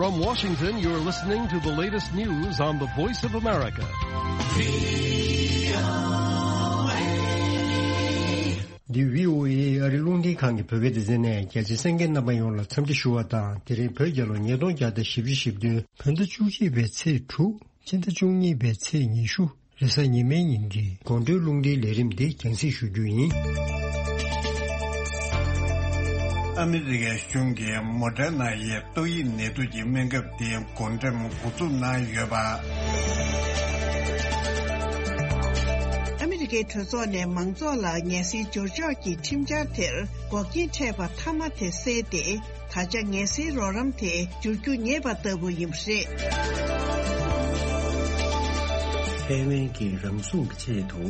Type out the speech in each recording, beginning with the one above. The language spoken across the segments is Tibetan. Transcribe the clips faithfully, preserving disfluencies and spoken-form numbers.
From Washington, you're listening to the latest news on the Voice of America. འདི་བྷི་ཨོ་ཨེ་ཨ་རི་རླུང་འཕྲིན་ཁང་གི་བོད་སྐད་སྡེ་ཚན་ནས། རྒྱ་ཆེ་གསན་མཁན་རྣམ་པ་ཡོངས་ལ་འཚམས་འདྲི་ཞུ་བ་དང་། དེ་རིང་བོད་རྒྱལ་ལོ་ཉིས་སྟོང་བརྒྱ་དང་བཞི་བཅུ་ཞེ་བདུན། བོད་ཟླ་བཅུ་གཅིག་པའི་ཚེས་དྲུག་སྤྱི་ཟླ་བཅུ་གཉིས་པའི་ཚེས་ཉི་ཤུ། རེས་གཟའ་ཉི་མའི་ཉིན་གྱི་དགོང་དྲོའི་རླུང་འཕྲིན་ལས་རིམ་འདི་རྒྱང་སྲིང་ཞུ་རྒྱུ་ཡིན། ཨ་མི་རི་ཀའི་གཞུང་གིས་མོ་ཊའི་ནང་ཡོད་ཏོག་དབྱིབས་ནད་དུག་གི་སྨན་ཁབ་དེ་བགོ་འགྲེམས་འགོ་འཛུགས་གནང་ཡོད་པ། ཨ་མི་རི་ཀའི་གྲོས་ཚོགས་ནས་མང་ཚོགས་ལ་ངལ་སེལ་འབྱོར་ཆོག་གི་ཁྲིམས་འཆར་དེར་འགོག་རྐྱེན་འཕྲད་པ་མཐའ་མ་དེ་བསལ་ཏེ། ད་ཆ་ངལ་སེལ་རོགས་རམ་དེ་འབྱོར་རྒྱུ་ཉེ་བ་ལྟ་བུ་ཡིན་པ་རེད། ཐའེ་ཝན་གྱིས་རང་སྲུང་གི་ཆེད་དུ་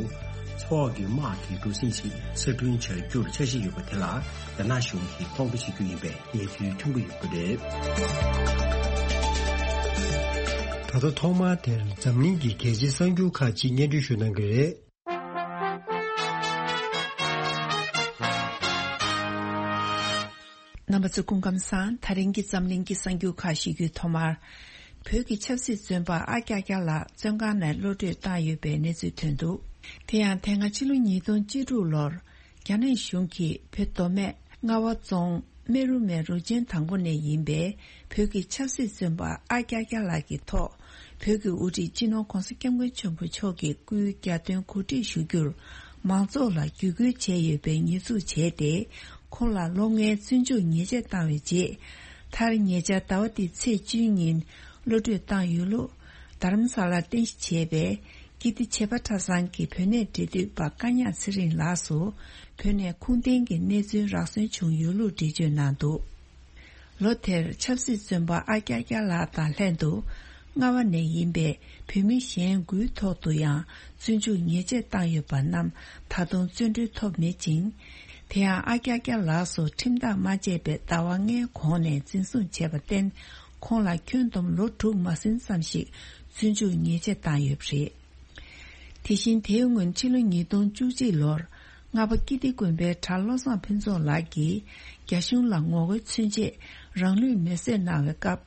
མཚོ་འོག་གི་དམག་གི་གྲུ་གཟིངས་ཤིག་གསར་སྐྲུན་བྱ་རྒྱུར་འཆར་གཞི་ཡོད་པ་དེ་ལ། རྒྱ་ནག་གཞུང་གིས་ཁོང་ཁྲོ་བྱེད་རྒྱུ་ཡིན་པའི་གནས་ཚུལ་ཐོན་གྱི་ཡོད་པ་རེད། ད་ལྟ་ཐོག་མར་དེར་འཛམ་གླིང་གི་གལ་ཆེའི་གསར་འགྱུར་ཁག་ཅིག་སྙན་སྒྲོན་ཞུ་གནང་གི་རེད། རྣམ་པ་ཚོ་སྐུ་ཁམས་བཟང་། ད་རིང་གི་འཛམ་གླིང་གི་གསར་འགྱུར་ཁག་ཞུ་རྒྱུའི་ཐོག་མར། བོད་ཀྱི་ཆབ་སྲིད་བཙོན་པ་ཨ་ཀྱག་ཀྱག་ལགས་བཙོན་ཁང་ནས་གློད་གྲོལ་བཏང་ཡོད་པའི་གནས་ཚུལ་ཐོན་འདུག། དེ་ཡང་དེ་སྔ་ཕྱི་ལོ་ཉིས་སྟོང་བཅུ་དྲུག་ལོར། རྒྱ་ནག་གཞུང་གིས་བོད་མདོ་སྨད་རྔ་བ་རྫོང་སྨད་རུ་མའི་རུ་ཆེན་དང་པོ་ནས་ཡིན་པའི་བོད་ཀྱི་ཆབ་སྲིད་བཙོན་པ་ཨ་ཀྱག་ཀྱག་ལགས་ཀྱི་ཐོག་བོད་ཀྱི་དབུ་ཁྲིད་སྤྱི་ནོར་༧གོང་ས་༧སྐྱབས་མགོན་ཆེན་པོ་མཆོག་གི་སྐུའི་རྒྱལ་དོན་གོ་སྒྲིག་ཞུ་རྒྱུར་མང་ཚོགས་ལ་བརྒྱུད་སྐུལ་བྱས་ཡོད་པའི་ཉེས་འཛུགས་བྱས་ཏེ། ཁོང་ལ་ལོ་ལྔའི་བཙོན་འཇུག་ཉེས་ཆད་བཏང་བའི་རྗེས། མཐར་ཉེ་ཆར་ཟླ་བ་འདིའི་ཚེས་བཅུའི་ཉིན་གློད་གྲོལ་བཏང་ཡོད་ལུགས། རྡ་རམ་ས་ལར་རྟེན་གཞི་བྱས་པའི་ཀིརྟི་བྱེས་པ་གྲྭ་ཚང་གི་བོད་གནས་འབྲེལ་མཐུད་པ་བཀའ་ཉག་ཚེ་རིང་ལགས་སུ་བོད་ནས་ཁུངས་ལྡན་གྱི་གནས་ཚུལ་རག་སོན་བྱུང་ཡོད་ལུགས་འགྲེལ་བརྗོད་གནང་འདུག། ལོ་དེར་ཆབ་སྲིད་བཙོན་པ་ཨ་ཀྱག་ཀྱག་ལགས་དང་ལྷན་དུ་རྔ་བ་ནས་ཡིན་པའི་བོད་མི་གཞན་དགུའི་ཐོག་ཏུ་ཡང་བཙོན་འཇུག་ཉེས་ཆད་བཏང་ཡོད་པ་རྣམས་ད་དུང་བཙོན་གྲོལ་ཐོབ་མེད་ཅིང་། དེ་ཡང་ཨ་ཀྱག་ཀྱག་ལགས་སུ་ཁྲིམས་ཐག་མ་བཅད་པའི་ཟླ་བ་ལྔའི་གོང་ནས་འཛིན་བཟུང་བྱས་པར་བརྟེན། ཁོང་ལ་ཁྱོན་བསྡོམས་ལོ་དྲུག་མ་ཟིན་ཙམ་ཞིག་བཙོན་འཇུག་ཉེས་ཆད་བཏང་ཡོད་པ་རེད། དེ་བཞིན་དེའི་སྔོན་ཕྱི་ལོ་ཉིས་སྟོང་བཅུ་གཅིག་ལོར་རྔ་པ་ཀིརྟི་དགོན་པའི་གྲྭ་བློ་བཟང་ཕུན་ཚོགས་ལགས་ཀྱིས་རྒྱ་གཞུང་ལ་ངོ་རྒོལ་མཚོན་ཆེད་རང་ལུས་མེར་སྲེག་གནང་བའི་སྐབས།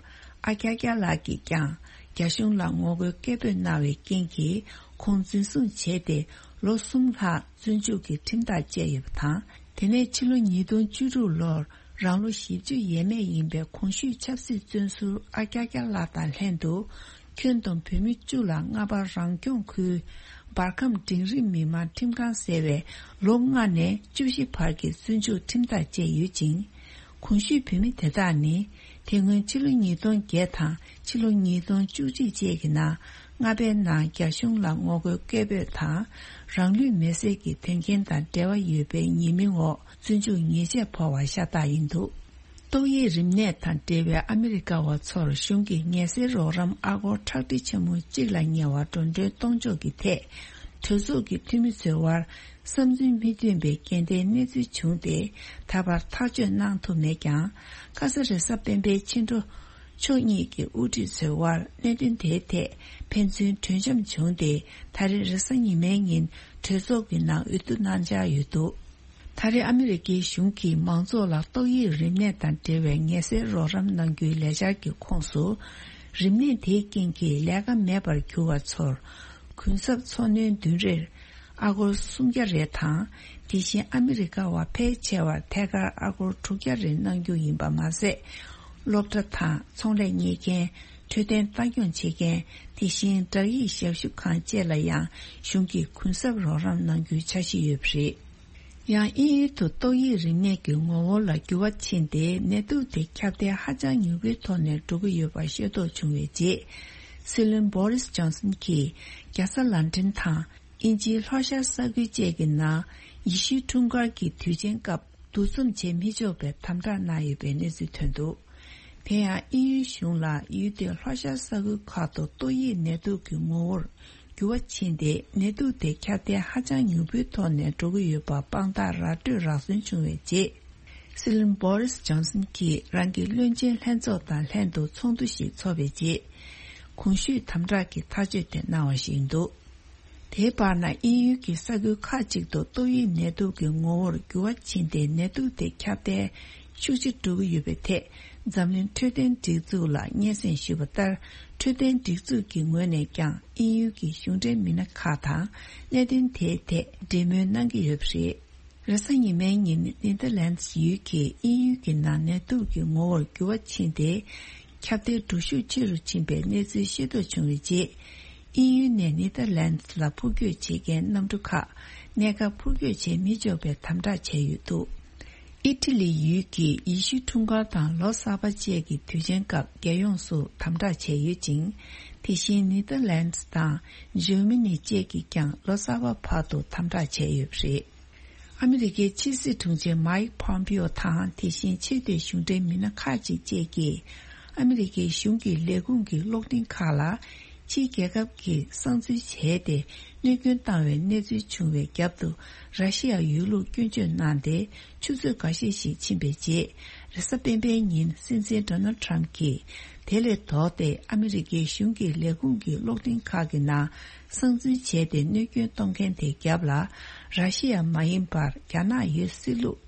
ཨ་ཀྱག་ཀྱག་ལགས་ཀྱིས་ཀྱང་རྒྱ་གཞུང་ལ་ངོ་རྒོལ་སྐད་འབོད་གནང་བའི་རྐྱེན་གྱིས་ཁོང་འཛིན་བཟུང་བྱས་ཏེ་ལོ་གསུམ་ལྷག་བཙོན་འཇུག་གི་ཁྲིམས་ཐག་བཅད་ཡོད་པ་དང་། དེ་ནས་ཕྱི་ལོ་ཉིས་སྟོང་བཅུ་དྲུག་ལོར་རང་ལོ་བཞི་བཅུ་ཡས་མས་ཡིན་པའི་གོང་ཞུས་ཆབ་སྲིད་བཙོན་ཟུར་ཨ་ཀྱག་ཀྱག་ལགས་དང་ལྷན་དུ་ཁྱོན་བསྡོམས་བོད་མི་བཅུ་ལ་རྔ་པ་རང་སྐྱོང་ཁུལ་འབར་ཁམས་འབྲིང་རིམ་མི་དམངས་ཁྲིམས་ཁང་ཟེར་བའི་ལོ་ལྔ་ནས་བཅུ་བཞི་བར་གྱི་བཙོན་འཇུག་ཁྲིམས་ཐག་བཅད་ཡོད་ཅིང་། གོང་ཞུས་བོད་མི་དེ་དག་ནི་དེ་སྔོན་ཕྱི་ལོ་ཉིས་སྟོང་བརྒྱད་དང་ཕྱི་ལོ་ཉིས་སྟོང་བཅུ་གཅིག་བཅས་ཀྱི་ནང་རྔ་པའི་ནང་རྒྱ་གཞུང་ལ་ངོ་རྒོལ་སྐད་འབོད་དང་རང་ལུས་མེར་སྲེག་གི་དོན་རྐྱེན་དང་འབྲེལ་བ་ཡོད་པའི་ཉེས་མིང་འོག་བཙོན་འཇུག་ཉེས་ཆད་ཕོག་པ་ཤ་སྟག་ཡིན་འདུག། ཏོག་དབྱིབས་རིམས་ནད་དང་འབྲེལ་བའི་ཨ་མི་རི་ཀ་བ་ཚོར་གཞུང་གིས་ངལ་སེལ་རོགས་རམ་ཨ་སྒོར་ཁྲག་ཁྲིག་ཆེན་མོ་གཅིག་ལ་ཉེ་བ་འགྲོ་གྲོན་གཏོང་ཕྱོགས་ཀྱི་ཐད་གྲོས་ཚོགས་ཀྱི་འཐུས་མི་ཚོའི་དབར་བསམ་ཚུལ་མི་མཐུན་པའི་འགལ་ཟླའི་གནས་ཚུལ་བྱུང་སྟེ། ད་བར་ཐག་གཅོད་གནང་ཐུབ་མེད་ཀྱང་། ཁ་ས་རེས་གཟའ་སྤེན་པའི་ཕྱི་དྲོ་ཕྱོགས་གཉིས་ཀྱི་དབུ་ཁྲིད་ཚོའི་དབར་གནད་དོན་དེའི་ཐད་ཕན་ཚུན་གྲོས་འཆམ་བྱུང་སྟེ། ད་རེས་རེས་གཟའ་ཉི་མའི་ཉིན་གྲོས་ཚོགས་ཀྱི་ནང་འོས་བསྡུ་གནང་འཆར་ཡོད་འདུག། ད་རེས་ཨ་མི་རི་ཀའི་གཞུང་གིས་མང་ཚོགས་ལ་ཏོག་དབྱིབས་རིམས་ནད་དང་འབྲེལ་བའི་ངལ་སེལ་རོགས་རམ་གནང་རྒྱུའི་ལས་འཆར་གྱི་ཁོངས་སུ། རིམས་ནད་དེའི་རྐྱེན་གྱིས་ལས་ཀ་མེད་པར་གྱུར་བ་ཚོར་གུན་གསབ་འཚོ་སྣོན་བདུན་རེར་ཨ་སྒོར་སུམ་བརྒྱ་རེ་དང་། དེ་བཞིན་ཨ་མི་རི་ཀ་བ་ཕལ་ཆེ་བར་ཐད་ཀར་ཨ་སྒོར་དྲུག་བརྒྱ་རེ་གནང་རྒྱུ་ཡིན་པ་མ་ཟད། སློབ་གྲྭ་དང་ཚོང་ལས་གཉེར་མཁན། འཕྲོད་བསྟེན་ལྟ་སྐྱོང་བྱེད་མཁན། དེ་བཞིན་བསྒྲགས་ཡིག་ཞབས་ཞུ་ཁང་བཅས་ལ་ཡང་གཞུང་གིས་གུན་གསབ་རོགས་རམ་གནང་རྒྱུའི་འཆར་གཞི་ཡོད་པ་རེད། ཡང་དབྱིན་ཡུལ་དུ་ཏོག་དབྱིབས་རིམས་ནད་ཀྱི་ངོ་བོ་ལ་འགྱུར་བ་ཕྱིན་ཏེ། ནད་དུག་དེ་ཁྱབ་གདལ་ཧ་ཅང་མྱུར་པོའི་ཐོག་ནས་འགྲོ་གི་ཡོད་པ་ཤེས་རྟོགས་བྱུང་བའི་རྗེས། སྲིད་བློན་བྷོ་རིས་ཇོན་སན་གྱིས་རྒྱལ་ས་ལན་ཀྲན་དང་དབྱིན་ཇིའི་ལྷོ་ཤར་ས་ཁུལ་བཅས་ཀྱི་ནང་ཡེ་ཤུའི་འཁྲུངས་སྐར་གྱི་དུས་ཆེན་སྐབས་འདུ་འཛོམས་བྱེད་མི་ཆོག་པའི་དམ་དྲག་གནང་ཡོད་པའི་གནས་ཚུལ་ཐོན་འདུག། དེ་ཡང་དབྱིན་ཡུལ་གཞུང་ལ་ཡུལ་དེའི་ལྷོ་ཤར་ས་ཁུལ་ཁག་ཏུ་ཏོག་དབྱིབས་ནད་དུག་གི་ངོ་བོར་འགྱུར་བ་ཕྱིན་ཏེ། ནད་དུག་དེ་ཁྱབ་གདལ་ཧ་ཅང་མྱུར་པོའི་ཐོག་ནས་འགྲོ་གི་ཡོད་པ་དཔང་རྟགས་ར་སྤྲོད་རག་སོན་བྱུང་བའི་རྗེས། སྲིད་བློན་བྷོ་རིས་ཇོན་སན་གྱིས་རང་གི་བློན་ཆེན་ལྷན་ཚོགས་དང་ལྷན་དུ་ཚོགས་འདུ་ཞིག་ཚོགས་པའི་རྗེས། གོང་ཞུས་དམ་དྲག་གི་ཐག་གཅོད་དེ་གནང་བ་ཞིག་ཡིན་འདུག། དེའི་བར་ན་དབྱིན་ཡུལ་གྱི་ས་ཁུལ་ཁག་ཅིག་ཏུ་ཏོག་དབྱིབས་ནད་དུག་གི་ངོ་བོར་འགྱུར་བ་ཕྱིན་ཏེ། ནད་དུག་དེ་ཁྱབ་གདལ་ཤུགས་ཆེ་འགྲོ་གི་ཡོད་པའི་ཐད་ འཛམ་གླིང་འཕྲོད་བསྟེན་སྒྲིག་འཛུགས་ལ་སྙན་སེང་ཞུས་པ་ལྟར། འཕྲོད་བསྟེན་སྒྲིག་འཛུགས་ཀྱི་ངོས་ནས་ཀྱང་དབྱིན་ཡུལ་གྱི་གཞུང་འབྲེལ་མི་སྣ་ཁག་དང་གནད་དོན་དེའི་ཐད་འབྲེལ་མོལ་གནང་གི་ཡོད་པ་རེད། རེས་གཟའ་ཉི་མའི་ཉིན་ནེ་ཐར་ལན་ཌི་ཡུལ་གྱིས་དབྱིན་ཡུལ་གྱི་ནང་ནད་དུག་གི་ངོ་བོར་འགྱུར་བ་ཕྱིན་ཏེ། ཁྱབ་གདལ་འགྲོ་ཤུགས་ཆེ་རུ་ཕྱིན་པའི་གནས་ཚུལ་ཤེས་རྟོགས་བྱུང་བའི་རྗེས། དབྱིན་ཡུལ་ནས་ནེ་ཐར་ལན་ཌི་ལ་འཕུར་སྐྱོད་བྱེད་མཁན་གནམ་གྲུ་ཁག་གནས་སྐབས་འཕུར་སྐྱོད་བྱེད་མི་ཆོག་པའི་དམ་དྲག་བྱས་ཡོད་འདུག་ཨི་ཊ་ལི་ཡུལ་གྱིས་ཡེ་ཤུའི་འཁྲུངས་སྐར་དང་ལོ་གསར་པ་བཅས་ཀྱི་དུས་ཆེན་སྐབས་རྒྱལ་ཡོངས་སུ་དམ་དྲག་བྱས་ཡོད་ཅིང་། དེ་བཞིན་ནེ་ཐར་ལན་ཌི་དང་འཇར་མ་ནི་བཅས་ཀྱིས་ཀྱང་ལོ་གསར་པ་བར་དུ་དམ་དྲག་བྱས་ཡོད་པ་རེད། ཨ་མི་རི་ཀའི་ཕྱི་སྲིད་དྲུང་ཆེ་མའིག་པོམ་པིའོ་དང་དེ་བཞིན་ཆེས་མཐོའི་གཞུང་འབྲེལ་མི་སྣ་ཁག་ཅིག་བཅས་ཀྱིས་ཨ་མི་རི་ཀའི་གཞུང་གི་ལས་ཁུངས་ཀྱི་གློག་འཕྲིན་ཁག་ལ། ཕྱིའི་རྒྱལ་ཁབ་ཀྱིས་གསང་འཛུལ་བྱས་ཏེ་གནོད་སྐྱོན་བཏང་བའི་གནས་ཚུལ་བྱུང་བའི་རྒྱབ་ཏུ། ར་ཤི་ཡ་ཡོད་ལུགས་སྐྱོན་བརྗོད་གནང་སྟེ། ཆུ་ཚོད་འགའ་ཤས་ཤིག་ཕྱིན་པའི་རྗེས། རེས་གཟའ་སྤེན་པའི་ཉིན་སྲིད་འཛིན་ཌོ་ནལ་ཊམ་གྱིས་དེ་ལས་ལྡོག་སྟེ། ཨ་མི་རི་ཀའི་གཞུང་གི་ལས་ཁུངས་ཀྱི་གློག་འཕྲིན་ཁག་གི་ནང་གསང་འཛུལ་བྱས་ཏེ་གནོད་སྐྱོན་གཏོང་མཁན་དེའི་རྒྱབ་ལ། ར་ཤི་ཡ་མ་ཡིན་པར་རྒྱ་ནག་ཡོད་སྲིད་ལུགས།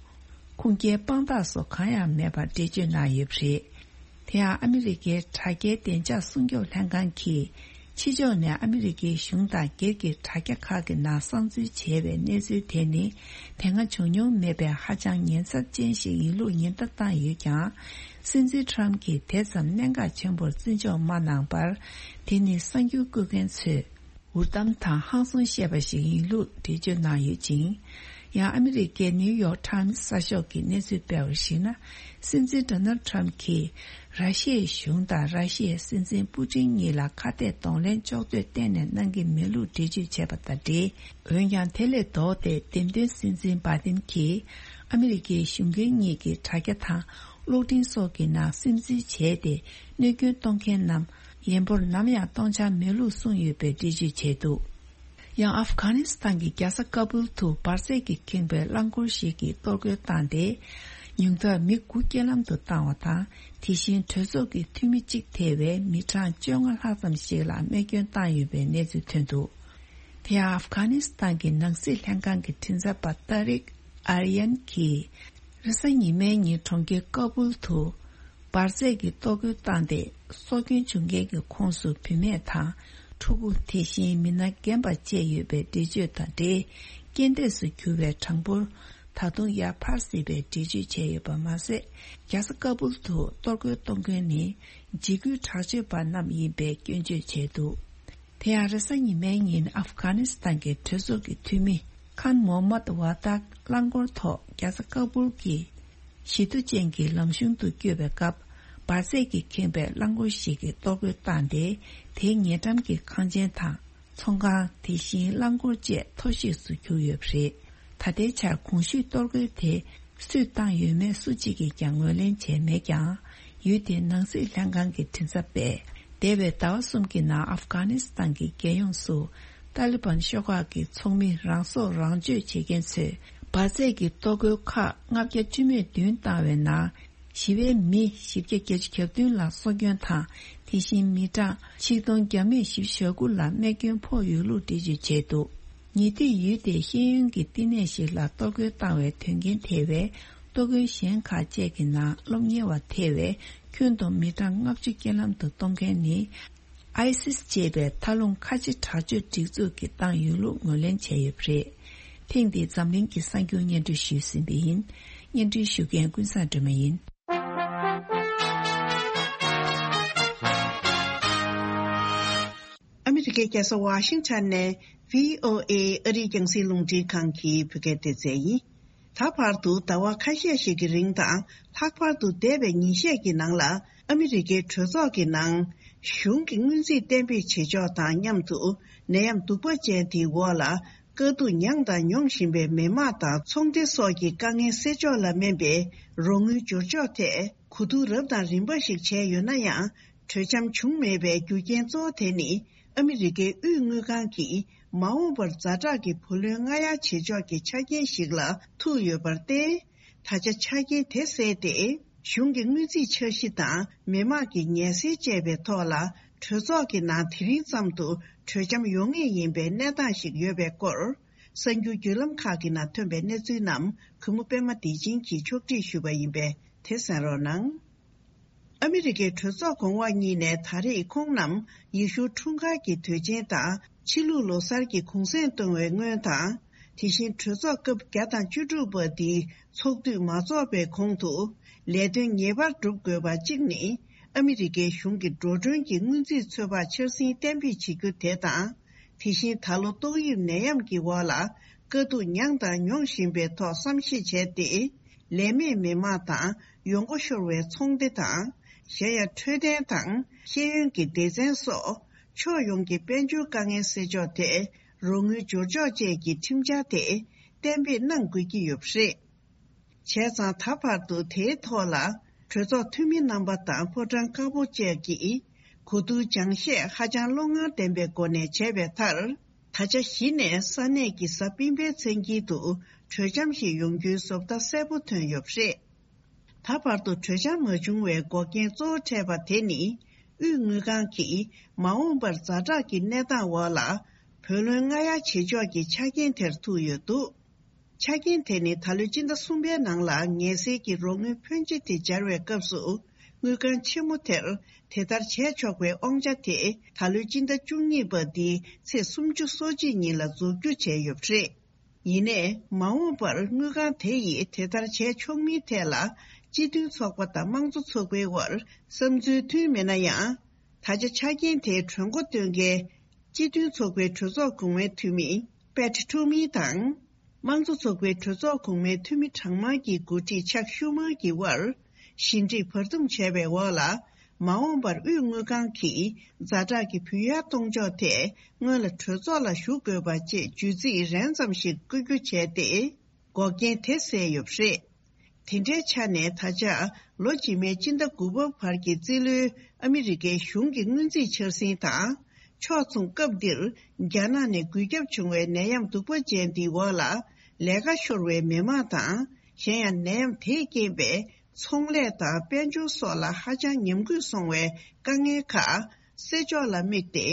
ཁུངས་སྐྱེལ་དཔང་རྟགས་སོགས་གང་ཡང་མེད་པར་འགྲེལ་བརྗོད་གནང་ཡོད་པ་རེད། དེ་ཡང་ཨ་མི་རི་ཀའི་དྲ་རྒྱའི་བདེ་འཇགས་སྲུང་སྐྱོབ་ལྷན་ཁང་གིས། ཕྱི་ཕྱོགས་ནས་ཨ་མི་རི་ཀའི་གཞུང་དང་སྒེར་གྱི་དྲ་རྒྱ་ཁག་གི་ནང་གསང་འཛུལ་བྱས་པའི་གནས་ཚུལ་དེ་ནི། དེ་སྔ་བྱུང་མྱོང་མེད་པའི་ཧ་ཅང་ཉེན་ཚབས་ཅན་ཞིག་ཡིན་ལུགས་ཉེན་བརྡ་བཏང་ཡོད་ཀྱང་། སྲིད་འཛིན་ཊམ་གྱིས་དེ་ཙམ་གནད་འགག་ཆེན་པོར་བརྩི་འཇོག་མ་གནང་བར། དེ་ནི་གསར་འགྱུར་བཀོད་མཁན་ཚོས། འུར་གཏམ་དང་ཧང་སང་བཤད་པ་ཞིག་ཡིན་ལུགས་འགྲེལ་བརྗོད་གནང་ཡོད་ཅིང་། ཡང་ཨ་མི་རི་ཀའི་ནིའུ་ཡོག་ཊམ་གསར་ཤོག་གིས་གནས་ཚུལ་སྤེལ་བར་གཞིགས་ན། སྲིད་འཛིན་ཌོ་ནལ་ཊམ་གྱིས་ར་ཤི་ཡའི་གཞུང་དང་ར་ཤི་ཡའི་སྲིད་འཛིན་པུ་ཏིན་གཉིས་ལ་ཁ་གཏད་གདོང་ལེན་ཕྱོགས་བསྡུས་གཏན་ནས་གནང་གི་མེད་ལུགས་འགྲེལ་བརྗོད་བྱས་པ་དང་འབྲེལ། འོན་ཀྱང་དེ་ལས་ལྡོག་སྟེ། འདེམས་ཐོན་སྲིད་འཛིན་བྷའི་ཏིན་གྱིས་ཨ་མི་རི་ཀའི་གཞུང་འགན་གཉིས་ཀྱི་དྲ་རྒྱ་དང་གློག་འཕྲིན་སོགས་ཀྱི་ནང་སིམ་འཛུལ་བྱས་ཏེ། གནོད་སྐྱོན་གཏོང་མཁན་རྣམས་ཡན་པོར་ནམ་ཡང་གཏོང་འཆར་མེད་ལུགས་གསུངས་ཡོད་པའི་འགྲེལ་བརྗོད་བྱས་འདུག་ཡང་ཨབ་གྷ་ནི་སི་ཐན་གྱི་རྒྱལ་ས་ཀ་བུལ་དུ་འབར་རྫས་ཀྱིས་ཁེངས་པའི་རླངས་འཁོར་ཞིག་གིས་གཏོར་རྒོལ་བཏང་སྟེ། ཉུང་མཐར་མི་དགུ་རྐྱེན་ལམ་དུ་བཏང་བ་དང་། དེ་བཞིན་གྲོས་ཚོགས་ཀྱི་འཐུས་མི་གཅིག་ཐེ་བའི་མི་གྲངས་བཅོ་ལྔ་ལྷག་ཙམ་ཞིག་ལ་རྨས་སྐྱོན་བཏང་ཡོད་པའི་གནས་ཚུལ་ཐོན་འདུག་དེ་ཡང་ཨབ་གྷ་ནི་སི་ཐན་གྱི་ནང་སྲིད་ལྷན་ཁང་གི་མགྲིན་ཚབ་པ་ཏཱ་རིག་ཨར་ཡན་གྱིས། རེས་གཟའ་ཉི་མའི་ཉིན་གྲོང་ཁྱེར་ཀ་བུལ་དུ། འབར་རྫས་ཀྱིས་གཏོར་རྒོལ་བཏང་སྟེ། སྲོག་སྐྱོན་བྱུང་མཁན་གྱི་ཁོངས་སུ་བུད་མེད་དང་། ཕྲུ་གུ། དེ་བཞིན་མི་སྣ་རྒན་པ་བཅས་ཡོད་པའི་འགྲེལ་བརྗོད་དང་འབྲེལ། རྐྱེན་འདས་སུ་གྱུར་བའི་གྲངས་འབོར་ད་དུང་ཡར་འཕར་སྲིད་པའི་འགྲེལ་བརྗོད་བྱས་ཡོད་པ་མ་ཟད། རྒྱལ་ས་ཀ་བུལ་དུ་གཏོར་རྒོལ་གཏོང་མཁན་ནི། འཇིགས་སྐུལ་དྲག་སྤྱོད་པ་རྣམས་ཡིན་པའི་སྐྱོན་བརྗོད་བྱས་འདུག་དེ་ཡང་རེས་གཟའ་ཉི་མའི་ཉིན་ཨབ་གྷ་ནི་སི་ཐན་གྱི་གྲོས་ཚོགས་ཀྱི་འཐུས་མི་ཁཱན་མོ་མད་ཝ་ཏཱག་རླངས་འཁོར་ཐོག་རྒྱལ་ས་ཀ་བུལ་གྱི་ཞི་མཐུན་ཅན་གྱི་ལམ་གཞུང་དུ་བསྐྱོད་པའི་སྐབས། འབར་རྫས་ཀྱིས་ཁེངས་པའི་རླངས་འཁོར་ཞིག་གིས་གཏོར་རྒོལ་བཏང་སྟེ། དེའི་ཉེ་འགྲམ་གྱི་ཁང་ཆེན་དང་། ཚོང་ཁང་། དེ་བཞིན་རླངས་འཁོར་བཅས་མཐོ་གཤིས་སུ་གྱུར་ཡོད་པ་རེད། ད་ལྟའི་ཆར་གོང་ཞུས་གཏོར་རྒོལ་དེ་སུས་བཏང་ཡོད་མེད་སུ་གཅིག་གིས་ཀྱང་ངོས་ལེན་བྱས་མེད་ཀྱང་། ཡུལ་དེའི་ནང་སྲིད་ལྷན་ཁང་གི་མགྲིན་ཚབ་པས། འདས་པའི་ཟླ་བ་གསུམ་གྱི་ནང་ཨབ་གྷ་ནི་སི་ཐན་གྱི་རྒྱལ་ཡོངས་སུ་ཏཱ་ལི་བན་ཤོག་ཁག་གི་ཚོགས་མི་རང་སྲོག་རང་གཅོད་བྱེད་མཁན་ཚོས། འབར་རྫས་ཀྱི་གཏོར་རྒོལ་ཁག་ལྔ་བརྒྱ་བཅུ་མེད་བདུན་བཏང་བའི་ནང་། ཞི་བའི་མི་བཞི་བརྒྱ་བརྒྱད་ཅུ་གྱ་བདུན་ལ་སྲོག་སྐྱོན་དང་། དེ་བཞིན་མི་གྲངས་ཆིག་སྟོང་བརྒྱ་མེད་བཞི་བཅུ་ཞེ་དགུ་ལ་རྨས་སྐྱོན་ཕོག་ཡོད་ལུགས་འགྲེལ་བརྗོད་བྱས་འདུག་ཉེ་དུས་ཡུལ་དེའི་ཤེས་ཡོན་གྱི་བསྟི་གནས་ཤིག་ལ་གཏོར་རྒོལ་བཏང་བའི་དོན་རྐྱེན་ཐེ་བའི་གཏོར་རྒོལ་གཞན་ཁག་བཅས་ཀྱི་ནང་སློབ་གཉེར་བ་ཐེ་བའི་ཁྱོན་བསྡོམས་མི་གྲངས་ལྔ་བཅུ་རྐྱེན་ལམ་དུ་གཏོང་མཁན་ནི། ཨའི་སིས་ཅེས་པའི་མཐའ་ལྷུང་ཁ་ཆེ་དྲག་སྤྱོད་སྒྲིག་འཛུགས་ཀྱིས་བཏང་ཡོད་ལུགས་ངོས་ལེན་བྱས་ཡོད་པ་རེད། ཐེངས་འདིའི་འཛམ་གླིང་གི་གསར་འགྱུར་སྙན་སྒྲོན་ཞུས་ཟིན་པ་ཡིན། སྙན་སྒྲོན་ཞུ་མཁན་ཀུན་བཟང་སྒྲོལ་མ་ཡིན། ཨ་མི་རི་ཀའི་རྒྱལ་ས་ཝ་ཤིང་ཊོན་ནས་བྷི་ཨོ་ཨེ་ཨ་རིའི་རྒྱང་སྲིང་རླུང་འཕྲིན་ཁང་གི་བོད་སྐད་སྡེ་ཚན་ཡིན། ད་བར་དུ་ཟླ་བ་ཁ་ཤས་ཤིག་གི་རིང་དང་ལྷག་པར་དུ་འདས་པའི་ཉིན་ཤས་ཀྱི་ནང་ལ་ཨ་མི་རི་ཀའི་གྲོས་ཚོགས་ཀྱི་ནང་གཞུང་གི་སྔོན་རྩིས་གཏན་འབེབས་བྱེད་ཕྱོགས་དང་མཉམ་དུ་ནད་ཡམས་གདུག་པ་ཅན་དེའི་འོག་ལ་དཀའ་སྡུག་མྱངས་དང་མྱོང་བཞིན་པའི་མི་དམངས་དང་ཚོང་སྡེ་སོགས་ཀྱི་དཀའ་ངལ་སེལ་ཕྱོགས་ལ་སྨན་པའི་རོགས་དངུལ་སྦྱོར་ཕྱོགས་ཐད་གོ་བསྡུར་རབ་དང་རིམ་པ་ཞིག་བྱས་ཡོད་ན་ཡང་། གྲོས་འཆམ་བྱུང་མེད་པའི་རྒྱུ་རྐྱེན་གཙོ་བོ་དེ་ནི་ཨ་མི་རི་ཀའི་དབུས་དངུལ་ཁང་གིས་མ་འོངས་པར་ཛ་དྲག་གི་བུ་ལོན་སྔ་གཡར་བྱེད་ཕྱོགས་ཀྱི་ཆ་རྐྱེན་ཞིག་ལ་ཐུག་ཡོད་པར་བརྟེན། ད་ཆ་ཆ་རྐྱེན་དེ་སེལ་ཏེ། གཞུང་གི་དངུལ་རྩིས་འཆར་གཞི་དང་མི་དམངས་ཀྱི་ཉེན་སེལ་བཅས་པའི་ཐོག་ལ་གྲོས་ཚོགས་ཀྱི་ནང་དེ་རིང་ཙམ་དུ་གྲོས་འཆམ་ཡོང་ངེས་ཡིན་པའི་གནས་སྟངས་ཤིག་ཡོད་པའི་སྐོར། གསར་འགྱུར་བརྒྱུད་ལམ་ཁག་གི་ནང་ཐོན་པའི་གནས་ཚུལ་རྣམས་གུས་མོ་པད་མ་བདེ་ཆེན་གྱིས་ཕྱོགས་སྒྲིག་ཞུས་པ་ཡིན་པས་དེ་གསན་རོགས་གནང་། ཨ་མི་རི་ཀའི་གྲོས་ཚོགས་གོང་འོག་གཉིས་ནས་ད་རེས་ཁོང་རྣམས་ཡེ་ཤུ་འཁྲུངས་སྐར་གྱི་དུས་ཆེན་དང་ཕྱི་ལུགས་ལོ་གསར་གྱི་གུང་གསེང་གཏོང་བའི་སྔོན་དང་། དེ་བཞིན་གྲོས་ཚོགས་སྐབས་བརྒྱ་དང་བཅུ་དྲུག་པ་འདིའི་ཚོགས་དུས་མ་རྫོགས་པའི་གོང་དུ་ལས་དོན་ངེས་པར་སྒྲུབ་དགོས་པ་གཅིག་ནི། ཨ་མི་རི་ཀའི་གཞུང་གི་འགྲོ་གྲོན་གྱི་སྔོན་རྩིས་ཚོད་དཔག་འཆར་ཟིན་གཏན་འབེབས་བྱེད་རྒྱུ་དེ་དང་། དེ་བཞིན་ད་ལོ་ཏོག་དབྱིབས་ནད་ཡམས་ཀྱི་འོག་ལ་དཀའ་སྡུག་མྱངས་དང་མྱོང་བཞིན་པའི་ཐོག་བསམ་གཞིག་བྱས་ཏེ། ལས་མེད་མི་མང་དང་ཡོང་སྒོ་ཤོར་བའི་ཚོང་སྡེ་དང་། གཞན་ཡང་འཕྲོད་བསྟེན་དང་ཤེས་ཡོན་གྱི་སྡེ་ཚན་སོགས་ཕྱོགས་ཡོངས་ཀྱི་དཔལ་འབྱོར་དཀའ་ངལ་སེལ་ཕྱོགས་ཐད་རོགས་དངུལ་སྦྱོར་ཕྱོགས་བཅས་ཀྱི་ཁྲིམས་འཆར་དེ་གཏན་འབེབས་གནང་དགོས་ཀྱི་ཡོད་པ་རེད། བྱས་ཙང་ད་བར་དུ་དེའི་ཐོག་ལ་གྲོས་ཚོགས་འཐུས་མི་རྣམ་པ་དང་ཕོ་བྲང་དཀར་པོ་བཅས་ཀྱིས་གོ་བསྡུར་སྦྱང་བཤད་ཧ་ཅང་བློ་ངར་ལྡན་པའི་སྒོ་ནས་བྱས་པའི་མཐར། ད་ཆ་གཞི་ནས་ས་གནས་ཀྱི་གཟའ་སྤེན་པའི་མཚན་དཀྱིལ་དུ་གྲོས་འཆམ་ཞིག་ཡོང་རྒྱུའི་བཟོ་ལྟ་གསལ་པོ་ཐོན་ཡོད་པ་རེད། ད་བར་དུ་གྲོས་འཆམ་མ་བྱུང་བའི་འགོག་རྐྱེན་གཙོ་བོ་འཕྲད་པ་དེ་ནི། དབུས་དངུལ་ཁང་གིས་མ་འོངས་པར་ཛ་དྲག་གི་གནས་སྟངས་འོག་ལ་བུ་ལོན་སྔ་གཡར་བྱེད་ཕྱོགས་ཀྱི་ཆ་རྐྱེན་དེར་ཐུག་ཡོད་འདུག་ཆ་རྐྱེན་དེ་ནི་ད་ལོའི་སྤྱི་ཟླ་གསུམ་པའི་ནང་ལ་ངལ་སེལ་གྱི་རོགས་དངུལ་ཕོན་ཆེ་དེ་སྦྱར་བའི་སྐབས་སུ། དངུལ་ཁང་ཆེན་མོ་དེར་དེ་ལྟར་བྱས་ཆོག་པའི་དབང་ཆ་དེ་ད་ལོའི་སྤྱི་ཟླ་བཅུ་གཉིས་པ་འདིའི་ཚེས་སུམ་ཅུ་སོ་གཅིག་ཉིན་ལ་རྫོགས་རྒྱུ་བྱས་ཡོད་པ་རེད། ཡིན་ནའི། མ་འོངས་པར་དངུལ་ཁང་དེ་ཡིས་དེ་ལྟར་བྱས་ཆོག་མིན་ཐད་ལ། སྤྱི་མཐུན་ཚོགས་པ་དང་དམངས་གཙོ་ཚོགས་པའི་དབར་བསམ་ཚུལ་མཐུན་མེད་ན་ཡང་། ད་ཆ་ཆ་རྐྱེན་དེའི་གྲོས་འགོ་འདོན་མཁན། སྤྱི་མཐུན་ཚོགས་པའི་གྲོས་ཚོགས་གོང་མའི་འཐུས་མི་Pat Toomey དང་། དམངས་གཙོ་ཚོགས་པའི་གྲོས་ཚོགས་གོང་མའི་འཐུས་མི་གྲངས་མང་གི་འགོ་ཁྲིད་Chuck Schumer གྱི་དབར། ཞི་འགྲིག་བར་འདུམ་བྱས་པའི་འོག་ལ། མ་འོངས་པར་དབུས་དངུལ་ཁང་གིས་ཛ་དྲག་གི་བུ་ཡར་གཏོང་ཕྱོགས་ཐད་སྔོན་ལ་གྲོས་ཚོགས་ལ་ཞུ་དགོས་པ་བཅས་བརྗོད་ཚིག་རན་ཙམ་ཞིག་བཀོད་རྒྱུ་བྱས་ཏེ། འགོག་རྐྱེན་དེ་སེལ་ཡོད་པ་རེད། དེ་འདྲའི་ཆ་ནས་ད་ཆ་ལོ་རྗེས་མའི་སྤྱི་ཟླ་དགུ་པ་བར་གྱི་རྩིས་ལོའི་ཨ་མི་རི་ཀའི་གཞུང་གི་སྔོན་རྩིས་འཆར་ཟིན་དང་། ཕྱོགས་མཚུངས་སྐབས་འདིར་རྒྱ་ནག་ནས་འགོས་ཁྱབ་བྱུང་བའི་ནད་ཡམས་གདུག་པ་ཅན་འདིའི་འོག་ལ་ལས་ཀ་ཤོར་བའི་མི་མང་དང་། གཞན་ཡང་ནད་ཡམས་དེས་རྐྱེན་པས་ཚོང་ལས་དང་དཔལ་འབྱོར་སོགས་ལ་ཧ་ཅང་ཉམས་རྒུད་སོང་བའི་དཀའ་ངལ་ཁག་སེལ་ཕྱོགས་ལ་དམིགས་ཏེ།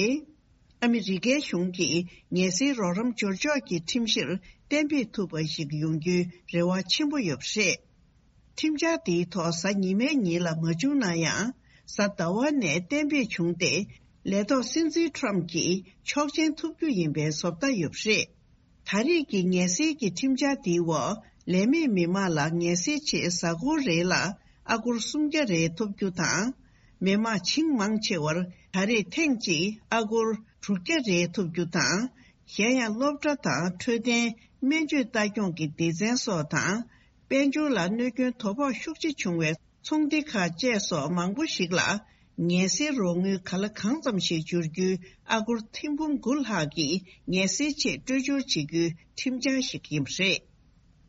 ཨ་མི་རི་ཀའི་གཞུང་གིས་ངལ་སེལ་རོགས་རམ་སྦྱོར་ཕྱོགས་ཀྱི་ཁྲིམས་གཞིར་གཏན་འབེབས་ཐུབ་པ་ཞིག་ཡོང་རྒྱུའི་རེ་བ་ཆེན་པོ་ཡོད་པ་རེད། ཁྲིམས་འཆར་འདིའི་ཐོག་གཟའ་ཉི་མའི་ཉིན་ལ་མ་བྱུང་ན་ཡང་། གཟའ་ཟླ་བ་ནས་གཏན་འབེབས་བྱུང་སྟེ། ལས་ཐོག་སྲིད་འཛིན་Trump གྱིས་ཆོག་མཆན་ཐོབ་རྒྱུ་ཡིན་པའི་བཟོ་ལྟ་ཡོད་པ་རེད། ད་རེས་ཀྱི་ངལ་སེལ་གྱི་ཁྲིམས་འཆར་འདིའི་འོག་ལས་མེད་མི་མང་ལ་ངལ་སེལ་ཆེད་གཟའ་འཁོར་རེ་ལ་ཨ་སྒོར་སུམ་བརྒྱ་རེ་ཐོབ་རྒྱུ་དང་། མི་མང་བྱིངས་མང་ཆེ་བར་ད་རེས་ཐེངས་གཅིག་ཨ་སྒོར་དྲུག་བརྒྱ་རེ་ཐོབ་རྒྱུ་དང་། གཞན་ཡང་སློབ་གྲྭ་དང་འཕྲོད་བསྟེན། སྨན་བཅོས་ལྟ་སྐྱོང་གི་སྡེ་ཚན་སོགས་དང་། དཔལ་འབྱོར་ལ་གནོད་སྐྱོན་དོ་ཕོག་ཤུགས་ཆེ་བྱུང་བའི་ཚོང་སྡེ་ཁག་བཅས་སོགས་མང་པོ་ཞིག་ལ། ངལ་སེལ་རོགས་དངུལ་ག་ལ་གང་ཙམ་ཞིག་འབྱོར་རྒྱུའི་ཨ་སྒོར་ཐེར་འབུམ་དགུ་ལྷག་གི་ངལ་སེལ་ཆེད་སྤྲོད་སྦྱོར་བྱེད་རྒྱུའི་ཁྲིམས་འཆར་ཞིག་ཡིན་པ་རེད།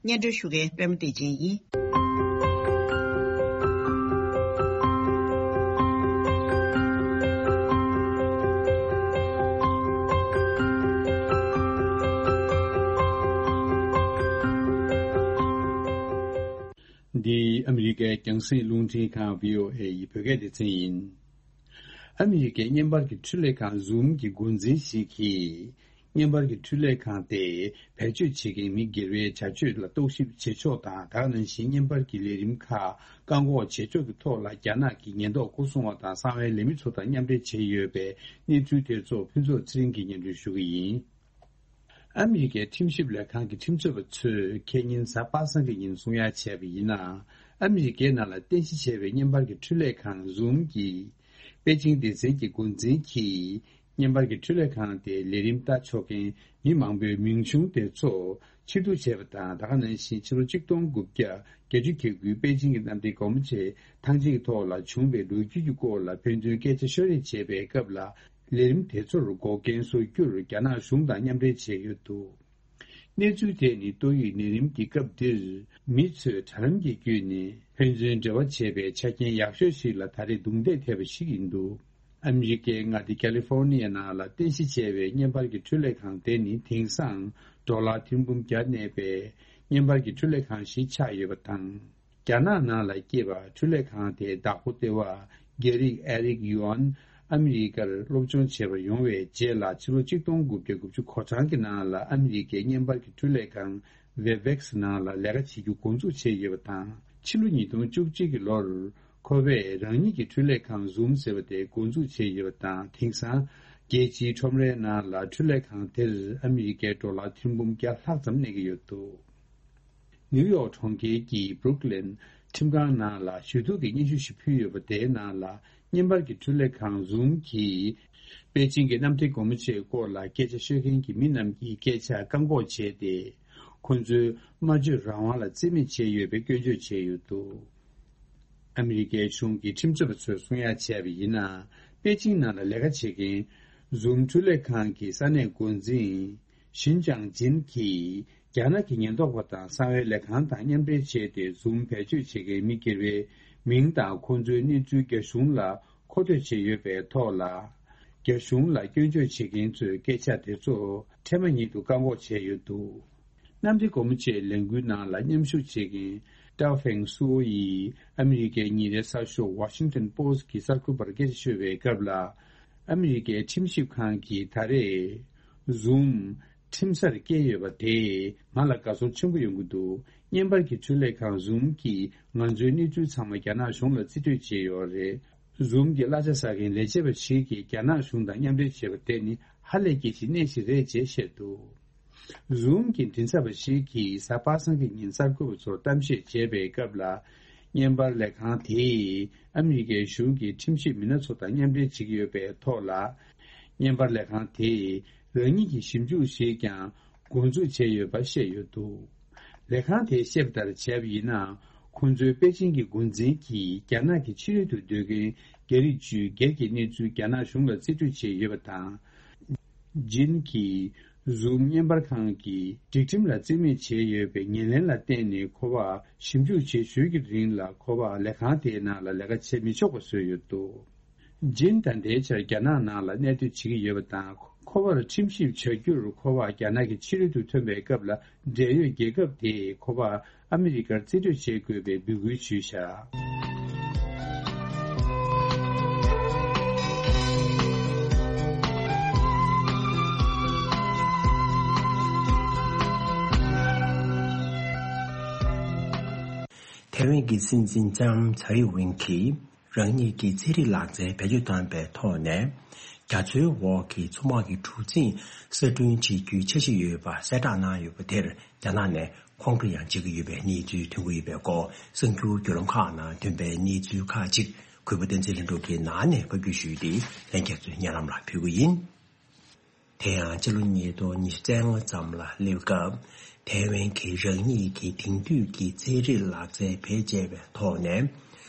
སྙན་སྒྲོན་ཞུ་མཁན་པད་མ་བདེ་ཆེན་ཡིན། འདི་ཨ་མི་རི་ཀའི་རྒྱང་སྲིང་རླུང་འཕྲིན་ཁང་བྷི་ཨོ་ཨེ་ཡི་བོད་སྐད་སྡེ་ཚན་ཡིན། ཨ་མི་རི་ཀའི་བརྙན་པར་གྱི་འཕྲུལ་ལས་ཁང་Zoom གྱི་འགོ་འཛིན་ཞིག་གིས། བརྙན་པར་གྱི་འཕྲུལ་ལས་ཁང་དེས་བེད་སྤྱོད་བྱེད་མཁན་མི་སྒེར་བའི་བྱ་སྤྱོད་ལ་རྟོག་ཞིབ་བྱེད་ཕྱོགས་དང་། ད་ག་ནང་བཞིན་བརྙན་པར་གྱི་ལས་རིམ་ཁག་བཀག་འགོག་བྱེད་ཕྱོགས་ཀྱི་ཐོག་ལ་རྒྱ་ནག་གི་ཉེན་རྟོག་སྐོར་སྲུང་བ་དང་གསང་བའི་ལས་མི་ཚོ་དང་མཉམ་འབྲེལ་བྱས་ཡོད་པའི་གནས་ཚུལ་དེ་ཚོ་ཕུན་ཚོགས་ཚེ་རིང་གིས་སྙན་སྒྲོན་ཞུ་གི་ཡིན། ཨ་མི་རི་ཀའི་ཁྲིམས་ཞིབ་ལས་ཁང་གི་ཁྲིམས་རྩོད་པ་ཚོས་ཁེ་ཉིན་གཟའ་པ་སངས་ཀྱི་ཉིན་གསུང་ཡ་བྱས་པ་ཡིན་ན། ཨ་མི་རི་ཀའི་ནང་ལ་རྟེན་གཞི་བྱས་པའི་བརྙན་པར་གྱི་འཕྲུལ་ལས་ཁང་Zoom གྱི་པེ་ཅིང་སྡེ་ཚན་གྱི་འགོ་འཛིན་གྱིས། བརྙན་པར་གྱི་འཕྲུལ་ལས་ཁང་དེའི་ལས་རིམ་ལྟ་ཆོག་མཁན་མི་མང་པོའི་མིང་ཆུང་དེ་ཚོ་ཕྱིར་བསྡུ་བྱས་པ་དང་། ད་ག་ནང་བཞིན་ཕྱི་ལོ་གཅིག་སྟོང་དགུ་བརྒྱ་བརྒྱད་ཅུ་གྱ་དགུའི་པེ་ཅིང་གི་གནམ་བདེ་སྒོ་མོ་ཆེ་ཐང་ཆེན་གྱི་ཐོག་ལ་བྱུང་བའི་ལོ་རྒྱུས་ཀྱི་སྐོར་ལ་ཕན་ཚུན་སྐད་ཆ་ཤོད་རེས་བྱས་པའི་སྐབས་ལ། ལས་རིམ་དེ་ཚོར་འགོག་རྐྱེན་བཟོ་རྒྱུར་རྒྱ་ནག་གཞུང་དང་མཉམ་འབྲེལ་བྱས་ཡོད་འདུག་གནས་ཚུལ་དེ་ནི་ཏོག་དབྱིབས་ནད་རིམས་ཀྱི་སྐབས་འདིར་མི་ཚོས་དྲ་ལམ་གྱི་བརྒྱུད་ནས་ཕན་ཚུན་འབྲེལ་བ་བྱེད་པའི་ཆ་རྐྱེན་ཡག་ཤོས་ཤིག་ལ་ད་རེས་རྡུང་རྡེག་ཐེབས་པ་ཞིག་ཡིན་འདུག་ཨ་མི་རི་ཀའི་མངའ་སྡེ་ཀ་ལི་ཧྥོར་ནི་ཡ་ནང་ལ་རྟེན་གཞི་བྱས་པའི་བརྙན་པར་གྱི་འཕྲུལ་ལས་ཁང་དེ་ནི་དེང་སང་ཌོ་ལར་ཐེར་འབུམ་བརྒྱ་གནས་པའི་བརྙན་པར་གྱི་འཕྲུལ་ལས་ཁང་ཞིག་ཆགས་ཡོད་པ་དང་། རྒྱ་ནག་ནང་ལ་སྐྱེས་པ་འཕྲུལ་ལས་ཁང་དེའི་བདག་པོ་ལྟེ་བ་རྒྱ་རིགས་ཨེ་རིག་ཡུའན་ཨ་མི་རི་ཀར་སློབ་སྦྱོང་བྱེད་པར་ཡོང་བའི་རྗེས་ལ་ཕྱི་ལོ་གཅིག་སྟོང་དགུ་བརྒྱ་དགུ་བཅུ་གོ་གྲངས་ཀྱི་ནང་ལ་ཨ་མི་རི་ཀའི་བརྙན་པར་གྱི་འཕྲུལ་ལས་ཁང་Webex ནང་ལ་ལས་ཀ་བྱེད་རྒྱུ་འགོ་འཛུགས་བྱས་ཡོད་པ་དང་། ཕྱི་ལོ་ཉིས་སྟོང་བཅུ་གཅིག་གི་ལོར་ ཁོ་བས་རང་ཉིད་ཀྱི་འཕྲུལ་ལས་ཁང་Zoom་ཟེར་བ་དེ་འགོ་འཛུགས་བྱས་ཡོད་པ་དང་། དེང་སང་རྒྱལ་སྤྱིའི་ཁྲོམ་རའི་ནང་ལ་འཕྲུལ་ལས་ཁང་དེར་ཨ་མི་རི་ཀའི་ཌོ་ལར་ཐེར་འབུམ་བརྒྱ་ལྷག་ཙམ་གནས་ཀྱི་ཡོད་འདུག། ནིའུ་ཡོག་གྲོང་ཁྱེར་གྱི་Brooklyn་ཁྲིམས་ཁང་ནང་ལ་ཞུ་གཏུག་གི་སྙན་ཞུ་ཞིག་ཕུལ་ཡོད་པ་དེའི་ནང་ལ། བརྙན་པར་གྱི་འཕྲུལ་ལས་ཁང་Zoom་གིས་པེ་ཅིང་གི་གནམ་བདེ་སྒོ་མོ་ཆེའི་སྐོར་ལ་སྐད་ཆ་ཤོད་མཁན་གྱི་མི་རྣམས་ཀྱི་སྐད་ཆ་བཀག་འགོག་བྱས་ཏེ། ཁོ་ཚོའི་སྨྲ་བརྗོད་རང་དབང་ལ་བརྩི་མེད་བྱས་ཡོད་པའི་སྐྱོན་བརྗོད་བྱས་ཡོད་འདུག། ཨ་མི་རི་ཀའི་གཞུང་གི་ཁྲིམས་རྩོད་པ་ཚོས་གསུང་ཡ་བྱས་པ་ཡིན་ན། པེ་ཅིང་ནང་ལ་ལས་ཀ་བྱེད་མཁན་Zoom་འཕྲུལ་ལས་ཁང་གི་ས་གནས་འགོ་འཛིན་ཞིན་ཅང་ཇིན་གྱིས། རྒྱ་ནག་གི་ཉེན་རྟོག་པ་དང་གསང་བའི་ལས་ཁང་དང་མཉམ་འབྲེལ་བྱས་ཏེ། Zoom་བེད་སྤྱོད་བྱེད་མཁན་མི་སྒེར་བའི་མིང་དང་ཁོང་ཚོའི་གནས་ཚུལ་རྒྱ་གཞུང་ལ་མཁོ་སྤྲོད་བྱས་ཡོད་པའི་ཐོག་ལ། རྒྱ་གཞུང་ལ་སྐྱོན་བརྗོད་བྱེད་མཁན་ཚོའི་སྐད་ཆ་དེ་ཚོ་འཕྲལ་མ་ཉིད་དུ་བཀག་འགོག་བྱས་ཡོད་འདུག། གནམ་བདེ་སྒོ་མོ་ཆེའི་ལས་འགུལ་ནང་ལ་མཉམ་ཞུགས་བྱེད་མཁན་Dafeng Suo་ཡིས་ཨ་མི་རི་ཀའི་ཉིན་རེའི་གསར་ཤོག་Washington Post་གི་གསར་འགོད་པར་སྐད་ཆ་ཤོད་པའི་སྐབས་ལ། ཨ་མི་རི་ཀའི་ཁྲིམས་ཞིབ་ཁང་གིས་ད་རེས་Zoom་ཁྲིམས་སར་བཀལ་ཡོད་པ་དེས་ང་ལ་དགའ་ཚོར་ཆེན་པོ་ཡོང་གི་འདུག། བརྙན་པར་གྱི་འཕྲུལ་ལས་ཁང་Zoom་གིས་ང་ཚོའི་གནས་ཚུལ་ཚང་མ་རྒྱ་ནག་གཞུང་ལ་རྩིས་སྤྲོད་བྱས་ཡོད་རེད། Zoom་གྱི་གླ་ཆ་ཟ་མཁན་ལས་བྱེད་པ་ཞིག་གིས་རྒྱ་ནག་གཞུང་དང་མཉམ་འབྲེལ་བྱས་པ་དེ་ནི་ཧ་ལས་སྐྱེ་གཞི་གནས་ཤིག་རེད་ཅེས་བཤད་འདུག། Zoom་གྱི་མགྲིན་ཚབ་པ་ཞིག་གིས་གཟའ་པ་སངས་ཀྱི་ཉིན་གསར་འགོད་པ་ཚོར་གཏམ་བཤད་བྱས་པའི་སྐབས་ལ། བརྙན་པར་ལས་ཁང་དེས་ཨ་མི་རི་ཀའི་གཞུང་གི་ཁྲིམས་ཞིབ་མི་སྣ་ཚོ་དང་མཉམ་འབྲེལ་བྱེད་ཀྱི་ཡོད་པའི་ཐོག་ལ། བརྙན་པར་ལས་ཁང་དེས་རང་ཉིད་ཀྱི་ཞིབ་འཇུག་ཞིག་ཀྱང་འགོ་འཛུགས་བྱས་ཡོད་པ་བཤད་ཡོད་འདུག། ལས་ཁང་དེས་བཤད་པ་ལྟར་བྱས་པ་ཡིན་ན། ཁོང་ཚོའི་པེ་ཅིང་གི་འགོ་འཛིན་གྱིས་རྒྱ་ནག་གི་ཕྱི་རོལ་དུ་སྡོད་མཁན་རྒྱ་རིགས་བཅུའི་སྒེར་གྱི་གནས་ཚུལ་རྒྱ་ནག་གཞུང་ལ་རྩིས་སྤྲོད་བྱས་ཡོད་པ་དང་། ཇིན་གྱིས་Zoom་བརྙན་པར་ཁང་གི་སྒྲིག་ཁྲིམས་ལ་རྩིས་མེད་བྱས་ཡོད་པའི་ཉེར་ལེན་ལ་བརྟེན་ནས། ཁོ་པ་ཞིབ་འཇུག་བྱེད་ཞོར་གྱི་རིང་ལ། ཁོ་པ་ལས་ཁང་དེའི་ནང་ལ་ལས་ཀ་བྱེད་མི་ཆོག་པ་བཟོས་ཡོད་འདུག། ཇིན་ད་ལྟའི་ཆར་རྒྱ་ནག་ནང་ལ་གནས་སྡོད་བྱེད་ཀྱི་ཡོད་པ་དང་། ཁོ་པར་ཁྲིམས་ཞིབ་བྱ་རྒྱུར་ཁོ་པ་རྒྱ་ནག་གི་ཕྱི་རོལ་དུ་ཐོན་པའི་སྐབས་ལ། འབྲེལ་ཡོད་རྒྱལ་ཁབ་དེས་ཁོ་པ་ཨ་མི་རི་ཀར་རྩིས་སྤྲོད་བྱེད་དགོས་པའི་འབོད་སྐུལ་ཞུས་བཞག། ཐའེ་ཝན་གྱི་སྲིད་འཛིན་ལྕམ་ཚའེ་ཝེན་གྱིས། རང་ཉིད་ཀྱི་ཚན་རིག་ལག་རྩལ་བེད་སྤྱོད་བཏང་པའི་ཐོག་ནས། རྒྱ་མཚོའི་འོག་གི་མཚོ་དམག་གི་གྲུ་གཟིངས་གསར་སྐྲུན་བྱེད་རྒྱུའི་འཆར་གཞི་ཡོད་པ་གསལ་བསྒྲགས་གནང་ཡོད་པ་དེར། རྒྱ་ནག་ནས་ཁོང་ཁྲོ་ཡང་བྱེད་ཀྱི་ཡོད་པའི་གནས་ཚུལ་ཐོན་གྱི་ཡོད་པའི་སྐོར། གསར་འགྱུར་བརྒྱུད་ལམ་ཁག་ནང་ཐོན་པའི་གནས་ཚུལ་ཁག་ཅིག་གུས་པ་བསྟན་འཛིན་ལྷུན་གྲུབ་ཀྱིས་ནང་ནས་ཕབ་སྒྱུར་ཞུས་ཏེ། ལྷན་རྒྱས་ཚོའི་སྙན་ལམ་ལ་ཕུལ་གྱི་ཡིན། དེ་ཡང་ཕྱི་ལོ་ཉིས་སྟོང་ཉི་ཤུ་རྩ་ལྔ་ཙམ་ལ་སླེབས་སྐབས། ཐའེ་ཝན་གྱིས་རང་ཉིད་ཀྱི་དེང་དུས་ཀྱི་ཚན་རིག་ལག་རྩལ་བེད་སྤྱད་པའི་ཐོག་ནས།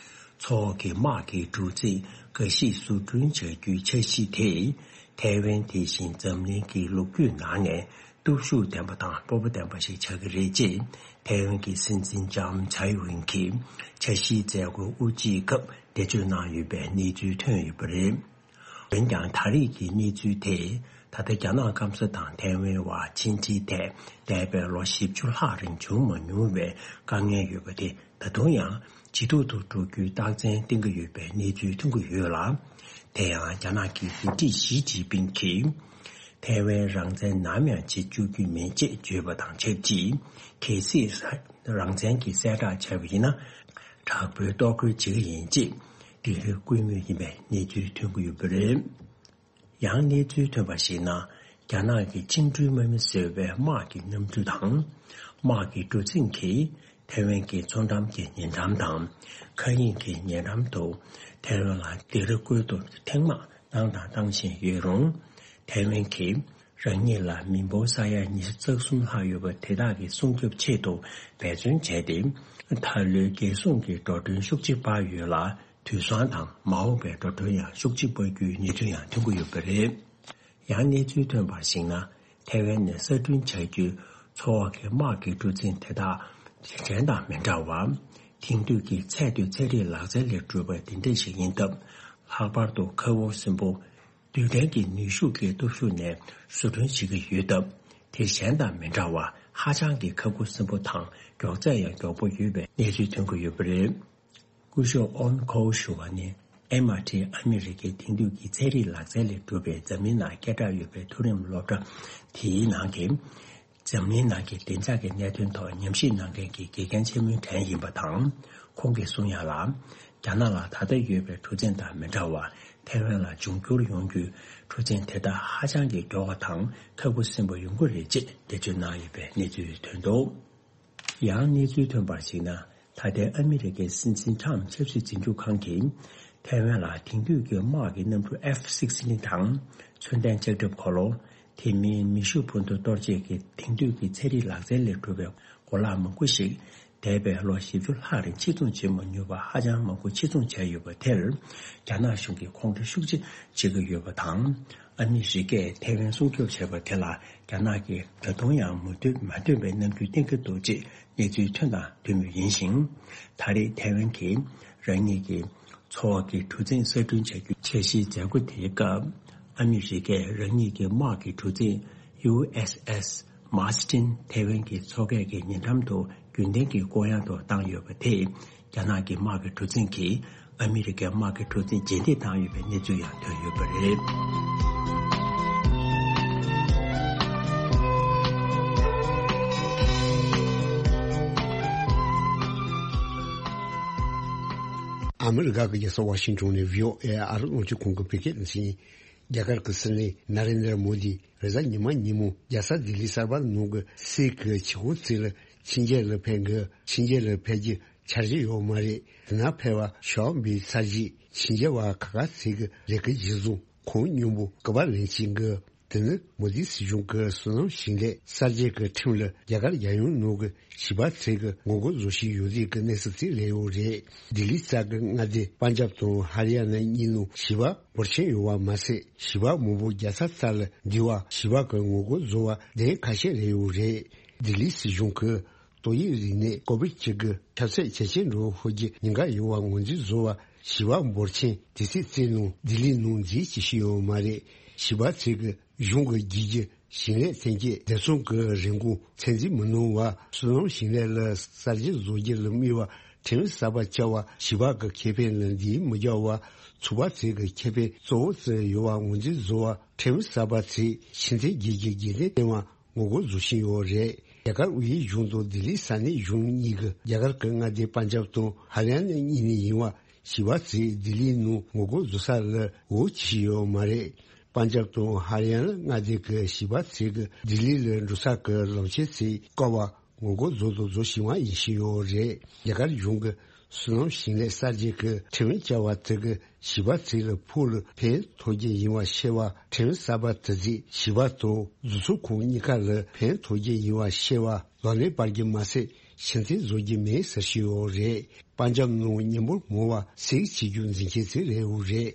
མཚོ་འོག་གི་དམག་གི་གྲུ་གཟིངས་འགའ་ཞིག་བཟོ་སྐྲུན་བྱ་རྒྱུའི་འཆར་གཞི་དེས། ཐའེ་ཝན་དེ་བཞིན་འཛམ་གླིང་གི་ལོ་རྒྱུས་ནང་ནས་སྟོབས་ཤུགས་ལྡན་པ་དང་སྤོབས་པ་ལྡན་པ་ཞིག་ཆགས་ཀྱི་རེད་ཅེས། ཐའེ་ཝན་གྱི་སྲིད་འཛིན་ལྕམ་ཚའེ་ཝེན་གྱིས་འཆར་གཞིའི་མཛད་སྒོའི་དབུ་འབྱེད་སྐབས་འགྲེལ་བརྗོད་གནང་ཡོད་པའི་གནས་ཚུལ་ཐོན་ཡོད་པ་རེད། འོན་ཀྱང་། ད་རེས་ཀྱི་གནས་ཚུལ་དེས། ད་ལྟ་རྒྱ་ནག་སྐམ་ས་དང་ཐའེ་ཝན་བར་ཕྱི་འབྲེལ་ཐད་འདས་པའི་ལོ་བཞི་བཅུ་ལྷག་རིང་བྱུང་མ་མྱོང་བའི་དཀའ་ངལ་ཡོད་པ་དེ། ད་དུང་ཡང་ཇེ་སྡུག་ཏུ་འགྲོ་རྒྱུའི་རྟགས་མཚན་བསྟན་གྱི་ཡོད་པའི་གནས་ཚུལ་ཐོན་གྱི་ཡོད་ལ། དེ་ཡང་རྒྱ་ནག་གི་འགོ་ཁྲིད་ཞི་ཅིན་ཕིང་གིས། ཐའེ་ཝན་རང་བཙན་ནམ་ཡང་བྱེད་བཅུག་རྒྱུ་མིན་ཅེས་བརྗོད་པ་དང་ཆབས་ཅིག། གལ་སྲིད་རང་བཙན་གྱི་གསལ་བསྒྲགས་བྱས་པ་ཡིན་ན། དྲག་པོའི་གཏོར་རྒོལ་བྱེད་ཀྱི་ཡིན་ཅེས་འདི་ལོའི་སྐུལ་མོས་ཡིན་པའི་གནས་ཚུལ་ཐོན་གྱི་ཡོད་པ་རེད། ཡང་གནས་ཚུལ་ཐོན་པར་གཞིགས་ན། རྒྱ་ནག་གི་བཅིངས་འགྲོལ་དམག་མི་ཟེར་བའི་དམག་གི་གནམ་གྲུ་དང་། དམག་གི་གྲུ་གཟིངས་ཀྱིས་ཐའེ་ཝན་གྱི་མཚོ་འགྲམ་གྱི་ཉེ་འགྲམ་དང་། མཁའ་དབྱིངས་ཀྱི་ཉེ་འགྲམ་དུ་ཐའེ་ཝན་ལ་སྡིགས་ར་བསྐུལ་དུ་ཐེངས་མང་བཏང་དང་བཏང་བཞིན་ཡོད་རུང་། ཐའེ་ཝན་གྱིས་རང་ཉིད་ལ་མི་འབོར་ས་ཡ་ཉི་ཤུ་རྩ་གསུམ་ལྷག་ཡོད་པ་དེ་དག་གི་སྲུང་སྐྱོབ་ཆེད་དུ་འབད་བརྩོན་བྱས་ཏེ། ད་ལོའི་རྒྱལ་སྲུང་གི་འགྲོ་གྲོན་ཤུགས་ཆེ་སྤར་ཡོད་ལ། དུས་སང་དང་མ་འོངས་པའི་འགྲོ་གྲོན་ཡང་ཤུགས་ཆེ་སྤར་རྒྱུའི་གནས་ཚུལ་ཡང་ཐོན་གྱི་ཡོད་པ་རེད། ཡང་གནས་ཚུལ་ཐོན་པར་གཞིགས་ན། ཐའེ་ཝན་ནས་གསར་སྐྲུན་བྱ་རྒྱུའི་མཚོ་འོག་གི་དམག་གི་གྲུ་གཟིངས་དེ་དག་གཞན་དང་མི་འདྲ་བར། དེང་དུས་ཀྱི་ཚད་མཐོའི་ཚན་རིག་ལག་རྩལ་ལས་གྲུབ་པ་འདི་འདྲ་ཞིག་ཡིན་སྟབས། ལྷག་པར་དུ་ཁ་སྒོར་སྲིན་པོ། རྡུལ་ཕྲན་གྱི་ནུས་ཤུགས་ཀྱི་སྟོབས་ཤུགས་ནས་བཟོ་སྐྲུན་བྱེད་ཀྱི་ཡོད་སྟབས། དེ་གཞན་དང་མི་འདྲ་བར་ཧ་ཅང་གི་ཁ་སྒོར་སྲིན་པོ་དང་མགྱོགས་ཚད་ཡང་མགྱོགས་པོ་ཡོད་པའི་གནས་ཚུལ་ཐོན་གྱི་ཡོད་པ་རེད། སྐུ་ཞབས་ཨོན་ཁོའུ་ཞུ་བ་ནི། ཨེམ་ཨར་ཊི་ཨ་མི་རི་ཀའི་དེང་དུས་ཀྱི་ཚན་རིག་ལག་རྩལ་ལས་གྲུབ་པའི་འཛམ་གླིང་ནང་སྐད་གྲགས་ཡོད་པའི་མཐོ་རིམ་སློབ་གྲྭ་དེའི་ནང་གི། འཛམ་གླིང་ནང་གི་བདེ་འཇགས་ཀྱི་གནད་དོན་ཐོག་ཉམས་ཞིབ་གནང་མཁན་གྱི་དགེ་རྒན་ཆེན་མོའི་གྲས་ཡིན་པ་དང་། ཁོང་གིས་གསུང་ཡ་ལ། རྒྱ་ནག་ལ་ད་ལྟ་ཡོད་པའི་འཕྲོད་བསྟེན་དང་མི་འདྲ་བར་ཐའེ་ཝན་ལ་འབྱུང་འགྱུར་ཡོང་རྒྱུའི་འཕྲོད་བསྟེན་དེ་དག་ཧ་ཅང་གི་མགྱོགས་པ་དང་ཁག་པོ་ཟིན་པ་ཡོང་གི་རེད་ཅེས་འགྲེལ་བརྗོད་གནང་ཡོད་པའི་གནས་ཚུལ་ཐོན་འདུག། ཡང་གནས་ཚུལ་ཐོན་པར་གཞིགས་ན། ད་ལྟའི་ཨ་མི་རི་ཀའི་སྲིད་འཛིན་ཊམ་ཆབ་སྲིད་འཛིན་སྐྱོང་ཁང་གིས་ཐའེ་ཝན་ལ་དེང་དུས་ཀྱི་དམག་གི་གནམ་གྲུ་ཨེཕ་སིག་སི་ཊིན་དང་མཚོན་ལྡན་ལྕགས་ཁྲབ་འཁོར་ལོ། དེ་མིན་མེ་ཤུགས་འཕུར་མདའ་གཏོར་བྱེད་ཀྱི་དེང་དུས་ཀྱི་ཚན་རིག་ལག་རྩལ་ལས་གྲུབ་པའི་གོ་ལག་མང་པོ་ཞིག་འདས་པའི་ལོ་བཞི་བཅུ་ལྷག་རིང་ཕྱིར་ཚོང་བྱེད་མ་མྱོང་བ་ཧ་ཅང་མང་པོ་ཕྱིར་ཚོང་བྱས་ཡོད་པ་དེར། རྒྱ་ནག་གཞུང་གིས་ཁོང་ཁྲོ་ཤུགས་ཆེ་བྱེད་ཀྱི་ཡོད་པ་དང་། ཨ་མི་རི་ཀས་ཐའེ་ཝན་སྲུང་སྐྱོབ་བྱས་པ་དེ་ལ་རྒྱ་ནག་གིས་ད་དུང་ཡང་མོས་མཐུན་མ་བཏོན་པའི་རྣམ་འགྱུར་བསྟན་གྱི་འདུག་ཅེས་གནས་ཚུལ་ཐོན་དང་ཐོན་མུས་ཡིན་ཞིང་། ད་རེས་ཐའེ་ཝན་གྱིས་རང་ཉིད་ཀྱི་འཚོ་བ་གི་གྲུ་གཟིངས་གསར་སྐྲུན་བྱ་རྒྱུའི་འཆར་གཞིའི་མཛད་སྒོ་དེའི་སྐབས། ཨ་མི་རི་ཀས་རང་ཉིད་ཀྱི་དམག་གི་གྲུ་གཟིངས་ཡུ་ཨེས་ཨེས་མཱར་སི་ཊིན་ཐའེ་ཝན་གྱི་མཚོ་ཁའི་ཉེ་འགྲམ་དུ་རྒྱུན་ལྡན་གྱི་བསྐོར་གཡང་དུ་བཏང་ཡོད་པ་དེས། རྒྱ་ནག་གི་དམག་གི་གྲུ་གཟིངས་ཀྱིས་ཨ་མི་རི་ཀའི་དམག་གི་གྲུ་གཟིངས་རྗེས་འདེད་བཏང་ཡོད་པའི་གནས་ཚུལ་ཡང་ཐོན་ཡོད་པ་རེད། ཨ་མི་རི་ཀ་གི་རྒྱལ་ས་ཝ་ཤིང་ཊོན་ནས་བྷི་ཨོ་ཨེ་ཨ་རི་རླུང་འཕྲིན་ཁང་གི་བོད་སྐད་སྡེ་ཚན་ཡིན། རྒྱ་གར་གྱི་སྲིད་བློན་ན་རེན་དྲ་མོ་དི་རེས་གཟའ་ཉི་མ་ཉིན་མོ་རྒྱལ་ས་ལྡི་ལི་གསར་པ་ནང་གི་སྲིད་ཀྱི་ཆེད་ཁོངས་ཚོ་ལ་ཕྱི་རྒྱལ་ལ་ཕེབས་དགོས། ཕྱི་རྒྱལ་ལ་ཕེབས་རྒྱུ་འཆར་གཞི་ཡོད་མ་རེད། དེ་ན་ཕེབས་པ་ཤོག་པའི་ཚར་གཅིག་ཕྱི་རྒྱལ་བ་ཁག་ཁག་ཚོ་གི་ལས་ཀ་གཞིར་བཟུང་ཁོང་མཉམ་པོ་སྐུ་པར་ལེན་བྱེད་དགོས། དེ་ནི་མོ་དི་སྲིད་གཞུང་གི་བསོད་ནམས་ཞིང་ལས་གསར་བརྗེ་གི་ཁྲིམས་ལ་རྒྱ་གར་རྒྱལ་ཡོངས་ནང་གི་བྱིས་པ་ཚོ་གི་ངོ་རྒོལ་བཟོ་བཞིན་ཡོད་རིགས་ཀྱི་གནས་ཚུལ་ཅིག་སླེབས་ཡོད་རེད། ལྡི་ལི་གཙང་གི་མངའ་སྡེ་པན་ཇབ་དང་ཧ་རི་ཡ་ན་གཉིས་ནང་བྱིས་པ་འབོར་ཆེན་ཡོད་པ་མ་ཟད། བྱིས་པ་མང་པོ་རྒྱལ་ས་རྩ་ལ་འདུས་པ་བྱིས་པ་གི་ངོ་རྒོལ་བཟོ་བ་གདན་ཁ་ཤས་སླེབས་ཡོད་རེད། ལྡི་ལི་སྲིད་གཞུང་གིས་ཏོག་དབྱིབས་རིམས་ནད་ཀོ་བིད་བཅུ་དགུ་ཁྱབ་ཚད་ཇེ་ཆེར་འགྲོ་ཧོལ་གྱི་ཉེན་ཁ་ཡོད་པ་ངོས་འཛིན་བཟོ་བ་བྱིས་པ་འབོར་ཆེན་དུས་ཚོད་བཙལ་ནང་ལྡི་ལི་ནང་འཛུལ་བྱེད་བཞིན་ཡོད་མ་རེད། བྱིས་པ་ཚོ་གི་གཞུང་གི་རྒྱུ་རྒྱུ་ཞིང་ལས་ཐོན་སྐྱེད་བདེ་སྲུང་གི་རིན་གོང་ཚད་འཛིན་མི་གནང་བ། བསོད་ནམས་ཞིང་ལས་ལ་གསར་བརྗེ་བཟོ་རྒྱུ་ལ་དམིགས་པ་ཁྲིམས་གསར་པ་བཅའ་བ། བྱིས་པ་གི་ཁེ་ཕན་ལ་འདིའི་མི་བཅའ་བ། ཚོགས་པ་ཚོ་གི་ཁེ་ཕན་གཙོ་བོ་བརྩི་ཡོད་པ་ངོས་འཛིན་བཟོ་བ། ཁྲིམས་གསར་པ་ཚོས་ཕྱི་འཐེན་རྒྱུ་གི་འགན་འཁྲི་བཏོན་པ་ངོ་རྒོལ་བཟོ་བཞིན་ཡོད་རེད། རྒྱ་གར་དབུས་གཞུང་དང་ལྡི་ལི་ས་གནས་གཞུང་གཉིས་ཀྱི་རྒྱ་གར་གྱི་མངའ་སྡེ་པན་ཇབ་དང་ཧ་རི་ཡ་ན་གཉིས་ནས་ཡིན་པ། བྱིས་པ་ཚོས་ལྡི་ལིའི་ནང་ངོ་རྒོལ་བཟོ་ས་ལ་འོས་བྱེད་ཡོད་མ་རེད། པན་ཇབ་དང་ཧ་རི་ཡ་ན་མངའ་སྡེ་གི་བྱིས་པ་ཚོས་ཀྱི་ལྡི་ལི་ལ་འགྲོ་ས་གི་ལམ་ཆེན་ཚོས་བཀག་པ་ངོ་རྒོལ་བཟོ་དང་བཟོ་བཞིན་པ་ཡིན་བཞིན་ཡོད་རེད། རྒྱ་གར་གཞུང་གི་བསོད་ནམས་ཞིང་ལས་གསར་བརྗེ་གི་ཁྲིམས་བཅའ་བ་དེ་གི་བྱིས་པ་ཚོ་ལ་ཕུགས་ལ་ཕན་ཐོགས་རྒྱུ་ཡིན་པ་ཤེས་པ། ཁྲིམས་གསར་པ་དེ་ཚོས་བྱིས་པ་དང་བཟོ་ཚོང་ཁང་གཉིས་ཀ་ལ་ཕན་ཐོགས་རྒྱུ་ཡིན་པ་ཤེས་པ། ལག་ལེན་སྤར་རྒྱུ་མ་ཟད་ཕྱིར་འཐེན་བཟོ་རྒྱུ་མེད་ཟེར་བཞིན་ཡོད་རེད། པན་ཇབ་ནང་ཉིན་མོར་མང་བ་སེག་བྱེད་རྒྱུ་འཛིན་མཁན་ཚོ་རེད་འོ་རེད།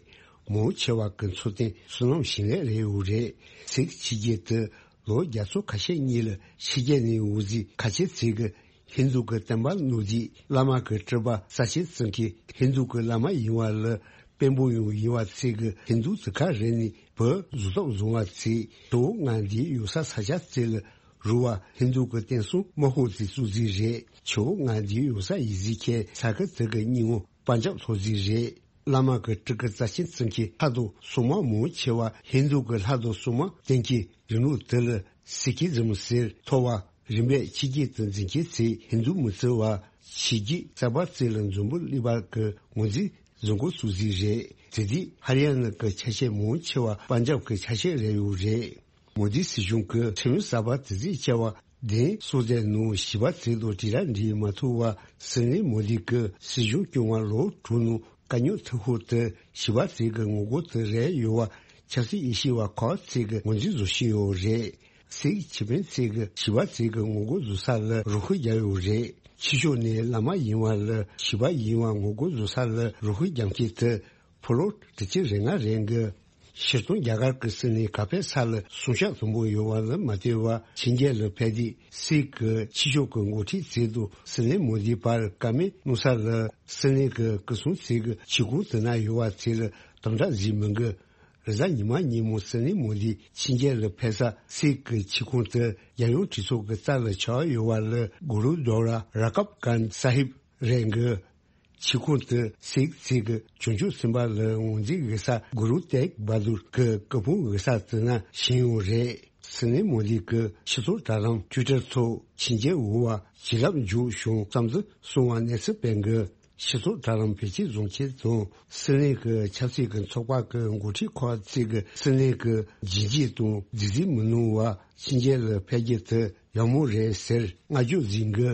མང་ཆེ་བ་གི་འཚོ་རྟེན་བསོད་ནམས་ཞིང་ལས་རེད་འོ་རེད། སེག་བྱེད་རྒྱུ་དེ་ལོ་བརྒྱ་ཚོ་ཁ་ཤས་གཉིས་ལ་ཕྱི་རྒྱལ་ནས་འོ་ཟི་ཁ་ཆེ་ཚོ་གི་ཧིན་རྡུ་གི་བསྟན་པ་ནོར་རྫས་བླ་མ་གི་སྤྲུལ་པ་རྩ་ཆེན་བརྩི་མཁན་ཧིན་རྡུ་གི་བླ་མ་ཡིན་པ་ལ་དཔོན་པོ་ཡང་ཡིན་པ་ཚོ་གི་ཧིན་རྡུ་དེ་ག་རེ་ནས་བུ་བཟོ་ཐབས་བཟུང་བ་ཚོས་ཇོ་བོ་ལྔ་འདིའི་ཡོད་ས་ས་ཆ་ཚོ་ལ་རུ་བ་ཧིན་རྡུ་གི་བསྟན་སྲུང་དམག་དཔུང་དེ་བཙུགས་རྩིས་རེད། ཇོ་བོ་ལྔ་འདིའི་ཡོད་ས་ཡིན་རྩིས་མཁན་ས་ཁུལ་དེ་གི་སྙིང་བོ་པན་ཇབ་ཐོགས་རྩིས་རེད། བླ་མ་གི་སྤྲུལ་སྐུ་རྩ་ཆེན་བརྩི་མཁན་ལྷ་དང་སྲུང་མ་མང་ཆེ་བ་ཧིན་རྡུ་གི་ལྷ་དང་སྲུང་མ་བསྟེན་མཁན་རིང་ལུགས་དེ་ལ་སི་ཁི་ཛམ་ཟེར་ཐོགས་པ། རིམ་པས་ཕྱི་རྒྱལ་དུ་འཛིན་མཁན་ཚོས་ཧིན་རྡུ་མི་བརྩི་བ། ཕྱི་རྒྱལ་གསར་པ་ཚོ་ལ་འཛམ་བུ་གླིང་པ་གི་ངོས་འཛིན་བཟོ་འགོ་བཙུགས་རྩིས་རེད། དེ་དུས་ཧ་རི་ཡ་ན་གི་ཆ་ཤས་མང་ཆེ་བ་པན་ཇབ་གི་ཆ་ཤས་རེད་ཡོད་རེད། མོ་དི་སྲིད་གཞུང་གི་ཁྲིམས་གསར་པ་དེ་ཚོས་བཅའ་བ་གདན་སོ་བརྒྱད་ནང་བྱིས་པ་ཚོ་དང་དྲིལ་བསྒྲགས་འབྲེལ་མ་ཐུབ་པར་སྲིད་བློན་མོ་དི་གི་སྲིད་གཞུང་སྐྱོང་བ་ལོ་དྲུག་ནང་དཀའ་རྙོག་ཐུག་ཤོས་དེ་བྱིས་པ་ཚོ་གི་ངོ་རྒོལ་དེ་རེད་ཡོད་པ་ཆབ་སྲིད་དབྱེ་ཞིབ་པ་ཁག་ཅིག་གིས་ངོས་འཛིན་བཟོ་བཞིན་ཡོད་རེད། སིག་ཁེ་ཕན་ཚོ་གིས་བྱིས་པ་ཚོ་གི་ངོ་རྒོལ་བཟོ་ས་ལ་རོགས་སྐྱོར་བརྒྱབ་ཡོད་རེད། ཕྱི་ཕྱོགས་ནས་བླ་མ་ཡིན་པ་ལ་བྱིས་པ་ཡིན་པ་ངོ་རྒོལ་བཟོ་ས་ལ་རོགས་སྐྱོར་བརྒྱབ་མཁན་དེ་ཕོ་ལོ་དྲུག་ཅུ་རེ་ལྔ་རེད་འདུག། སྤྱིར་བཏང་རྒྱ་གར་གྱི་སྲིད་བློན་ག་པའི་ས་ལ་སྲུང་སྐྱོབ་དམ་པོ་ཡོད་པ་ལ་མ་ལྟོས་པར་ཕྱི་རྒྱལ་ལ་ཕེབས་དུས་སིག་གི་ཕྱི་ཕྱོགས་ཀྱི་འགོ་ཁྲིད་ཚོ་དང་སྲིད་བློན་མོ་དི་བར་བཀའ་མོལ་གནང་ས་ལ་སྲིད་བློན་གྱི་སྐུ་སྲུང་ཚོ་གི་ཆིབས་ཁང་དེ་ན་ཡོད་པ་ཚོ་ལ་དམ་དྲག་བཟོས་མི་དགོས། རེས་གཟའ་ཉི་མ་ཉིན་མོ་སྲིད་བློན་མོ་དི་ཕྱི་རྒྱལ་ལ་ཕེབས་ས་སིག་གི་ཆིབས་ཁང་དེ་རྒྱལ་ཡོངས་གྲོས་ཚོགས་ཀྱི་རྩ་ལ་ཆགས་ཡོད་པ་ལ་གུ་རུ་དོ་ར་ར་ཀབ་གན་ས་ཧིབ་རེད་འདུག། ཆིབས་ཁང་དེ་སིག་ཚོ་གི་བྱང་ཕྱོགས་སེམས་དཔའ་ལ་ངོས་འཛིན་འོས་ས་གུ་རུ་ཏེག་བྷ་དུར་གྱི་སྐུ་ཕུང་འོས་ས་དེ་ན་བཞེངས་ཡོད་རེད། སྲིད་བློན་མོ་དི་གི་ཕྱི་ཚོགས་དྲ་ལམ་ཊུའི་ཊར་ཐོག་ཕྱི་རྒྱལ་འོས་པ་བྱིན་རླབས་འཇུག་བྱུང་བསམ་ཚུལ་གསུངས་པ་གནས་ཚུལ་སྤེལ་འདུག། སྤྱི་ཚོགས་དྲ་ལམ་བེད་སྤྱོད་བཟོ་མཁན་དང་སྲིད་གླེང་གི་ཆབ་སྲིད་ཀྱི་ཚོགས་པ་གི་འགོ་ཁྲིད་ཁག་ཅིག་གིས་སྲིད་གླེང་གི་རྒྱུན་འཁྱོངས་དང་རྫུན་གཟིགས་མི་གནང་བར་ཕྱི་རྒྱལ་ལ་ཕེབས་རྒྱུ་དེ་ཡག་མོ་རེད་ཟེར་བསྔགས་བརྗོད་གཟིགས་གི།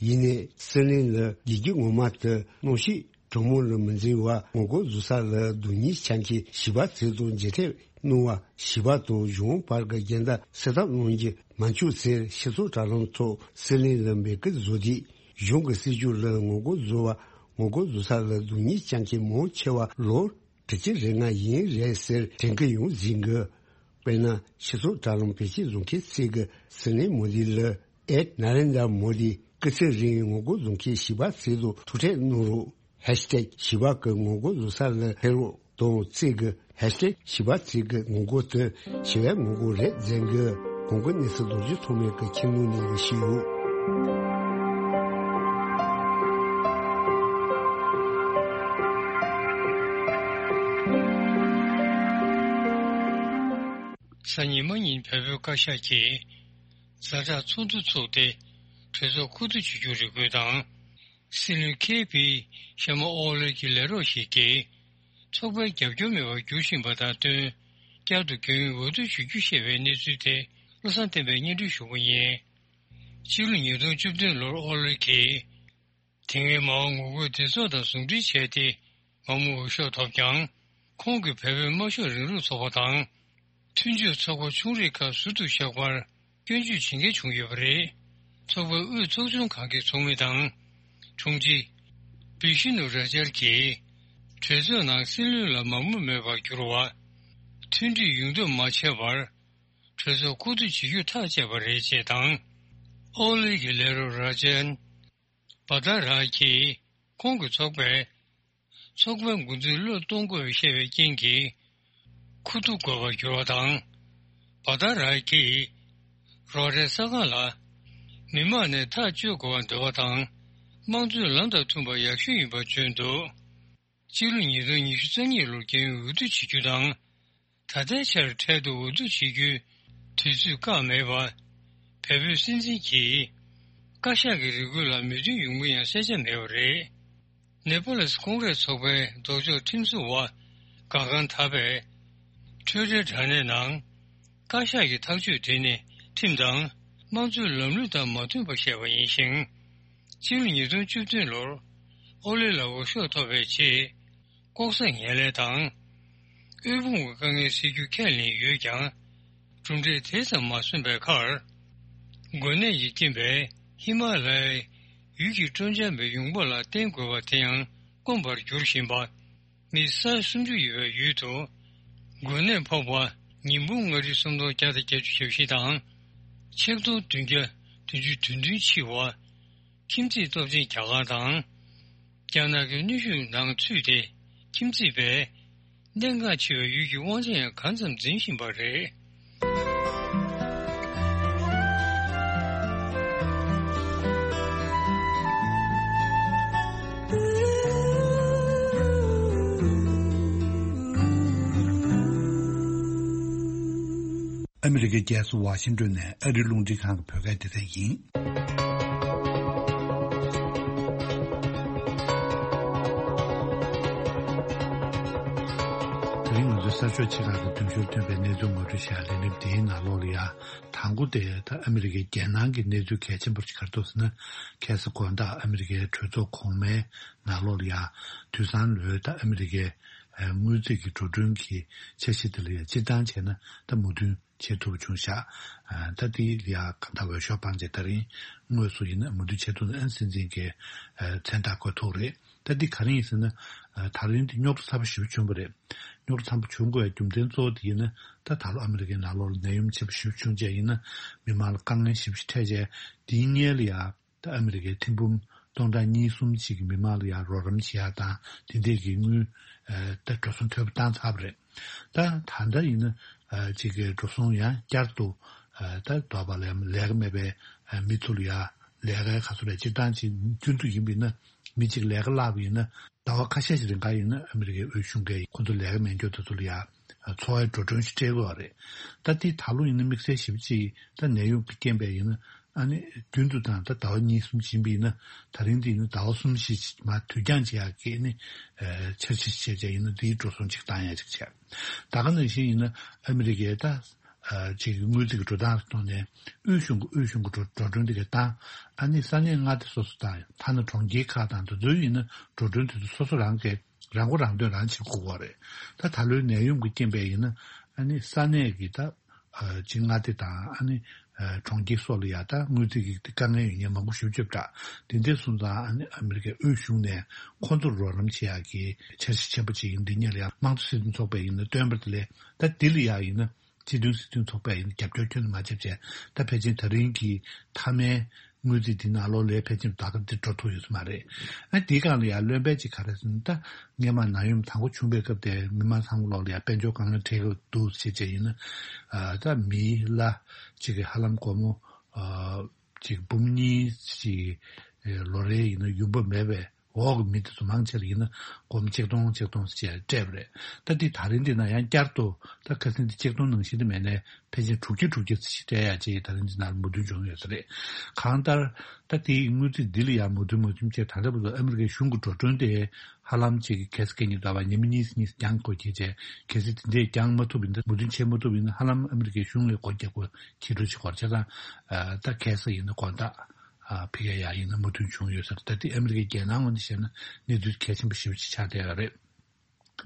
ཡིན་ནའི་སྲིད་གླེང་ལ་དགེ་སྐྱོན་ངོ་མ་དེ་གནོན་ཤུགས་དྲང་མོ་ལ་མི་འཛིན་པར་ངོ་རྒོལ་བཟོ་ས་ལ་སྡུག་ཉེས་ཆ་མཁན་ཞི་བ་འཚོ་དང་མཇལ་འཕྲད་གནང་བར་ཞི་བ་དང་གཞུང་བར་གྱི་འགལ་ཟླ་སེལ་ཐབས་གནང་རྒྱུ་མ་འཁྱོངས་ཟེར་སྤྱི་ཚོགས་དྲ་ལམ་ཐོག་སྲིད་གླེང་ལ་འབོད་སྐུལ་བཟོ་དུས། གཞུང་གི་སྲིད་ཇུས་ལ་ངོ་རྒོལ་བཟོ་བ། ངོ་རྒོལ་བཟོ་ས་ལ་སྡུག་ཉེས་བཅངས་མཁན་མང་ཆེ་བ་ལོ་དྲུག་ཅུ་རེ་ལྔ་ཡིན་རེད་ཟེར་དྲན་གྱི་ཡོད་ཟེར་གི། དཔེར་ན། སྤྱི་ཚོགས་དྲ་ལམ་བེད་སྤྱོད་བཟོ་མཁན་ཚོས་གི་སྲིད་གླེང་མོ་དི་ལ་ཨེཊ་ནཱ་རེན་དྲ་མོ་དི་སྐུ་ཚེ་རིང་ངོ་རྒོལ་བཟོ་མཁན་ཞི་བ་འཚོ་དང་ཐུག་འཕྲད་གནང་རོགས། ཧེཤ་ཊེག་ཞི་བ་གི་ངོ་རྒོལ་བཟོ་ས་ལ་ཕེབས་རོགས་དང་ཚོས་གི་ཧེཤ་ཊེག་ཞི་བ་འཚོ་གི་ངོ་རྒོལ་དེ་ཞི་བའི་ངོ་རྒོལ་རེད་ཟེར་གི། གོང་གི་གནས་ཚུལ་རྡོ་རྗེ་ཐོགས་མེད་ཀྱིས་ཁྱིམ་ནང་ནས་ཞུས་ཡོད། གཟའ་ཉི་མ་ཉིན་བལ་པོའི་བཀའ་ཤག་གིས་ཛ་དྲག་ཚོགས་འདུ་ཚོགས་ཏེ་གྲོས་ཚོགས་བསྐོ་བསྡུ་བྱེད་རྒྱུ་རེ་སྐུལ་དང་། སྲིད་བློན་ཁེ་པི་ཤར་མ་ཨོ་ལི་གི་ལས་རོགས་ཤིག་གིས་ཚོགས་པའི་རྒྱབ་སྐྱོར་མེད་པར་འགྱུར་བཞིན་པ་དང་བསྟུན། བསྐྱར་དུ་རྒྱུན་འོས་བསྡུ་བྱེད་རྒྱུ་ཞེས་པའི་གནས་ཚུལ་དེ་བློ་བཟང་བསྟན་པས་སྙན་སྒྲོན་ཞུ་གི་ཡིན། ཕྱི་ལོ་ཉིས་སྟོང་བཅུ་བདུན་ལོར་ཨོ་ལི་གིས་དེ་སྔའི་མའོ་ངོ་རྒོལ་སྡེ་ཚོགས་དང་ཟུང་འབྲེལ་བྱས་ཏེ་མང་མོས་འོས་ཤོག་ཐོབ་ཀྱང་། ཁོང་གིས་བལ་པོའི་དམར་ཤོག་རིང་ལུགས་ཚོགས་པ་དང་མཐུན་སྦྱོར་ཚོགས་པ་ཆུང་རིགས་ཁག་ཟུར་དུ་བཞག་པར་སྐྱོན་བརྗོད་བྱེད་མཁན་བྱུང་ཡོད་པ་རེད། ཚོགས་པའི་དབུས་ཚོགས་ཆུང་ཁང་གི་ཚོགས་མི་དང་། དྲུང་ཆེ་བི་ཤི་ནུ་ར་ཇར་གྱིས་གྲོས་ཚོགས་ནང་སྲིད་བློན་ལ་མང་མོས་མེད་པར་གྱུར་བ། མཐུན་སྒྲིལ་ཡོང་འདོད་མ་བྱས་པར་གྲོས་ཚོགས་བསྐོ་བསྡུ་བྱེད་རྒྱུ་ཐག་བཅད་པ་རེད་ཅེས་དང་། ཨོ་ལི་གི་ལས་རོགས་ར་ཇན་བྷ་ད་ར་གིས་ཁོང་གི་ཚོགས་པས་ཚོགས་པའི་འགོ་འཛིན་བློས་གཏོང་དགོས་པའི་བཤད་པའི་རྐྱེན་གྱིས་ཁུ་བསྡུ་དགོས་པར་གྱུར་བ་དང་། བྷ་ད་ར་གིས་རོགས་རའི་ས་ཁང་ལ་མི་མང་ནས་ཐག་གཅོད་དགོས་པར་འདོད་པ་དང་། དམངས་གཙོའི་ལམ་དང་མཐུན་པ་ཡག་ཤོས་ཡིན་པར་བརྗོད་འདུག། སྤྱི་ལོ་ཉིས་སྟོང་ཉི་ཤུ་རྩ་གཉིས་ལོར་རྒྱུན་འོས་བསྡུ་བྱེད་རྒྱུ་དང་། ད་ལྟའི་ཆར་འཕྲལ་དུ་འོས་བསྡུ་བྱེད་རྒྱུའི་དུས་ཚོད་བཀག་མེད་པ། བལ་པོའི་སྲིད་འཛིན་གྱིས་བཀའ་ཤག་གི་རེ་སྐུལ་ལ་མོས་མཐུན་ཡོང་མིན་ཡང་གསལ་ཆ་མེད་པ་རེད། ནེ་པ་ལེས་ཀོང་རེས་ཚོགས་པའི་ལྡོག་ཕྱོགས་ཁྲིམས་བཟོ་བ་གྷ་གྷན་ཐ་པས་ཊུའི་ཊར་དྲ་གནས་ནང་། བཀའ་ཤག་གི་ཐག་གཅོད་དེ་ནི་ཁྲིམས་དང་དམངས་གཙོའི་ལམ་ལུགས་དང་མ་མཐུན་པ་བཤད་པ་ཡིན་ཞིང་། སྤྱི་ལོ་ཉིས་སྟོང་བཅུ་བདུན་ལོར་ཨོ་ལི་ལ་འོས་ཤོག་ཐོབ་པའི་རྗེས། ལྐོག་ཟ་ངན་ལྷད་དང་། དབུལ་ཕོངས་ཀྱི་དཀའ་ངལ་སེལ་རྒྱུ་ཁས་ལེན་ཡོད་ཀྱང་། གྲུབ་འབྲས་དེ་ཙམ་མ་སོན་པའི་ཁར། འགོས་ནད་ཀྱི་རྐྱེན་པས་ཧི་མ་ལ་ཡའི་ཡུལ་གྱི་སྤྲོ་འཆམ་པའི་ཡོང་འབབ་ལ་བརྟེན་དགོས་པ་དེ་ཡང་དཀོན་པར་གྱུར་བཞིན་པ། མི་ས་ཡ་སུམ་ཅུ་ཡོད་པའི་ཡུལ་དུ། འགོས་ནད་ཕོག་པ་ཉིས་འབུམ་ལྔ་ཁྲི་སུམ་སྟོང་བརྒྱ་དང་བརྒྱད་ཅུ་གྱ་བཞི་དང་། ཆིག་སྟོང་བདུན་བརྒྱ་བདུན་ཅུ་དོན་བདུན་འཆི་བ། ཁྱིམ་མཚེས་སྟོབས་ཆེན་རྒྱ་གར་དང་། རྒྱ་ནག་གི་གནོན་ཤུགས་ནང་ཚུད་དེ་ཁྱིམ་མཚེས་པས་གནད་འགག་ཆེ་བའི་ཡུལ་གྱི་དབང་ཆ་ཡང་གང་ཙམ་འཛིན་བཞིན་པ་རེད། ཨ་མི་རི་ཀའི་རྒྱལ་ས་ཝ་ཤིང་ཏོན་ནས་ཨ་རིའི་རླུང་འཕྲིན་ཁང་གི་བོད་སྐད་སྡེ་ཚན་ཡིན། དེ་རིང་ང་ཚོའི་གསར་ཤོག་ཆེ་ཁག་གི་འདེམས་ཤོག་ཐོན་པའི་གནས་ཚུལ་ངོ་སྤྲོད་བྱ་ལས་རིམ་འདིའི་ནང་ལོགས་ལ་ཡ། དང་པོ་དེ་ད་ཨ་མི་རི་ཀའི་རྒྱལ་ནང་གི་གནས་ཚུལ་གལ་ཆེན་པོ་ཞིག་ག་རེ་འདུག་ཟེར་ན། ཁ་སང་དགོང་དག་ཨ་མི་རི་ཀའི་གྲོས་ཚོགས་གོང་མའི་ནང་ལོགས་ལ་ཡ། དུས་སང་ལོའི་ད་ཨ་མི་རི་ཀའི་དངུལ་རྩིས་ཀྱི་འགྲོ་གྲོན་གྱི་འཆར་གཞི་དེ་ལ་ཡ་སྤྱིར་བཏང་བྱས་ན་ད་མོས་མཐུན་བྱེད་ཐུབ་པ་བྱུང་ཤག་ཨ། ད་དེ་ལ་ཡ་གང་ལྟར་འོས་ཤོག་སྤངས་རྗེས་ད་རིང་དངོས་སུ་ཡིན་ན་མོས་མཐུན་བྱེད་ཐུབ་ན་ཨ་སྲིད་འཛིན་གྱི་ཨ་མཚན་རྟགས་འགོད་ཐུབ་རེད། ད་འདི་ག་རེ་ཡིན་ཟེར་ན། ཨ། ད་རིང་འདི་རྙོག་དྲ་ཚ་པོ་ཞེ་པོ་བྱུང་བ་རེད། རྙོག་དྲ་ཚ་པོ་བྱུང་དགོས་ཡ་རྒྱུ་མཚན་གཙོ་བོ་དེ་ཡིན་ན། ད་ད་ལོ་ཨ་མི་རི་ཀའི་ནང་ལོགས་ལ་ནད་ཡམས་ཆེན་པོ་ཞེ་པོ་བྱུང་བྱས་ཡིན་ན། མི་མང་ལ་དཀའ་ངལ་ཞེ་པོ་ཞིག་འཕྲད་བྱས། དེའི་སྔོན་ལ་ཡ། ད་ཨ་མི་རི་ཀའི་ཐེར་འབུམ་སྟོང་ཕྲག་གཉིས་གསུམ་ཅིག་གི་མི་མང་ལ་ཡ་རོགས་རམ་བྱེད་ཡ་དང་དེ་འདྲས་ཀྱི་དངུལ། ཨ། ད་འགྲོ་སོང་ཐོབ་བཏང་ཚར་བ་རེད། ད་ད་ལྟ་ཡིན་ན། ཨ། ཅིག་གི་འགྲོ་སོང་ཡང་བསྐྱར་དུ། ཨ། ད་དོ་བ་ལས་ལས་ཀ་མེད་པའི་མི་ཚོ་ལ་ཡ་ལས་ཀའི་ཁ་སོ་རེ་སྤྱིར་བཏང་ཅིག་རྒྱུན་དུ་ཡིན་པ་ཡིན་ན། མི་གཅིག་ལས་ཀ་བརླག་པ་ཡིན་ན་ཟླ་བ་ཁ་ཤས་ཤིག་རིང་ག་ཡིན་ན་ཨ་མི་རི་ཀའི་དབུས་གཞུང་གིས་ཁོ་ཚོ་ལས་ཀ་མེད་མཁན་དེ་ཚོ་ལ་ཡ་འཚོ་བའི་འགྲོ་གྲོན་ཞིག་སྤྲད་དགོས་པ་རེད། ད་དེ་ད་ལོ་ཡིན་ན་དམིགས་བསལ་ཞིབ་ཅིག་ད་ནད་ཡམས་ཀྱི་རྐྱེན་པས་ཡིན་ན་ ཨ་ནི་རྒྱུན་དུ་དང་ད་ཟླ་བ་གཉིས་གསུམ་ཕྱིན་པ་ཡིན་ན། ད་རིང་འདི་ཡིན་ན་ཟླ་བ་གསུམ་བཞི་མར་དུས་འགྱངས་བྱེད་ཡག་གི་ནི་འཆར་གཞི་བྱས་བྱས་ཡིན་ན། འདིའི་འགྲོ་སོང་ཅིག་བཏང་ཡག་ཅིག་བྱས། ད་ག་ནང་བཞིན་ཡིན་ན་ཨ་མི་རི་ཀའི་ད་ཅིག་དངུལ་རྩིས་ཀྱི་འགྲོ་སྟངས་ཐོག་ནས་དབུས་གཞུང་གི་དབུས་གཞུང་གི་འགྲོ་འགྲོ་གྲོན་འདི་ག་བཏང་། ཨ་ནི་ས་གནས་མངའ་སྡེ་སོ་སོ་དང་ཐ་ན་གྲོང་ཁྱེར་ཁག་དང་དེ་ཚོའི་ཡིན་ན་འགྲོ་གྲོན་དེ་ཚོ་སོ་སོ་རང་གི་རང་མགོ་རང་ཐོན་རང་བྱེད་དགོས་པ་རེད། ད་ད་ལོའི་ནད་ཡམས་ཀྱི་རྐྱེན་པས་ཡིན་ན། ཨ་ནི་ས་གནས་ཀྱི་ད་ཅིག་མངའ་སྡེ་དང་ཨ་ནི་གྲོང་ཁྱེར་སོགས་ལ་ཡང་ད་དངུལ་རྩིས་ཀྱི་དཀའ་ངལ་ཡོད་མཁན་མང་པོ་ཞེ་པོ་ཅིག་ཡོད་པ་འདྲ། དེ་འདྲ་སོང་ཙང་ཨ་ནི་ཨ་མི་རི་ཀའི་དབུས་གཞུང་ནས་ཁོང་ཚོར་རོགས་རམ་བྱེད་ཡག་གི་འཆར་གཞི་ཆེན་པོ་ཅིག་ཡིན། འདི་གཉིས་ལ་ཡང་དམངས་གཙོ་སྲིད་དོན་ཚོགས་པས་ཡིན་ན་བཏོན་པ་དེ་ལས། ད་འདི་ལ་ཡང་ཡིན་ན་སྤྱི་མཐུན་སྲིད་དོན་ཚོགས་པས་ཡིན་ན་རྒྱབ་སྐྱོར་ཁྱོན་ནས་མ་བྱས་པ་བྱས། ད་ཕལ་ཆེར་ད་རིང་གི་མཐའ་མའི་དངུལ་རྩིས་འདི་ནང་ལོགས་ལ་ཕལ་ཆེར་ད་ལྟ་འདི་འགྲོ་ཐུབ་ཡོད་ས་མ་རེད། ཨ་འདིའི་སྒང་ལ་ཡང་ལོན་པ་ཅིག་ག་རེ་ཟེར་ན། ད་སྔོན་མ་ནད་ཡམས་དང་པོ་བྱུང་བའི་སྐབས་དེ་མི་མང་ཚང་མ་ལོགས་ལ་ཡང་དཔལ་འབྱོར་དཀའ་ངལ་འཕྲད་ཀྱི་འདུག་ཟེར་བྱས་ཡིན་ན། ཨ་ད་མི་ལ་ཅིག་གི་ཧ་ལམ་སྒོར་མོ་ཨ་ཅིག་འབུམ་གཉིས་ཅིག་ལོ་རེ་ཡིན་ན་ཡོང་འབབ་མེད་པའི་འོག་གི་མི་དེ་ཚོ་མང་ཆེ་ལ་ཡིན་ན་སྒོར་མོ་ཆིག་སྟོང་ཆིག་སྟོང་ཅིག་སྤྲད་པ་རེད། ད་འདི་ད་རིང་འདི་ན་ཡང་བསྐྱར་དུ་ད་ཁ་སང་འདི་ཆིག་སྟོང་ནང་བཞིན་དུ་མེད་ནས་ཕལ་ཆེར་དྲུག་བརྒྱ་དྲུག་བརྒྱ་ཙམ་ཞིག་སྤྲད་ཡག་ཅིག་ད་རིང་འདི་ནང་ལ་མོས་མཐུན་བྱུང་ཡོད་ས་རེད། གང་ལྟར་ད་དེའི་དངུལ་རྩིས་འདི་ལ་ཡང་མོས་མཐུན་མ་བྱུང་བྱས། ད་ལྟ་བར་དུ་ཨ་མི་རི་ཀའི་གཞུང་གི་འགྲོ་གྲོན་དེ་ཧ་ལམ་ཅིག་གི་གལ་སྲིད་སྐད་ཉིད་ལྟ་བ་ཉི་མ་གཉིས་གཉིས་རྒྱང་སྒོ་ཁྱེར་བྱས། གལ་སྲིད་དེ་འདྲས་རྒྱང་མ་ཐུབ་པ་ཡིན་ན། མོས་མཐུན་བྱེད་མ་ཐུབ་པ་ཡིན་ན་ཧ་ལམ་ཨ་མི་རི་ཀའི་གཞུང་ལ་སྒོ་རྒྱག་དགོས། ཁྱེད་རང་ཅིག་སྐོར་བྱས་ཙང་། ད་གལ་སྲིད་ཡིན་ན་དགོངས་དག་ཕ་གིར་ཡང་ཡིན་ན་མོས་མཐུན་བྱུང་ཡོད་ས་རེད། ད་དེ་ཨ་མི་རི་ཀའི་རྒྱལ་ནང་ངོས་ནས་བཤད་ན་གནས་ཚུལ་གལ་ཆེན་པོ་ཞེ་པོ་ཅིག་ཆགས་བསྡད་ཡོད་རེད།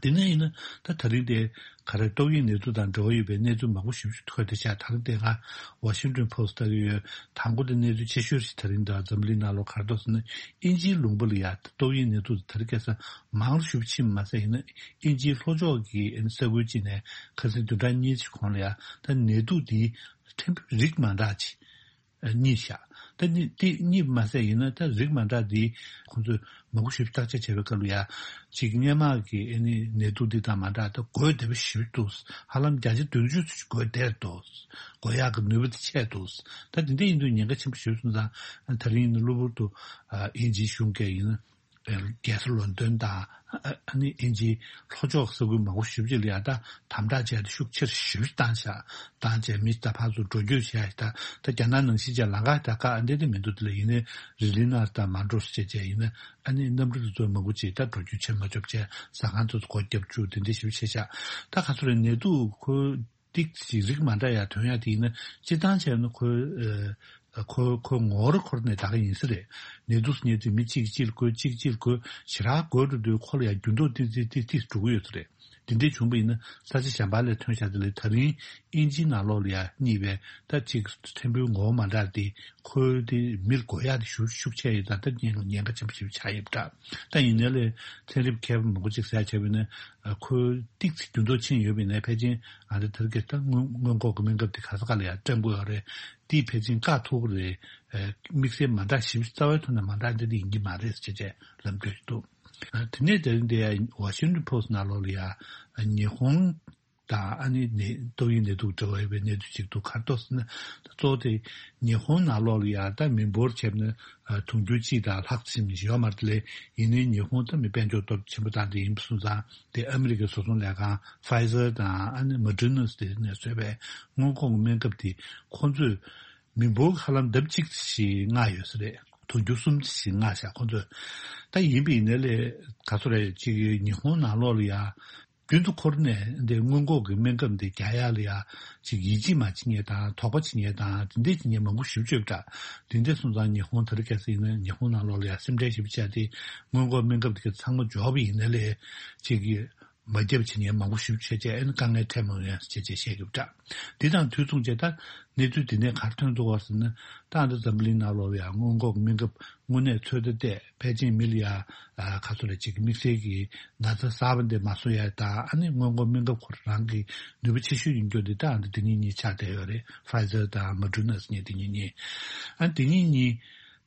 དེ་ནས་ཡིན་ན་ད་ད་རིང་དེ་ག་རེ། ཏོག་དབྱིབས་ནད་དུག་དང་འབྲེལ་བ་ཡོད་པའི་གནས་ཚུལ་མང་པོ་ཞེ་པོ་ཅིག་ཐོན་བསྡད་ཤག་ད་རིང་དེ་ང་Washington Post་ལྟ་གི་ཡོད། དང་པོ་དེ་གནས་ཚུལ་ཆེ་ཤོས་ཤིག་ད་རིང་ད་འཛམ་གླིང་ནང་ལོགས་ག་རེ་འདུག་ཟེར་ན། དབྱིན་ཇིའི་ལུང་པ་ལ་ཡ་ཏོག་དབྱིབས་ནད་དུག་དེ་ད་རིང་ཁ་སང་མང་རུ་ཞེ་པོ་ཕྱིན་མ་ཟད། ཡིན་ན་དབྱིན་ཇིའི་ལྷོ་ཕྱོགས་ཀྱི་ས་ཁུལ་གཅིག་ནས་ཁ་སང་བདུན་ཕྲག་གཉིས་ཀྱི་གོང་ལ་ཡ་ད་ནད་དུག་དེའི་ཕྲན་བུ་རིགས་མ་འདྲ་ཅིག་རྙེད་ཤག་ད་ནི་དེ་རྙེད་པ་མ་ཟད། ཡིན་ན་ད་རིགས་མ་འདྲ་འདི་ཁོང་ཚོས་མང་པོ་ཞིག་བརྟག་དཔྱད་བྱས་པའི་སྐབས་ལ་ཡ། གཅིག་སྔོན་མ་གི་ཨ་ནི་ནད་དུག་འདི་དང་མ་འདྲ། ད་འགོས་བདེ་པོ་ཞེ་པོ་འདུག་ཧ་ལམ་བརྒྱ་ཆ་བདུན་ཅུ་ཙམ་འགོས་བསྡད་འདུག་འགོས་ཡག་གི་ནུས་པ་དེ་ཆད་འདུག་ད་དེ་འདྲ་ཡིན་དུས་ཉེན་ཁ་ཆེན་པོ་ཞེ་པོ་སོང་ཙང་། ད་རིང་ཡིན་ན་གློ་བུར་དུ་ཨ་དབྱིན་ཇིའི་གཞུང་གིས་ཡིན་ན། རྒྱལ་ས་ལོན་ཌོན་དང་ཨ་ནི་དབྱིན་ཇིའི་ལྷོ་ཕྱོགས་ས་ཁུལ་མང་པོ་ཞེ་པོ་ཅིག་ལ་ཡ་ད་དམ་དྲག་བྱས་ཏེ་ཤུགས་ཆེར་ཞེ་པོ་བཏང་ཤག་བཏང་བྱས་མི་ད་ཕར་ཚུར་འགྲོ་སྐྱོད་བྱས། ད་ད་རྒྱ་ནག་ནང་བཞིན་བྱས་ལམ་ཁ་ད་ག་ཨ་འདྲ་དེ་མི་འདུག་དེ་ལ་ཡིན་ནའི་རི་ལི་ན་དང་མོན་རོ་སོགས་བྱས་བྱས་ཡིན་ན། ཨ་ནི་གནམ་གྲུ་དེ་ཚོ་མང་པོ་ཅིག་ད་འགྲོ་སྐྱོད་བྱེད་མ་ཆོག་བྱས། ཟ་ཁང་དེ་ཚོ་སྒོ་བརྒྱབ་བཅུག་དེ་འདྲ་ཞེ་པོ་བྱས་ཤག་ད་ག་ཚོད་རེད། ནད་དུག་ཁོ་ཏིག་ཙམ་རིགས་མ་འདྲ་ཡ་ཐོན་ཡ་དེ་ཡིན་ན། སྤྱིར་བཏང་བྱས་ན་ཁོ་ཨ་ཁོ་ཁོ་ངོ་ར་འཁོར་ནས་ད་ག་ཡིན་ས་རེད། ནད་དུག་ཟེར་མཁན་དེ་མི་གཅིག་གིས་གཅིག་ལ་འགོས། གཅིག་གིས་གཅིག་ལ་འགོས། ཞེ་དྲག་འགོས་འགྲོ་དུས་ཁོ་ལ་ཡ་འགྱུར་ལྡོག་ཏིག་ཙི་ཏིག་ཙི་འགྲོ་གི་ཡོད་ས་རེད། དེ་འདྲས་བྱུང་བ་ཡིན་ན་ས་ཆ་གཞན་པ་ལ་ཐོན་ཤག་དེ་ལས་ད་རིང་དབྱིན་ཇིའི་ནང་ལོགས་ལ་ཡ་རྙེད་པའི་ད་ཅིག་ཕྲན་བུའི་ངོ་བོ་མ་འདྲ་དེ། ཁོའི་དེ་མི་ལ་འགོས་ཡག་དེ་ཤུགས་ཤུགས་ཆེ་ཡོད་ཙང་། ད་ཉེན་ཉེན་ཁ་ཆེན་པོ་ཞིག་ཆགས་ཡོད་པ་འདྲ། ད་ཡིན་ནའི་ལས་ཚན་རིག་མཁས་པ་མང་པོ་ཅིག་ཟེར་བྱས་པ་ཡིན་ན། ཁོའི་ཏིག་ཙི་འགྱུར་ལྡོག་ཕྱིན་ཡོད་པ་ཡིན་ནའི་ཕལ་ཆེར་ང་ཚོ་དེ་རིང་གི་ད་སྔོན་སྔོན་འགོག་གི་སྨན་ཁབ་དེ་ག་ས་ག་ལ་ཡང་སྤྲད་དགོས་ཡོད་རེད། དེས་ཕལ་ཆེར་བཀག་ཐུབ་ཀྱི་རེད། དམིགས་བསལ་མ་འདྲ་ཞིབ་རྩ་བའི་ཐོག་ནས་མ་འདྲ་འདི་འདྲ་ཡིན་གྱི་མ་རེད་ཟེར་བྱས་ལབ་འདོད་འདུག་དེ་ནས་དེ་རིང་འདི་ཡ་Washington Post་ནང་ལོགས་ལ་ཡ་ཉི་ཧོང་དང་ཨ་ནི་ནད་ཏོག་དབྱིབས་ནད་དུག་འབྲེལ་བ་ཡོད་པའི་གནས་ཚུལ་ཅིག་འདུག་ག་རེ་འདུག་ཟེར་ན། གཙོ་བོ་དེ་ཉི་ཧོང་ནང་ལོགས་ལ་ཡ་ད་མི་འབོར་བྱས་ན་དུང་ཕྱུར་གཅིག་དང་ལྷག་ཙམ་ཡོད་མ་རེད་དེ་ལས། ཡིན་ནའི་ཉི་ཧོང་ད་མི་དཔལ་འབྱོར་སྟོབས་ཆེན་པོ་དང་དེ་ཡིན་པ་སོང་ཙང་། དེ་ཨ་མི་རི་ཀའི་བཟོ་ཚོང་ལས་ཁང་Pfizer་དང་ཨ་ནི་Moderna་དེ་ནས་བཟོས་པའི་སྔོན་འགོག་སྨན་ཁབ་དེ་ཁོང་ཚོས་མི་འབོར་ཧ་ལམ་ལྡབ་གཅིག་ཞིག་མངགས་ཡོད་ས་རེད། དུང་ཕྱུར་གསུམ་ཞིག་མངགས་ཤག་ཁོང་ཚོས། ད་ཡིན་པ་ཡིན་ནའི་ལས་ག་ཚོད་རེད། ཅིག་ཉི་ཧོང་ནང་ལོགས་ལ་ཡ་རྒྱུན་དུ་འཁོར་ནས་འདི་སྔོན་འགོག་གི་སྨན་ཁབ་འདི་རྒྱག་ཡ་ལ་ཡ་ཅིག་ཡིད་ཆེས་མ་བྱེད་མཁན་དང་། དོགས་པ་བྱེད་མཁན་དང་། དེ་འདྲས་བྱེད་མཁན་མང་པོ་ཞེ་པོ་ཅིག་ཡོད་པ་འདྲ། དེ་འདྲས་སོང་ཙང་ཉི་ཧོང་དེ་རིང་ཁ་སང་ཡིན་ན་ཉི་ཧོང་ནང་ལོགས་ལ་ཡ་སེམས་ཁྲལ་ཞེ་པོ་བྱས་ཏེ། སྔོན་འགོག་སྨན་ཁབ་དེ་ག་ཚང་མ་འབྱོར་བ་ཡིན་ནའི་ལས་ཅིག་གི་མ་བརྒྱབ་བྱེད་མཁན་མང་པོ་ཞེ་པོ་ཅིག་བྱས་བྱས། ཨ་ནི་དཀའ་ངལ་འཕྲད་མྱོང་ཡ་ཟེར་བྱས་བྱས་བཤད་ཀྱི་ཡོད་པ་འདྲ། འདི་དང་དུས་མཚུངས་བྱས་ད་གནས་ཚུལ་འདི་ནས་ག་རེ་ཐོན་འདུག་ག་ཟེར་ན། ད་ཨ་ནི་འཛམ་བུ་གླིང་ནང་ལོགས་ལ་ཡ་སྔོན་འགོག་སྨན་ཁབ་དངོས་གནས་ཚོད་ལྟ་བལྟས། ཕལ་ཆེར་མི་ལ་ཡ་ཨ་ག་ཚོད་རེད། ཅིག་དམིགས་བསལ་གྱི་ན་ཚ་གསར་པ་འདི་མ་བཟོ་ཡ་དང་། ཨ་ནི་སྔོན་འགོག་སྨན་ཁབ་ཁོ་རང་གི་ནུས་པ་ཆེ་ཤོས་ཡིན་རྒྱུ་འདི་ད་ཨ་ནི་འདི་གཉིས་གཉིས་ཆགས་བསྡད་ཡོད་རེད། Pfizer་དང་Moderna་ཟེར་མཁན་འདི་གཉིས་གཉིས། ཨ་འདི་གཉིས་གཉིས་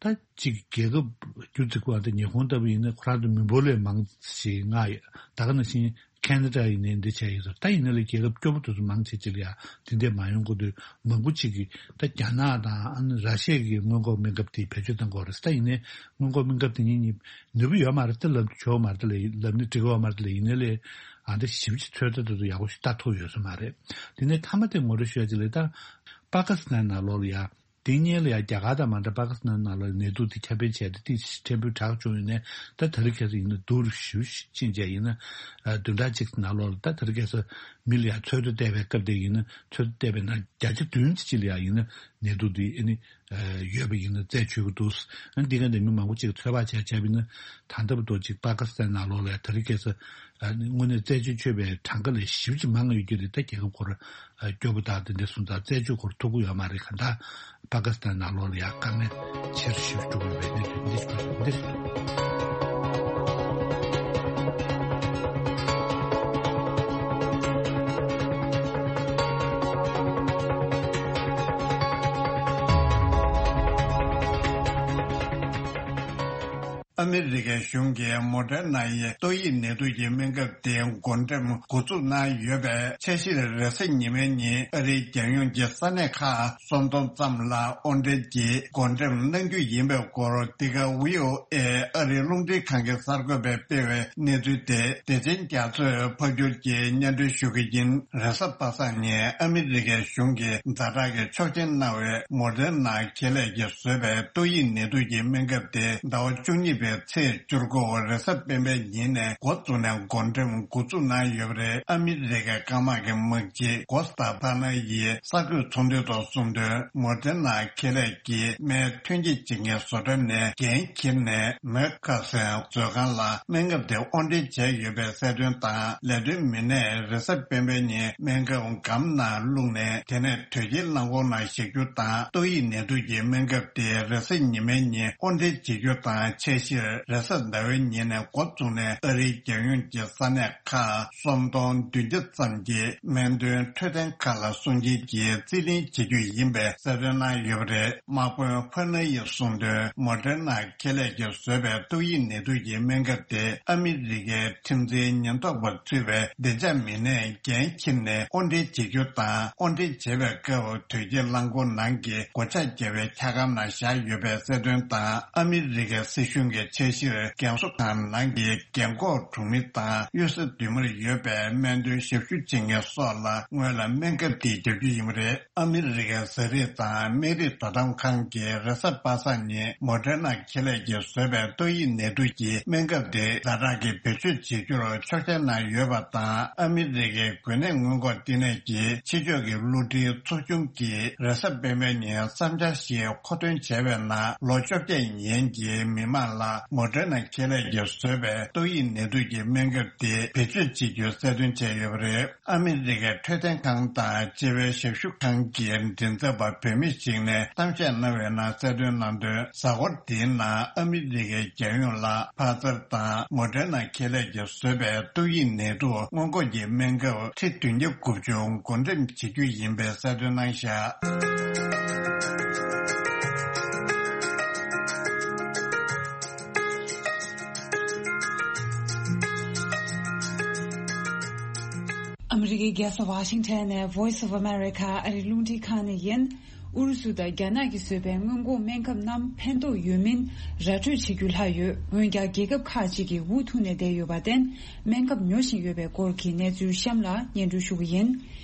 ད་ཅིག་རྒྱལ་ཁབ་རྒྱུ་ཚིག་པ་འདི་ཉི་ཧོང་ལྟ་བུ་ཡིན་ན་ཁོ་རང་ཚོ་མི་འབོར་ལས་མང་ཞིག་མངགས་ཡོད། ད་ག་ནང་བཞིན་ཁེ་ན་ཌ་ཡིན་ནའི་འདི་བྱས་ཡོད་ཚོད། ད་ཡིན་ན་ལས་རྒྱལ་ཁབ་སྐྱོ་པོ་དེ་ཚོ་མང་ཆེ་ཅིག་ལ་ཡ་དེ་འདྲས་མ་ཡོང་གི་འདུག་མང་པོ་ཅིག་གིས་ད་རྒྱ་ནག་དང་ཨ་ནི་ར་ཤི་ཡ་གི་སྔོན་འགོག་སྨན་ཁབ་དེ་བེད་སྤྱོད་གཏང་གི་ཡོད་རེད། ད་ཡིན་ནའི་སྔོན་འགོག་སྨན་ཁབ་དེ་གཉིས་གཉིས་ནུས་པ་ཡོད་མ་རེད། ད་ལབ་ཆོག་མ་རེད། ད་ལབ་ནི་འགྲིག་གི་ཡོད་མ་རེད། ད་ལ་ཡིན་ནའི་ལས་ཨ་འདྲ་ཞིབ་ཅིག་ཚོད་ལྟ་དེ་ཚོ་ཡག་པོ་ཞིག་ལྟ་ཐུབ་ཡོད་ས་མ་རེད། དེ་ནས་མཐའ་མ་དེ་ངོ་སྤྲོད་ཞུ་ཡ་ཅིག་ལ། ད་པ་ཀི་སི་ཐན་ནང་ལོགས་ལ་ཡ་ དེ་སྔོན་ལ་ཡང་རྒྱ་གར་དང་མ་འདྲ་པ་ཀི་སི་ཐན་ནང་ལོགས་ནད་དུག་དེ་ཁྱབ་སྤེལ་བྱས་ཏེ་ཏོག་ཙམ་ཕྲན་བུ་དྲག་བྱུང་ཡོད་ནའི་ད་དེ་རིང་ཁ་སང་ཡིན་ན་སྡུག་རུ་ཞེ་པོ་ཕྱིན་བྱས་ཡིན་ན་བདུན་ཕྲག་གཅིག་ནང་ལོགས་ལ་ད་དེ་རིང་ཁ་སང་མི་ལ་ཡང་འཚོལ་བསྡུ་བལྟས་པའི་སྐབས་དེ་ཡིན་ན་འཚོལ་བསྡུ་བལྟས་པའི་ནང་བརྒྱ་ཆ་བདུན་ཙམ་ཅིག་ལ་ཡང་ཡིན་ན་ནད་དུག་དེ་ཨ་ནི་ཡོད་པ་ཡིན་ན་རྩད་ཆོད་ཀྱི་འདུག་ཨ་ནི་འདི་ག་ནས་མི་མང་པོ་ཅིག་ཚོད་དཔག་བྱས་བྱས་པ་ཡིན་ན་ད་ལྟ་བར་དུ་ཅིག་པ་ཀི་སི་ཐན་ནང་ལོགས་ལ་དེ་རིང་ཁ་སང་ཨ་ནི་དངོས་གནས་རྩད་ཆོད་ཆོད་པའི་གྲངས་ཀ་ལས་ཞེ་པོ་ཅིག་མང་ཡོད་ཀྱི་རེད། ད་རྒྱལ་ཁབ་སྐོར་སྐྱོ་པོ་དང་དེ་འདྲ་སོང་ཙང་རྩད་གཅོད་སྐོར་ཐུབ་ཀྱི་ཡོད་མ་རེད། གང་ལྟར་པ་ཀི་སི་ཐན་ནང་ལོགས་ལ་ཡང་དཀའ་ངལ་ཆེ་རུ་ཞེ་པོ་འགྲོ་གི་ཡོད་པའི་གནས་ཚུལ་འདི་འདི་རེད། ཨ་མི་རི་ཀའི་གཞུང་གིས་མོ་ཌེར་ན་ཡི་ཏོག་དབྱིབས་ནད་དུག་གི་སྨན་ཁབ་དེ་འགོ་འགྲེམས་འགོ་འཛུགས་གནང་ཡོད་པའི་འཆར་གཞིར་རེས་གཟའ་ཉི་མའི་ཉིན་ཨ་རིའི་རྒྱལ་ཡོངས་ཀྱི་ས་གནས་ཁག་སུམ་སྟོང་ཙམ་ལ་དབོར་འདྲེན་གྱིས་འགོ་འགྲེམས་གནང་རྒྱུ་ཡིན་པའི་སྐོར། འདི་ག་ཝི་ཨོ་ཨེ་ཨ་རིའི་རླུང་འཕྲིན་ཁང་གི་གསར་འགོད་པས་སྤེལ་བའི་གནས་ཚུལ་དེ་བདེ་ཆེན་རྒྱ་མཚོས་ཕབ་སྒྱུར་གྱིས་སྙན་སྒྲོན་ཞུ་གི་ཡིན། རེས་གཟའ་པ་སངས་ཉིན་ཨ་མི་རི་ཀའི་གཞུང་གིས་ཛ་དྲག་གི་ཆོག་མཆན་གནང་བའི་མོ་ཌེར་ན་ཁེ་ལས་ཀྱིས་བཟོས་པའི་ཏོག་དབྱིབས་ནད་དུག་གི་སྨན་ཁབ་དེ་ཟླ་བ་བཅུ་གཉིས་པའི་ཚེས་བཅུ་དགུ་རེས་གཟའ་སྤེན་པའི་ཉིན་ནས་འགོ་བཙུགས་ནས་འགོ་འགྲེམས་འགོ་འཛུགས་གནང་ཡོད་པ་རེད། ཨ་མི་རི་ཀའི་སྐམ་དམག་གི་དམག་སྤྱི་གོ་སྟ་པ་ན་ཡིས་གསར་འགོད་ཚོགས་འདུའི་ཐོག་གསུངས་དོན། མོ་ཌེར་ན་ཁེ་ལས་ཀྱིས་སྨན་ཐོན་སྐྱེད་བྱེད་མཁན་བཟོ་གྲྭ་ནས་འགན་འཁྱེར་ནས་མེར་ཁ་སན་མཛོད་ཁང་ལ་སྨན་ཁབ་དེ་དབོར་འདྲེན་བྱས་ཡོད་པའི་གསལ་སྟོན་དང་། ལས་དོན་མི་སྣས་རེས་གཟའ་སྤེན་པའི་ཉིན་སྨན་ཁབ་སྒམ་ནང་བླུགས་ནས་དེ་ནས་དོས་སྐྱེལ་རླངས་འཁོར་ནང་བཞག་རྒྱུ་དང་། ཏོག་དབྱིབས་ནད་དུག་གི་སྨན་ཁབ་དེ་རེས་གཟའ་ཉི་མའི་ཉིན་དབོར་འདྲེན་བྱེད་རྒྱུ་དང་། འཆར་གཞིར་རེས་གཟའ་ཟླ་བའི་ཉིན་ནས་འགོ་བཙུགས་ནས་ཨ་རིའི་རྒྱལ་ཡོངས་ཀྱི་ས་གནས་ཁག་སུམ་སྟོང་བདུན་བརྒྱ་ཙམ་གྱི་སྨན་དོན་འཕྲོད་བསྟེན་ཁག་ལ་སྲུང་བརྩི་གིས་རྩིས་ལེན་བྱེད་རྒྱུ་ཡིན་པའི་གསལ་སྟོན་གནང་ཡོད་པ་རེད། དམག་དཔོན་ཕ་ན་ཡིས་གསུངས་དོན། མོ་ཌེར་ན་ཁེ་ལས་ཀྱིས་བཟོས་པའི་ཏོག་དབྱིབས་ནད་དུག་གི་སྨན་ཁབ་དེ་ཨ་མི་རི་ཀའི་ཁྲིམས་འཛིན་ཉེན་རྟོག་པ་ཚུད་པའི་བདེ་འཇགས་མི་སྣས་འགན་འཁྱེར་ནས་དབོར་འདྲེན་བྱེད་རྒྱུ་དང་། དབོར་འདྲེན་བྱེད་པའི་སྐབས་དོས་སྐྱེལ་རླངས་འཁོར་ནང་གི་སྒོ་ལྕགས་བརྒྱབ་པའི་འཁྱག་སྒམ་ནང་བཞག་ཡོད་པའི་གསལ་སྟོན་དང་། ཨ་མི་རི་ཀའི་སྲིད་གཞུང་གི་འཆར་གཞིར་རྒན་གསོ་ཁང་ནང་གི་རྒན་འཁོགས་གྲོང་མི་དང་གཡུལ་ས་མདུན་མར་ཡོད་པའི་སྨན་དོན་ཞབས་ཞུ་བྱེད་མཁན་སོགས་ལ་སྔོན་ལ་སྨན་ཁབ་དེ་བརྒྱབ་རྒྱུ་ཡིན་པ་རེད། ཨ་མི་རི་ཀའི་ཟས་རིགས་དང་སྨན་རིགས་དོ་དམ་ཁང་གིས་རེས་གཟའ་པ་སངས་ཉིན་མོ་ཌེར་ན་ཁེ་ལས་ཀྱིས་བཟོས་པའི་ཏོག་དབྱིབས་ནད་དུག་གི་སྨན་ཁབ་དེ་ཛ་དྲག་གི་བེད་སྤྱོད་བྱེད་རྒྱུར་ཆོག་མཆན་གནང་ཡོད་པ་དང་། ཨ་མི་རི་ཀའི་འགོས་ནད་སྔོན་འགོག་ལྟེ་གནས་ཀྱི་ཕྱི་ཕྱོགས་ཀྱི་བསླུ་བྲིད་ཚོགས་ཆུང་གིས་རེས་གཟའ་སྤེན་པའི་ཉིན་བསམ་འཆར་ཞིག་མཁོ་འདོན་བྱས་པའི་ནང་། ལོ་བཅོ་བརྒྱད་ཡན་གྱི་མི་མང་ལ་མོ་ཌེར་ན་ཁེ་ལས་ཀྱིས་བཟོས་པའི་ཏོག་དབྱིབས་ནད་དུག་གི་སྨན་ཁབ་དེ་བེད་སྤྱོད་བྱེད་རྒྱུ་གསལ་སྟོན་བྱས་ཡོད་པ་རེད། ཨ་མི་རི་ཀའི་འཕྲོད་བསྟེན་ཁང་དང་སྤྱི་པའི་ཞབས་ཞུ་ཁང་གི་མགྲིན་ཚབ་པ་བོད་མི་ཞིག་ནས་གཏམ་བཤད་གནང་བའི་ནང་གསལ་སྟོན་གནང་དོན། གཟའ་འཁོར་འདིའི་ནང་ཨ་མི་རི་ཀའི་རྒྱལ་ཡོངས་ལ་ཕ་ཛར་དང་མོ་ཌེར་ན་ཁེ་ལས་ཀྱིས་བཟོས་པའི་ཏོག་དབྱིབས་ནད་དུག་སྔོན་འགོག་གི་སྨན་ཁབ་ཁྲི་བདུན་བརྒྱ་དགུ་བཅུ་འགོ་འགྲེམས་བྱེད་རྒྱུ་ཡིན་པའི་གསལ་སྟོན་གནང་བཞག་ཨ་མི་རི་ཀའི་རྒྱལ་ས་ཝ་ཤིང་ཊོན་ནས་Voice of America ཨ་རིའི་རླུང་འཕྲིན་ཁང་ནས་ཡིན། ཨུ་རུ་སུ་དང་རྒྱ་ནག་གིས་བཟོས་པའི་སྔོན་འགོག་སྨན་ཁབ་རྣམས་ཕན་ཐོགས་ཡོད་མིན་ར་སྤྲོད་བྱེད་རྒྱུ་ལྷག་ཡོད། འོན་ཀྱང་རྒྱལ་ཁབ་ཁག་ཅིག་གིས་འུ་ཐུག་ནས་བསྡད་ཡོད་པར་བརྟེན། སྨན་ཁབ་ཉོ་བཞིན་ཡོད་པའི་སྐོར་གྱི་གནས་ཚུལ་གཤམ་ལ་སྙན་སྒྲོན་ཞུ་གི་ཡིན།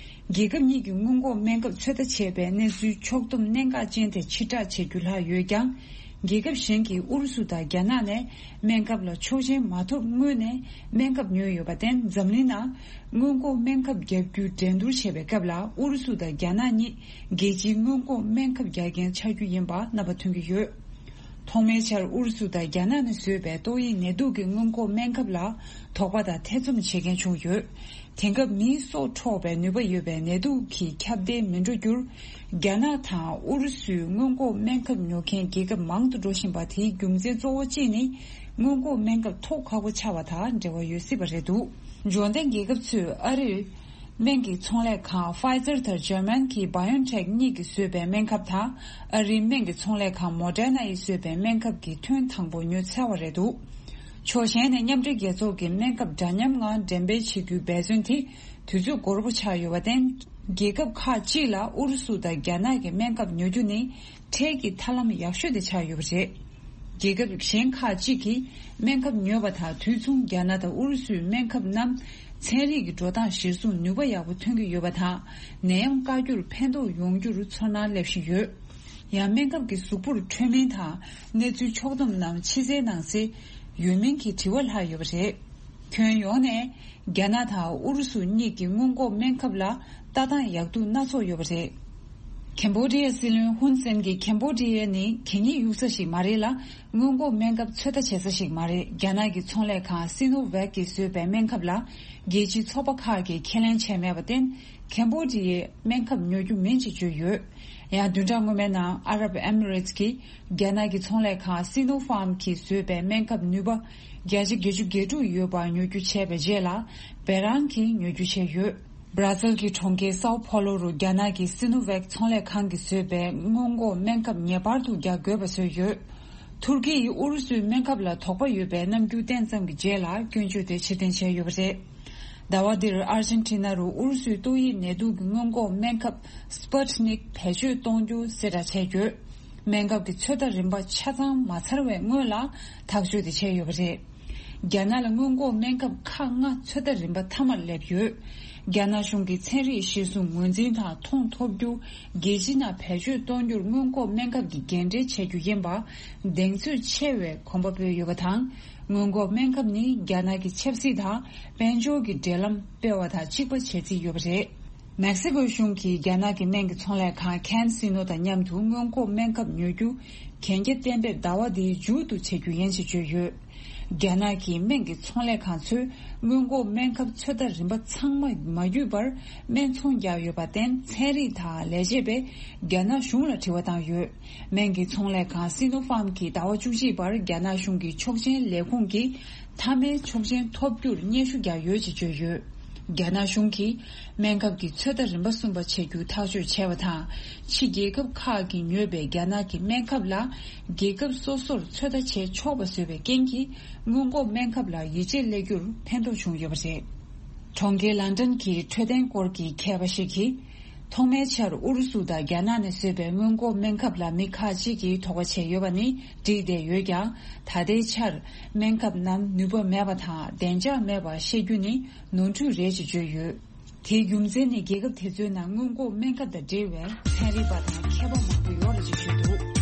རྒྱལ་ཁབ་གཉིས་ཀྱི་སྔོན་འགོག་སྨན་ཁབ་ཚོད་ལྟ་བྱས་པའི་གནས་ཚུལ་ཕྱོགས་བསྡོམས་གནད་འགག་ཅན་དེ་ཕྱིར་བསྒྲགས་བྱེད་རྒྱུ་ལྷག་ཡོད་ཀྱང་། རྒྱལ་ཁབ་གཞན་གྱིས་ཨུ་རུ་སུ་དང་རྒྱ་ནག་ནས་སྨན་ཁབ་ལ་ཆོག་མཆན་མ་ཐོབ་སྔོན་ནས་སྨན་ཁབ་ཉོས་ཡོད་པར་བརྟེན། འཛམ་གླིང་ནང་སྔོན་འགོག་སྨན་ཁབ་བརྒྱབ་རྒྱུ་འགྲན་བསྡུར་བྱས་པའི་སྐབས་ལ་ཨུ་རུ་སུ་དང་རྒྱ་ནག་གཉིས་རྒྱལ་སྤྱིའི་སྔོན་འགོག་སྨན་ཁབ་རྒྱག་མཁན་ཆགས་རྒྱུ་ཡིན་པ་རྣམ་པ་ཐོན་གྱི་ཡོད། ཐོག་མའི་ཆར་ཨུ་རུ་སུ་དང་རྒྱ་ནག་ནས་བཟོས་པའི་ཏོག་དབྱིབས་ནད་དུག་གི་སྔོན་འགོག་སྨན་ཁབ་ལ་དོགས་པ་དང་ཐེ་ཚོམ་བྱེད་མཁན་བྱུང་ཡོད། དེང་སྐབས་མིའི་སྲོག་འཕྲོག་པའི་ནུས་པ་ཡོད་པའི་ནད་དུག་གིས་ཁྱབ་གདལ་མི་འགྲོ་རྒྱུར། རྒྱ་ནག་དང་ཨུ་རུ་སུའི་སྔོན་འགོག་སྨན་ཁབ་ཉོ་མཁན་རྒྱལ་ཁབ་མང་དུ་འགྲོ་བཞིན་པ་དེའི་རྒྱུ་མཚན་གཙོ་བོ་གཅིག་ནི། སྔོན་འགོག་སྨན་ཁབ་ཐོག་ཁག་པོ་ཆགས་པ་དང་འབྲེལ་བ་ཡོད་སྲིད་པ་རེད་འདུག་འབྱོར་ལྡན་རྒྱལ་ཁབ་ཚོས་ཨ་རིར། སྨན་གྱི་ཚོང་ལས་ཁང་Pfizer དང་German གྱི་BioNTech གཉིས་ཀྱིས་བཟོས་པའི་སྨན་ཁབ་དང་། ཨ་རིའི་སྨན་གྱི་ཚོང་ལས་ཁང་Moderna ཡིས་བཟོས་པའི་སྨན་ཁབ་ཀྱི་ཐོན་དང་པོ་ཉོ་ཚར་བ་རེད་འདུག་ཕྱོགས་གཞན་ནས་མཉམ་འབྲེལ་རྒྱལ་ཚོགས་ཀྱི་སྨན་ཁབ་འདྲ་མཉམ་ངང་འགྲེམས་སྤེལ་བྱེད་རྒྱུའི་འབད་བརྩོན་དེ་དུས་ཚོད་འགོར་པོ་ཆགས་ཡོད་པར་བརྟེན། རྒྱལ་ཁབ་ཁག་ཅིག་ལ་ཨུ་རུ་སུ་དང་རྒྱ་ནག་གི་སྨན་ཁབ་ཉོ་རྒྱུ་ནི་འཕྲལ་གྱི་ཐབས་ལམ་ཡག་ཤོས་དེ་ཆགས་ཡོད་པ་རེད། རྒྱལ་ཁབ་གཞན་ཁག་ཅིག་གིས་སྨན་ཁབ་ཉོས་པ་དང་། དུས་མཚུངས་རྒྱ་ནག་དང་ཨུ་རུ་སུའི་སྨན་ཁབ་རྣམས་ཚན་རིག་གི་འགྲོ་སྟངས་གཞིར་བཟུང་ནུས་པ་ཡག་པོ་ཐོན་གྱི་ཡོད་པ་དང་། ནད་ཡམས་བཀག་རྒྱུར་ཕན་ཐོགས་ཡོང་རྒྱུར་ཚོར་སྣང་སླེབས་བཞིན་ཡོད། ཡང་སྨན་ཁབ་ཀྱི་གཟུགས་པོར་འཕྲོད་མིན་དང་གནས་ཚུལ་ཕྱོགས་བསྡོམས་རྣམས་ཕྱི་གསལ་ནང་གསལ་ཡོད་མིན་གྱི་དྲི་བ་ལྷག་ཡོད་པ་རེད། ཁྱོན་ཡོངས་ནས་རྒྱ་ནག་དང་ཨུ་རུ་སུ་གཉིས་ཀྱི་སྔོན་འགོག་སྨན་ཁབ་ལ་ལྟ་སྟངས་ཡག་སྡུག་སྣ་ཚོགས་ཡོད་པ་རེད། ཁེམ་བྷོ་ཌི་ཡའི་སྲིད་བློན་ཧུན་སེན་གྱིས་ཁེམ་བྷོ་ཌི་ཡ་ནི་གད་སྙིགས་གཡུག་ས་ཞིག་མ་རེད་ལ། སྔོན་འགོག་སྨན་ཁབ་ཚོད་ལྟ་བྱེད་ས་ཞིག་མ་རེད། རྒྱ་ནག་གི་ཚོང་ལས་ཁང་སི་ནོ་ཝེག་གིས་བཟོས་པའི་སྨན་ཁབ་ལ་རྒྱལ་སྤྱིའི་ཚོགས་པ་ཁག་གིས་ཁས་ལེན་བྱས་མེད་པར་བརྟེན། ཁེམ་བྷོ་ཌི་ཡས་སྨན་ཁབ་ཉོ་རྒྱུ་མིན་ཅེས་བརྗོད་ཡོད། ཡང་བདུན་ཕྲག་སྔོན་མའི་ནང་ཨ་རབ་ཨེ་མི་རེ་ཊི་གིས་རྒྱ་ནག་གི་ཚོང་ལས་ཁང་སི་ནོ་ཕཱམ་གྱིས་བཟོས་པའི་སྨན་ཁབ་ནུས་པ་བརྒྱ་ཆ་བརྒྱད་ཅུ་གྱ་དྲུག་ཡོད་པ་ཉོ་རྒྱུ་བྱས་པའི་རྗེས་ལ། བེ་རང་གིས་ཉོ་རྒྱུ་བྱས་ཡོད། སྦྲ་སིལ་གྱི་གྲོང་ཁྱེར་སའོ་ཕོ་ལོ་རུ་རྒྱ་ནག་གི་སི་ནོ་ཝེག་ཚོང་ལས་ཁང་གིས་བཟོས་པའི་སྔོན་འགོག་སྨན་ཁབ་ངེས་པར་དུ་རྒྱག་དགོས་པ་བཟོས་ཡོད། ཐུར་ཁེ་ཡིས་ཨུ་རུ་སུའི་སྨན་ཁབ་ལ་དོགས་པ་ཡོད་པའི་རྣམ་འགྱུར་བསྟན་ཙམ་གྱི་རྗེས་ལ་སྐྱོན་བརྗོད་དེ་ཕྱིར་འཐེན་བྱས་ཡོད་པ་རེད། ཟླ་བ་འདིར་ཨར་ཇེན་ཊི་ན་རུ་ཨུ་རུ་སུའི་ཏོག་དབྱིབས་ནད་དུག་གི་སྔོན་འགོག་སྨན་ཁབ་སི་པུ་ཊི་ནིག་བེད་སྤྱོད་གཏོང་རྒྱུ་གསལ་བསྒྲགས་བྱས་ཡོད། སྨན་ཁབ་ཀྱི་ཚོད་ལྟ་རིམ་པ་ཆ་ཚང་མ་ཚར་བའི་སྔོན་ལ་ཐག་གཅོད་དེ་བྱས་ཡོད་པ་རེད། རྒྱ་ནག་ལ་སྔོན་འགོག་སྨན་ཁབ་ཁག་ལྔ་ཚོད་ལྟ་རིམ་པ་མཐའ་མར་སླེབས་ཡོད། རྒྱ་ནག་གཞུང་གིས་ཚན་རིག་གཞིར་བཟུང་ངོས་འཛིན་དང་མཐོང་ཐོབ་རྒྱུ། རྒྱལ་སྤྱི་ནང་བེད་སྤྱོད་གཏོང་རྒྱུར་སྔོན་འགོག་སྨན་ཁབ་ཀྱི་འགན་འཁྲི་འཆད་རྒྱུ་ཡིན་པ། གདེང་ཚོད་ཆེ་བའི་གོམ་པ་སྤོས་ཡོད་པ་དང་། སྔོན་འགོག་སྨན་ཁབ་ནི་རྒྱ་ནག་གི་ཆབ་སྲིད་དང་དཔལ་འབྱོར་གྱི་འབྲེལ་ལམ་སྤེལ་བ་དང་གཅིག་པ་བྱེད་རྩིས་ཡོད་པ་རེད། མེག་སི་ཀོའི་གཞུང་གིས་རྒྱ་ནག་གི་སྨན་གྱི་ཚོང་ལས་ཁང་ཁན་སི་ནོ་དང་མཉམ་དུ་སྔོན་འགོག་སྨན་ཁབ་ཉོ་རྒྱུ་གན་རྒྱ་གཏན་འབེབས་ཟླ་བ་འདིའི་མཇུག་ཏུ་བྱ་རྒྱུ་ཡིན་ཞེས་བརྗོད་ཡོད། རྒྱ་ནག་གི་སྨན་གྱི་ཚོང་ལས་ཁང་ཚོས་སྔོན་འགོག་སྨན་ཁབ་ཚོད་ལྟ་རིམ་པ་ཚང་མ་མ་བརྒྱུད་པར་སྨན་ཚོང་བརྒྱབ་ཡོད་པར་བརྟེན། ཚན་རིག་དང་ལས་བྱེད་པས་རྒྱ་ནག་གཞུང་ལ་དྲི་བ་བཏང་ཡོད། སྨན་གྱི་ཚོང་ལས་ཁང་སི་ནོ་ཕཱམ་གྱིས་ཟླ་བ་བཅུ་གཅིག་བར་རྒྱ་ནག་གཞུང་གི་ཆོག་མཆན་ལས་ཁུངས་ཀྱི་མཐའ་མའི་ཆོག་མཆན་ཐོབ་རྒྱུར་སྙན་ཞུ་བརྒྱབ་ཡོད་ཅེས་བརྗོད་ཡོད། རྒྱ་ནག་གཞུང་གིས་སྨན་ཁབ་ཀྱི་ཚོད་ལྟ་རིམ་པ་གསུམ་པ་བྱེད་རྒྱུ་ཐག་གཅོད་བྱས་པ་དང་། ཕྱི་རྒྱལ་ཁབ་ཁག་གིས་ཉོས་པའི་རྒྱ་ནག་གི་སྨན་ཁབ་ལ་རྒྱལ་ཁབ་སོ་སོར་ཚོད་ལྟ་བྱེད་ཆོག་པ་བཟོས་པའི་རྐྱེན་གྱིས། སྔོན་འགོག་སྨན་ཁབ་ལ་ཡིད་ཆེས་སླེབས་རྒྱུར་ཕན་ཐོགས་བྱུང་ཡོད་པ་རེད། གྲོང་ཁྱེར་ལན་ཀྲན་གྱི་འཕྲོད་བསྟེན་སྐོར་གྱི་མཁས་པ་ཞིག་གིས། ཐོག་མའི་ཆར་ཨུ་རུ་སུ་དང་རྒྱ་ནག་ནས་བཟོས་པའི་སྔོན་འགོག་སྨན་ཁབ་ལ་མི་ཁག་ཅིག་གིས་དོགས་པ་བྱས་ཡོད་པ་ནི་འགྲིག་བསྡད་ཡོད་ཀྱང་། ད་ལྟའི་ཆར་སྨན་ཁབ་རྣམས་ནུས་པ་མེད་པ་དང་བདེ་འཇགས་མེད་པ་བཤད་རྒྱུ་ནི་ནོར་འཁྲུལ་རེད་ཅེས་བརྗོད་ཡོད། དེའི་རྒྱུ་མཚན་ནི་རྒྱལ་ཁབ་དེ་ཚོའི་ནང་སྔོན་འགོག་སྨན་ཁབ་དང་འབྲེལ་བའི་ཚན་རིག་པ་དང་མཁས་པ་མང་པོ་ཡོད་རེད་ཅེས་བརྗོད་འདུག།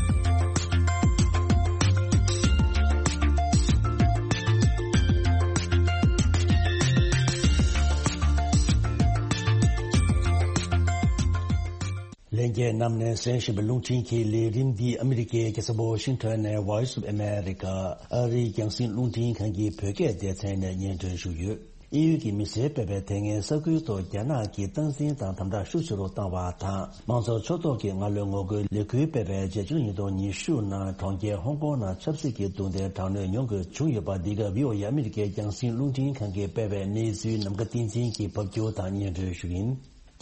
ལྷན་རྒྱས་རྣམས་ནས་གསན་བཞིན་པའི་རླུང་འཕྲིན་གྱི་ལས་རིམ་འདི་ཨ་མི་རི་ཀའི་རྒྱལ་ས་ཝ་ཤིང་ཊོན་ནས་Voice of America ཨ་རིའི་རྒྱང་སྲིང་རླུང་འཕྲིན་ཁང་གི་བོད་སྐད་སྡེ་ཚན་ནས་སྙན་སྒྲོན་ཞུས་ཡོད། དབྱིན་ཡུལ་གྱི་མི་སེར་སྤེལ་བའི་དེ་སྔའི་ས་ཁུལ་ཐོག་རྒྱ་ནག་གིས་སྟངས་འཛིན་དང་དམ་དྲག་ཤུགས་ཆེ་རུ་བཏང་བ་དང་། དམངས་གཙོ་ཕྱོགས་གཏོགས་ཀྱི་ང་ལོའི་ངོ་རྒོལ་ལས་འགུལ་སྤེལ་བའི་རྗེས་ཕྱི་ལོ་ཉིས་སྟོང་ཉི་ཤུ་ནང་གྲོང་ཁྱེར་ཧོང་ཀོང་ནང་ཆབ་སྲིད་ཀྱི་རྡུང་རྡེག་དྲག་གནོན་མྱོང་དགོས་བྱུང་ཡོད་པ། འདི་ག་བྷི་ཨོ་ཨེ་ཨ་མི་རི་ཀའི་རྒྱང་སྲིང་རླུང་འཕྲིན་ཁང་གིས་སྤེལ་བའི་གནས་ཚུལ་ནམ་མཁའ་བསྟན་འཛིན་གྱིས་ཕབ་སྒྱུར་དང་སྙན་སྒྲོན་ཞུ་ཡིན།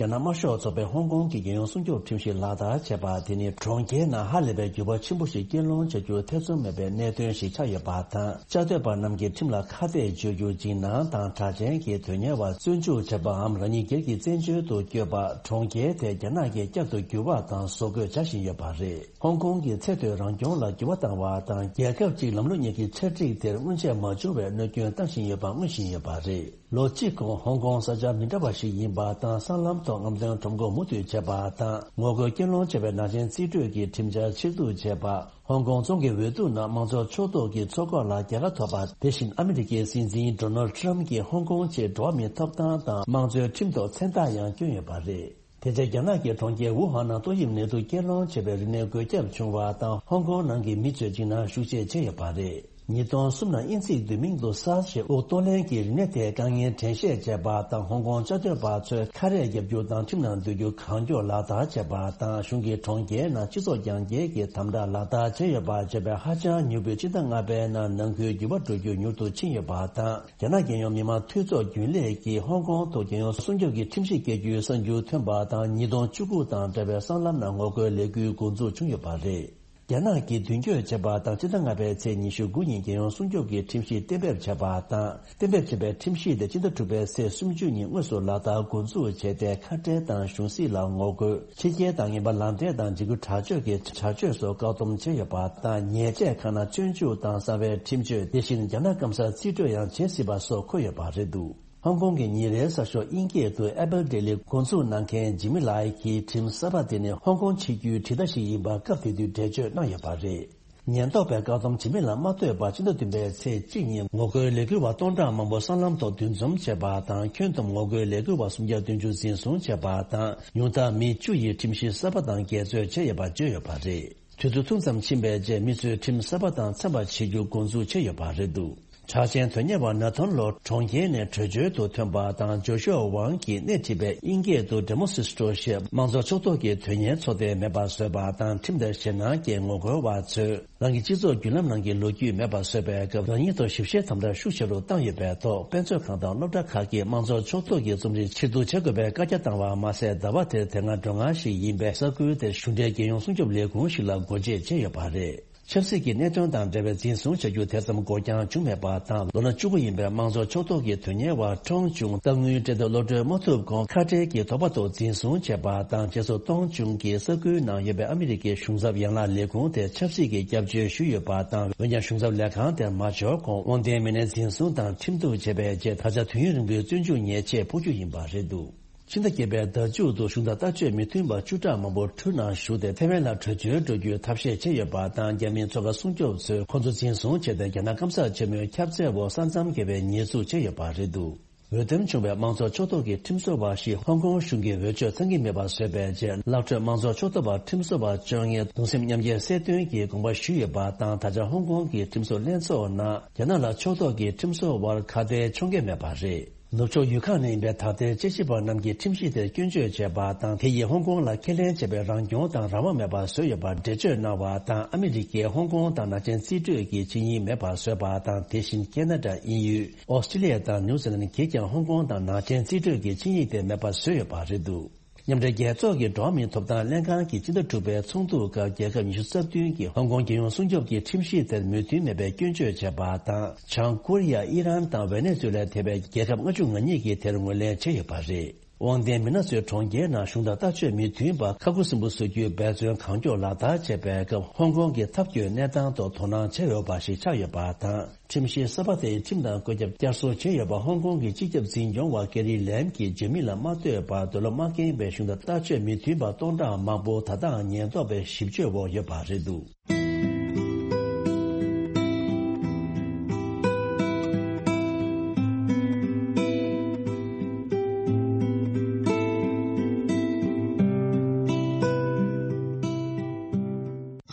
རྒྱ་ནག་དམར་ཤོག་ཚོགས་པས་ཧོང་ཀོང་གི་རྒྱལ་ཡོངས་སྲུང་སྐྱོབ་ཁྲིམས་གཞི་ལག་བསྟར་བྱས་པ་དེ་ནི་གྲོང་ཁྱེར་ནང་ཧ་ལས་པའི་འགྱུར་བ་ཆེན་པོ་ཞིག་སྐུལ་སློང་བྱ་རྒྱུར་ཐེ་ཚོམ་མེད་པའི་གནད་དོན་ཞིག་ཆགས་ཡོད་པ་དང་། བཅའ་སྡོད་པ་རྣམས་ཀྱིས་ཁྲིམས་ལ་ཁ་གཏད་གཅོག་རྒྱུ། འཇིགས་སྣང་དང་གྲགས་ཅན་གྱི་དོན་གཉེར་བ་བཙོན་འཇུག་བྱས་པའམ་རང་ཉིད་སྒེར་གྱི་བཙན་བྱོལ་དུ་བསྐྱོད་པ། གྲོང་ཁྱེར་དེ་རྒྱ་ནག་གིས་བསྐྱར་དུ་འགྱུར་བ་དང་བཟོ་བཀོད་བྱ་བཞིན་ཡོད་པ་རེད། ཧོང་ཀོང་གི་ཚད་མཐོའི་རང་སྐྱོང་ལ་འགྱུར་བ་བཏང་བ་དང་། རྒྱལ་ཁབ་ཅིག་ལམ་ལུགས་གཉིས་ཀྱི་ཆ་སྒྲིག་དེར་སྔོན་ཆད་མ་བྱུང་བའི་གནོད་སྐྱོན་བཏང་བཞིན་ཡོད་པ་མངོན་བཞིན་ཡོད་པ་རེད། ལོ་གཅིག་གོང་ཧོང་ཀོང་ས་ཆ་མི་འདྲ་བ་ཞིག་ཡིན་པ་དང་། སྲང་ལམ་ཐོག་རྔམ་སྟོན་ཁྲོམ་སྐོར་མུ་མཐུད་བྱས་པ་དང་། ངོ་རྒོལ་སྐུལ་སློང་བྱས་པའི་ནག་ཅན་རྩིས་སྤྲོད་ཀྱི་ཁྲིམས་འཆར་ཕྱིར་བསྡུ་བྱས་པ། ཧོང་ཀོང་རྫོང་གི་འོས་བསྡུ་ནང་དམངས་གཙོ་ཕྱོགས་གཏོགས་ཀྱི་ཚོགས་ཁག་ལ་རྒྱལ་ཁ་ཐོབ་པ། དེ་བཞིན་ཨ་མི་རི་ཀའི་སྲིད་འཛིན་ཌོ་ནལ་ཌི་ཊརམ་གྱིས་ཧོང་ཀོང་ཆེད་འགྲོ་བ་མིའི་ཐོབ་ཐང་དང་དམངས་གཙོའི་ཁྲིམས་ཐོག་མཚན་རྟགས་ཡང་བསྐྱོན་ཡོད་པ་རེད། དེ་རྗེས་རྒྱ་ནག་གི་གྲོང་ཁྱེར་ཝུ་ཧན་ནང་ཏོག་དབྱིབས་ནད་དུག་སྐྱེད་སློང་བྱས་པའི་རིམས་ནད་འགོས་ཁྱབ་བྱུང་བ་དང་། ཧོང་ཀོང་ནང་གི་མི་ཚོས་འཇིགས་སྣང་ཤུགས་ཆེ་བྱས་ཡོད་པ་རེད། ཉིས་སྟོང་གསུམ་ནང་དབྱིན་ཚིག་བསྡུས་མིང་དུ་སཱར་ཞེས་དབུགས་གཏོང་ལེན་གྱི་རིམས་ནད་དེའི་དཀའ་ངལ་དྲན་ཤེས་བྱས་པ་དང་། ཧོང་ཀོང་བཅའ་སྡོད་པ་ཚོས་ཁ་རས་བརྒྱབ་རྒྱུ་དང་ཁྲིམས་ནང་སྡོད་རྒྱུ་གང་མགྱོགས་ལག་བསྟར་བྱས་པ་དང་། གཞུང་གིས་གྲོང་ཁྱེར་ནང་སྤྱི་ཚོགས་རྒྱང་བསྐྱེད་ཀྱི་དམ་དྲག་ལག་བསྟར་བྱས་ཡོད་པ་བརྗོད་པའི་ཧ་ཅང་མྱུར་པོས་སྤྱི་ཟླ་ལྔ་པའི་ནང་ནང་ཁུལ་འགྱུར་བ་འགྲོ་རྒྱུ་མྱུར་དུ་ཕྱིན་ཡོད་པ་དང་། རྒྱ་ནག་རྒྱལ་ཡོངས་མི་དམངས་འཐུས་ཚོགས་རྒྱུན་ལས་ཀྱིས་ཧོང་ཀོང་དུ་རྒྱལ་ཡོངས་སྲུང་སྐྱོབ་ཀྱི་ཁྲིམས་གཞི་བཀལ་རྒྱུའི་གསར་འགྱུར་ཐོན་པ་དང་། ཉིས་སྟོང་བཅུ་དགུ་དང་འབྲེལ་བའི་སྲང་ལམ་ནང་ངོ་རྒོལ་ལས་འགུལ་འགོ་འཛུགས་བྱུང་ཡོད་པ་རེད། རྒྱ་ནག་གིས་མདུན་སྐྱོད་བྱས་པ་དང་། སྤྱི་ཟླ་ལྔ་པའི་ཚེས་ཉི་ཤུ་དགུ་ཉིན་རྒྱལ་ཡོངས་སྲུང་སྐྱོབ་ཀྱི་ཁྲིམས་གཞི་གཏན་འབེབས་བྱས་པ་དང་། གཏན་འབེབས་བྱས་པའི་ཁྲིམས་གཞི་དེ་སྤྱི་ཟླ་དྲུག་པའི་ཚེས་སུམ་ཅུ་ཉིན་དངོས་སུ་ལག་བསྟར་འགོ་འཛུགས་བྱས་ཏེ། ཁ་བྲལ་དང་གཞུང་སྲིད་ལ་ངོ་རྒོལ། ཕྱི་རྒྱལ་དང་ངན་པ་ལག་འབྲེལ་དང་འཇིགས་སྐུལ་དྲག་སྤྱོད་ཀྱི་བྱ་སྤྱོད་སོགས་བཀག་སྡོམ་བྱས་ཡོད་པ་དང་། ཉེས་ཆད་ཁག་ནང་བཙོན་འཇུག་དང་གསང་བའི་ཁྲིམས་གཅོད། དེ་བཞིན་རྒྱ་ནག་སྐམ་སར་རྩིས་སྤྲོད་ཡང་བྱེད་སྲིད་པ་སོགས་འཁོད་ཡོད་པ་རེད་འདུག། ཧོང་ཀོང་གི་ཉིན་རེའི་གསར་ཤོག་དབྱིན་སྐད་དུ་Apple Daily འགོ་འཛུགས་གནང་མཁན་ཇི་མི་ལའི་གིས་ཁྲིམས་གསར་པ་དེ་ནི་ཧོང་ཀོང་ཕྱི་རྒྱལ་ཁྲིམས་ལྟ་ཞིག་ཡིན་པ་སྐབས་དེ་དུས་འགྲེལ་བརྗོད་གནང་ཡོད་པ་རེད། ཉེན་རྟོག་པས་བཀག་སྡོམ་ཇི་མི་ལ་མ་ཐོབ་པར་ཕྱི་ཟླ་བདུན་པའི་ཚེས་གཅིག་ཉིན་ངོ་རྒོལ་ལས་འགུལ་བ་སྟོང་ཕྲག་མང་པོ་སྲང་ལམ་ཐོག་འདུ་འཛོམས་བྱས་པ་དང་། ཁྱོན་བསྡོམས་ངོ་རྒོལ་ལས་འགུལ་བ་སུམ་བརྒྱ་བདུན་ཅུ་འཛིན་བཟུང་བྱས་པ་དང་། ཉུང་མཐར་མི་བཅུ་ཡིས་ཁྲིམས་གཞི་གསར་པ་དང་འགལ་འཛོལ་བྱས་ཡོད་པ་བརྗོད་ཡོད་པ་རེད། དུས་ཚོད་ཐུང་ཙམ་ཕྱིན་པའི་རྗེས་མི་ཚོས་ཁྲིམས་གསར་པ་དང་འཚམ་པར་བྱེད་རྒྱུ་འགོ་འཛུགས་བྱས་ཡོད་པ་རེད་འདུག་གྲགས་ཅན་དོན་གཉེར་བ་ན་ཐོན་ལོ་གྲོང་ཁྱེར་ནས་བྲོས་བྱོལ་དུ་ཐོན་པ་དང་། ཇོ་ཤུ་ཝང་གིས་སྣེ་ཁྲིད་པའི་དབྱིན་སྐད་དུ་Demosistro ཞེས་དམངས་གཙོ་ཕྱོགས་གཏོགས་ཀྱི་དོན་གཉེར་ཚོགས་སྡེ་མེད་པར་བཟོས་པ་དང་། ཁྲིམས་དང་ཞེད་སྣང་གིས་ངོ་རྒོལ་བ་ཚོས་རང་གི་སྤྱི་ཚོགས་བརྒྱུད་ལམ་ནང་གི་ལོ་རྒྱུས་མེད་པར་བཟོས་པའི་སྐབས། རང་ཉིད་ཐོག་ཞིབ་བཤེར་དམ་དྲག་ཤུགས་ཆེ་རུ་བཏང་ཡོད་པའི་ཐོག་དཔེ་མཛོད་ཁང་དང་སློབ་གྲྭ་ཁག་གིས་དམངས་གཙོ་ཕྱོགས་གཏོགས་ཀྱི་རྩོམ་རིག་ཕྱིར་བསྡུ་བྱེད་དགོས་པའི་བཀའ་རྒྱ་བཏང་བ་མ་ཟད། ཟླ་བ་དེར་དེ་སྔ་སྒྲོལ་སྒང་ཞིག་ཡིན་པའི་ས་ཁུལ་དེར་གཞུང་འབྲེལ་རྒྱལ་ཡོངས་སྲུང་སྐྱོབ་ལས་ཁུངས་ཤིག་ལ་སྒོ་འབྱེད་བྱས་ཡོད་པ་རེད། ཆབ་སྲིད་ཀྱི་གནད་དོན་དང་འབྲེལ་བའི་འཛིན་བཟུང་བྱ་རྒྱུ་དེ་ཙམ་འགོར་འགྱངས་བྱུང་མེད་པ་དང་། ལོ་ན་བཅུ་དགུ་ཡིན་པའི་དམངས་གཙོ་ཕྱོགས་གཏོགས་ཀྱི་དོན་གཉེར་བ་ཀྲོང་ཅུང་སྟག་དངུལ་སྤྲད་དོད་གློད་གྲོལ་མ་ཐུབ་གོང་ཁ་བྲལ་གྱི་དོགས་པ་ཐོག་འཛིན་བཟུང་བྱས་པ་དང་། རྗེས་སུ་ཀྲོང་ཅུང་གིས་ས་ཁུལ་ནང་ཡོད་པའི་ཨ་མི་རི་ཀའི་གཞུང་ཚབ་ཡན་ལག་ལས་ཁུངས་དེར་ཆབ་སྲིད་ཀྱི་སྐྱབས་བཅོལ་ཞུས་ཡོད་པ་དང་། འོན་ཀྱང་གཞུང་ཚབ་ལས་ཁང་དེར་མ་འབྱོར་གོང་དབང་ལྡན་མི་སྣའི་འཛིན་བཟུང་དང་ཁྲིམས་གཏུག་བྱས་པའི་རྗེས། ད་ཆ་དུས་ཡུན་རིང་པོའི་བཙོན་འཇུག་ཉེས་ཆད་ཕོག་རྒྱུ་ཡིན་པ་རེད་འདུག་ཕྱི་ཟླ་བརྒྱད་པའི་ཟླ་མཇུག་ཏུ་གཞུང་དང་ལྟ་སྤྱོད་མི་མཐུན་པ་བཅུ་ཕྲག་མང་པོ་ཁྲུའུ་ནང་ཞུགས་ཏེ་ཐེ་ཝན་ལ་བྲོས་བྱོལ་འགྲོ་རྒྱུའི་ཐབས་ཤེས་བྱས་ཡོད་པ་དང་། རྒྱ་མིའི་མཚོ་ཁ་སྲུང་སྐྱོབ་ཚོས་ཁོ་ཚོ་འཛིན་བཟུང་བྱས་ཏེ། རྒྱ་ནག་སྐམ་སར་ཆེན་མོའི་ཁྱབ་ཚད་འོག་ས་མཚམས་བརྒལ་བའི་ཉེས་འཛུགས་བྱས་ཡོད་པ་རེད་འདུག་འོས་འདེམས་བྱུང་བའི་དམངས་གཙོ་ཕྱོགས་གཏོགས་ཀྱི་ཁྲིམས་བཟོ་བ་ཞིག་ཧོང་ཀོང་གཞུང་གིས་འོས་ཆོས་ཚང་གི་མེད་པ་བཟོས་པའི་རྗེས། ལག་འཕྲོད་དམངས་གཙོ་ཕྱོགས་གཏོགས་པ་ཁྲིམས་བཟོ་བ་བཅོ་ལྔས་གདུང་སེམས་མཉམ་སྐྱེད་གསལ་སྟོན་གྱི་དགོངས་པ་ཞུས་ཡོད་པ་དང་། ད་ཆ་ཧོང་ཀོང་གི་ཁྲིམས་བཟོ་ལྷན་ཚོགས་ནང་རྒྱ་ནག་ལ་ཕྱོགས་གཏོགས་ཀྱི་ཁྲིམས་བཟོ་བར་ཁ་གཏད་གཅོག་འགེལ་མེད་པ་རེད། ནུབ་ཕྱོགས་ཡུལ་ཁག་ནས་ཡིན་པའི་ད་ལྟའི་དཔྱད་ཞིབ་པ་རྣམས་ཀྱིས་ཁྲིམས་གཞི་དེར་སྐྱོན་བརྗོད་བྱས་པ་དང་། དེ་ཡིས་ཧོང་ཀོང་ལ་ཁས་ལེན་བྱས་པའི་རང་སྐྱོང་དང་རང་དབང་མེད་པར་བཟོས་ཡོད་པར་འགྲེལ་བརྗོད་གནང་བ་དང་། ཨ་མི་རི་ཀས་ཧོང་ཀོང་དང་ནག་ཅན་རྩིས་སྤྲོད་ཀྱི་ཆིངས་ཡིག་མེད་པར་བཟོས་པ་དང་། དེ་བཞིན་ཁེ་ན་ཌ། དབྱིན་ཡུལ། ཨོ་སི་ཀྲི་ལི་ཡ་དང་ནིའུ་ཛི་ལན་གྱིས་ཀྱང་ཧོང་ཀོང་དང་ནག་ཅན་རྩིས་སྤྲོད་ཀྱི་ཆིངས་ཡིག་དེ་མེད་པར་བཟོས་ཡོད་པ་རེད་འདུག་མཉམ་འབྲེལ་རྒྱལ་ཚོགས་ཀྱི་འགྲོ་བ་མིའི་ཐོབ་ཐང་ལྷན་ཁང་གིས་སྤྱི་ཟླ་དྲུག་པའི་ཚོགས་འདུའི་སྐབས། རྒྱལ་ཁབ་ཉི་ཤུ་རྩ་བདུན་གྱིས་ཧོང་ཀོང་རྒྱལ་ཡོངས་སྲུང་སྐྱོབ་ཀྱི་ཁྲིམས་གཞི་དེར་མོས་མཐུན་མེད་པའི་སྐྱོན་བརྗོད་བྱས་པ་དང་། བྱང་ཀོ་རི་ཡ། ཨི་རན་དང་ཝེ་ནེ་ཛུ་ལའི་ཐེ་བའི་རྒྱལ་ཁབ་ལྔ་བཅུ་ང་གཉིས་ཀྱིས་དེར་ངོས་ལེན་བྱས་ཡོད་པ་རེད། དབང་ལྡན་མི་སྣ་ཚོས་གྲོང་ཁྱེར་ནང་གཞུང་དང་ལྟ་སྤྱོད་མི་མཐུན་པ་ཁ་ཁུ་སིམ་པོ་བཟོ་རྒྱུའི་འབད་བརྩོན་གང་མགྱོགས་ལག་བསྟར་བྱས་པའི་སྐབས། ཧོང་ཀོང་གི་འཐབ་ཇུས་གནས་སྟངས་ཐོག་དོ་སྣང་བྱས་ཡོད་པ་ཞིག་ཆགས་ཡོད་པ་དང་། ཁྲིམས་གཞི་གསར་པ་དེའི་ཁྲིམས་དང་བཀོད་ཁྱབ་བསྐྱར་གསོ་བྱས་ཡོད་པ། ཧོང་ཀོང་གི་སྤྱི་ཁྱབ་འཛིན་སྐྱོང་བ་ཀེ་རི་ལེམ་གྱིས་ཇི་མི་ལ་མ་ལྟོས་པར་འདོད་བློ་མ་ཁེངས་པའི་གཞུང་དང་ལྟ་སྤྱོད་མི་མཐུན་པ་སྟོང་ཕྲག་མང་པོ་ད་ལྟའང་ཉེན་རྟོག་པའི་ཞིབ་དཔྱོད་འོག་ཡོད་པ་རེད་འདུག་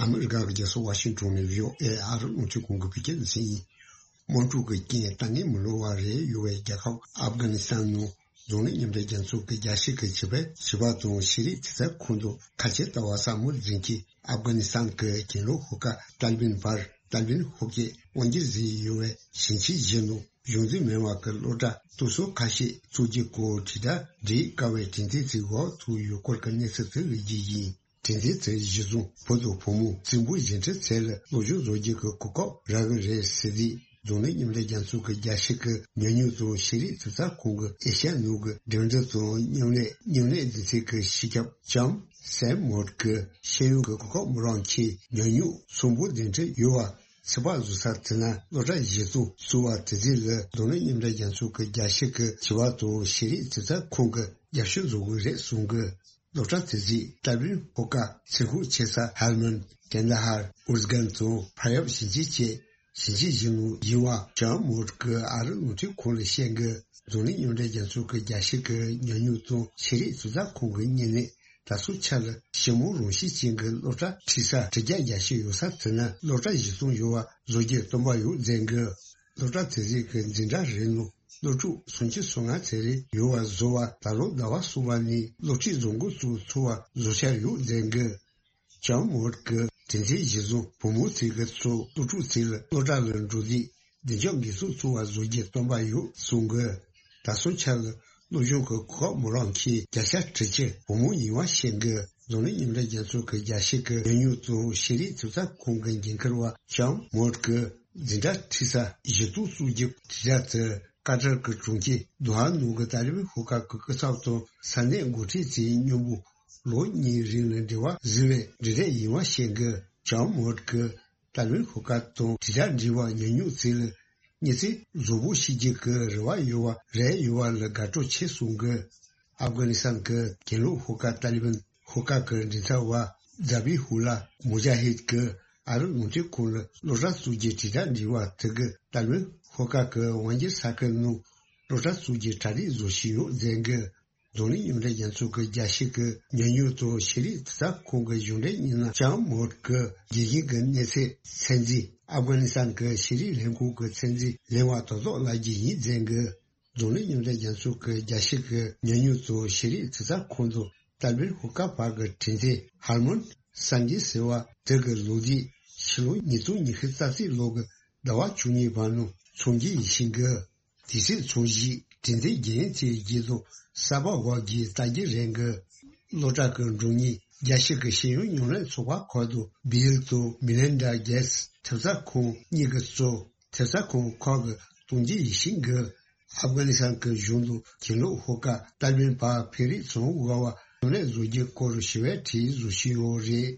ཨ་མི་རི་ཀ་གི་རྒྱལ་ས་ཝ་ཤིང་ཊོན་ནས་བྷི་ཨོ་ཨེ་ཨ་རི་རླུང་འཕྲིན་ཁང་གི་བོད་སྐད་སྡེ་ཚན་ཡིན། དམག་འཁྲུག་གི་རྐྱེན་ལྟ་ངན་མི་ལོ་བ་རེ་ཡོད་པའི་རྒྱལ་ཁབ་ཨབ་གྷ་ནི་སི་ཐན་ནང་འཛམ་གླིང་མཉམ་འབྲེལ་རྒྱལ་ཚོགས་ཀྱི་རྒྱལ་སྤྱི་གི་བྱིས་པའི་བྱིས་པ་དང་ཤེས་རིག་ཚན་རྩལ་ཁང་དུ་ཁ་ཆེ་ལྟ་བ་སམ་མུར་རྫིང་གིས་ཨབ་གྷ་ནི་སི་ཐན་གྱི་གྱེན་ལོག་ཤོག་ཁག་ཏཱ་ལི་བན་བར་ཏཱ་ལི་བན་ཤོག་ཁག་དབང་སྒྱུར་བཟོས་ཡོད་པའི་ཞིང་ཆེན་བཞི་ནང་གཞུང་འཛིན་མི་དམངས་ཀྱི་སློབ་གྲྭ་སློབ་གསོ་ཁ་ཤས་བཙུགས་རྒྱུའི་སྐོར་དྲིལ་བསྒྲགས་སྒྲིག་དཀའ་བའི་དྲན་རྟེན་ཚིག་འོག་ཐུག་ཡོད་སྐོར་གྱི་གནས་ཚུལ་དེ་ལ་རྒྱུས་ཡིན། དྲན་རྟེན་དེ་གཞི་བཟུང་བུ་དང་བུ་མོ་གཅིག་པུ་གཞན་འཕྲད་ཚད་ལ་སློབ་སྦྱོང་བཟོ་རྒྱུ་གི་གོ་སྐབས་རག་གི་རེད་ཟེར་ཏེ། འཛམ་གླིང་མཉམ་འབྲེལ་རྒྱལ་ཚོགས་ཀྱི་རྒྱལ་སྤྱི་གི་ཉམས་མྱོང་དང་ཤེས་རིག་ཚན་རྩལ་ཁང་གི་ཨེ་ཤ་ཡ་ནང་གི་འགྲིམ་འགྲུལ་དང་མཉམ་ལས་མཉམ་ལས་སྡེ་ཚན་གྱི་སྤྱི་ཁྱབ་ལྕམ་སེམ་མོར་གྱིས་ཤེས་ཡོན་གྱི་གོ་སྐབས་མི་རག་མཁན་ཉམས་མྱོང་ཚང་པོ་ལྡན་འཕྲོད་ཡོད་པ་ཚོད་དཔག་བཟོ་ས་དེ་ན་སློབ་གྲྭ་གཞི་རྩ་བཙུགས་པ་དེ་རིགས་ལ་འཛམ་གླིང་མཉམ་འབྲེལ་རྒྱལ་ཚོགས་ཀྱི་རྒྱལ་སྤྱི་གི་བྱིས་པ་དང་ཤེས་རིག་ཚན་རྩལ་ཁང་གིས་རྒྱབ་སྐྱོར་བཟོ་དགོས་རེད་གསུང་གི། སློབ་གྲྭ་དེ་གཟིགས་ཏཱ་ལི་བན་ཤོག་ཁག་ཚེ་ཧུ་ཆེ་ས་ཧལ་མན་ཀན་དྷ་ཧར་ཨུར་སྒན་དང་ཕ་ཡབ་ཞིང་ཆེན་བཅས་ཞིང་ཆེན་བཞི་ནང་ཡིན་པ་ལྕམ་མོར་གྱིས་ཨ་རི་རླུང་འཕྲིན་ཁང་ལ་བཤད་གི། འཛམ་གླིང་མཉམ་འབྲེལ་རྒྱལ་ཚོགས་ཀྱི་རྒྱལ་སྤྱི་གི་ཉམས་མྱོང་དང་ཤེས་རིག་ཚན་རྩལ་ཁང་གི་བརྙན་ལས་ད་སོ་ཆ་ལ་ཞི་མོལ་རང་བཞིན་ཅན་གྱི་སློབ་གྲྭ་ཁྲིད་ས་དྲུག་བརྒྱ་བརྒྱད་ཅུ་ཡོད་ས་དེ་ན་སློབ་གྲྭ་གཞི་རྩ་ཡོད་པ་བཟོ་རྒྱུའི་སྟོན་པ་ཡོད་མཛད་གི། སློབ་གྲྭ་དེ་གཟིགས་ཀྱི་འཛིན་གྲྭ་རེ་ནང་སློབ་ཕྲུག་སུམ་ཅུ་སོ་ལྔ་ཙམ་རེ་ཡོད་པ་བཟོ་བ་ད་ལོ་ཟླ་བ་གསུམ་པ་ནས་སློབ་ཁྲིད་བཟོ་འགོ་བཙུགས་ཚུགས་པ་བཟོ་འཆར་ཡོད་མཛད་གི། ལྕམ་མོར་གྱིས་དྲིན་ཆེན་གཞི་བཟུང་བུ་མོ་ཚོས་ཀྱི་ཚོ་སློབ་ཕྲུག་ཚོ་ལ་སློབ་གྲྭ་ལ་འགྲོ་དུས་བདེ་འཇགས་འགན་སྲུང་ཚུགས་པ་བཟོ་རྒྱུའི་སྟོན་པ་ཡོད་གསུང་གི། ད་སོ་ཆ་ལ་སློབ་སྦྱོང་གི་གོ་སྐབས་མི་རག་མཁན་བརྒྱ་ཆ་དྲུག་ཅུ་བུ་མོ་ཡིན་པ་བཤད་གི། འཛམ་གླིང་མཉམ་འབྲེལ་རྒྱལ་ཚོགས་ཀྱི་རྒྱལ་སྤྱི་གི་ཉམས་མྱོང་དང་ཤེས་རིག་ཚན་རྩལ་ཁང་གི་འགན་འཁུར་བ་ལྕམ་མོར་གྱིས་འཛིན་གྲྭ་ཁྲིད་ས་གཞི་རྩ་བཙུགས་རྒྱུའི་དྲིལ་བསྒྲགས་དེ་ཀ་ཏར་གྱི་གྲོང་ཁྱེར་དོ་ཧ་ནང་གི་ཏཱ་ལི་བན་ཤོག་ཁག་གི་སྐུ་ཚབ་དང་ས་གནས་འགོ་ཁྲིད་ཚོའི་མཉམ་པོ་ལོ་གཉིས་རིང་ལ་འབྲེལ་བ་བཟོས་པའི་འབྲེལ་འདྲིས་ཡིན་པ་བཤད་གི། ལྕམ་མོར་གྱིས་ཏཱ་ལི་བན་ཤོག་ཁག་དང་དྲིལ་བསྒྲགས་འབྲེལ་བ་ཉམས་མྱོང་ཚོ་ལ་ མི་ཚེ་གཟུགས་པོ་ཤེས་རྒྱུ་གི་རེ་བ་ཡོད་པ་རེད་ཡོད་པ་ལ་དགའ་སྤྲོ་ཆེ་གསུང་གི། ཨབ་གྷ་ནི་སི་ཐན་གྱི་གྱེན་ལོགས་ཤོག་ཁག་ཏཱ་ལི་བན་ཤོག་ཁག་གི་མགྲིན་ཚབ་པ་ཛ་བི་ཧུ་ལ་མུ་ཇ་ཧིད་ཀྱིས་ཨ་རི་རླུང་འཕྲིན་ཁང་ལ་སློབ་གྲྭ་གཙོས་ཀྱི་དྲིལ་བསྒྲགས་འབྲེལ་བ་དེ་གི་ཏཱ་ལི་བན་ཤོག་ཁག་གི་དབང་སྒྱུར་ས་ཁུལ་ནང་སློབ་གྲྭ་གཙོས་ཀྱི་གྲ་སྒྲིག་བཟོ་བཞིན་ཡོད་ཟེར་གི། འཛམ་གླིང་མཉམ་འབྲེལ་རྒྱལ་ཚོགས་ཀྱི་རྒྱལ་སྤྱི་གི་ཉམས་མྱོང་དང་ཤེས་རིག་དྲིལ་བསྒྲགས་ཁང་གི་གཞུང་འབྲེལ་མི་སྣ་ཅང་མོར་གྱིས་དགེ་རྒན་གྱི་གནས་ཚད་ཚད་འཛིན། ཨབ་གྷ་ནི་སི་ཐན་གྱི་ཤེས་རིག་ལྷན་ཁང་གི་ཚད་འཛིན་ལེན་པ་དོན་ཐོག་ལ་རྒྱུ་ཡིན་ཟེར་གི། འཛམ་གླིང་མཉམ་འབྲེལ་རྒྱལ་ཚོགས་ཀྱི་རྒྱལ་སྤྱི་གི་ཉམས་མྱོང་དང་ཤེས་རིག་དྲིལ་བསྒྲགས་ཁང་དུ་ཏཱ་ལི་བན་ཤོག་ཁག་བར་གྱི་དྲུང་ཆེ་ཧར་མོན་སན་ཇི་ཟེར་བ་དེ་གི་ལོ་རྒྱུས་ཕྱི་ལོ་ཉིས་སྟོང་ཉི་ཤུ་རྩ་གཅིག་ལོ་གི་ཟླ་བ་བཅུ་གཉིས་པ་ནང་འཚོགས་རྒྱུ་ཡིན་ཞིང་གི། དེ་སྲིད་ཚོགས་གཞིས་དྲུང་ཆེ་རྒན་ཚེ་རྒྱལ་དང་གསར་པ་འོག་གི་ལྟ་རྒྱུ་རེད་གི། སློབ་གྲྭ་གི་མགྲོན་གཉེར་རྒྱལ་སྤྱི་གི་ཤེས་ཡོན་ཉམས་ལེན་ཚོགས་པ་ཁག་ཏུ་བྷིལ་དང་མི་ལིན་ཌ་གེ་ཊི་སི་ཐེབས་རྩ་ཁང་གཉིས་ཀྱིས་གཙོས་ཐེབས་རྩ་ཁང་ཁག་གི་གཏོང་རྒྱུ་ཡིན་ཞིང་གི། ཨབ་གྷ་ནི་སི་ཐན་གྱི་གཞུང་དུ་གྱེན་ལོགས་ཤོག་ཁག་ཏཱ་ལི་བན་བར་འཕེལ་རིམ་བཟང་བོ་དགོས་པ་གཞུང་ལས་བཟོ་རྒྱུའི་སྐོར་ཞི་བའི་གྲས་བཟོ་བཞིན་ཡོད་རེད།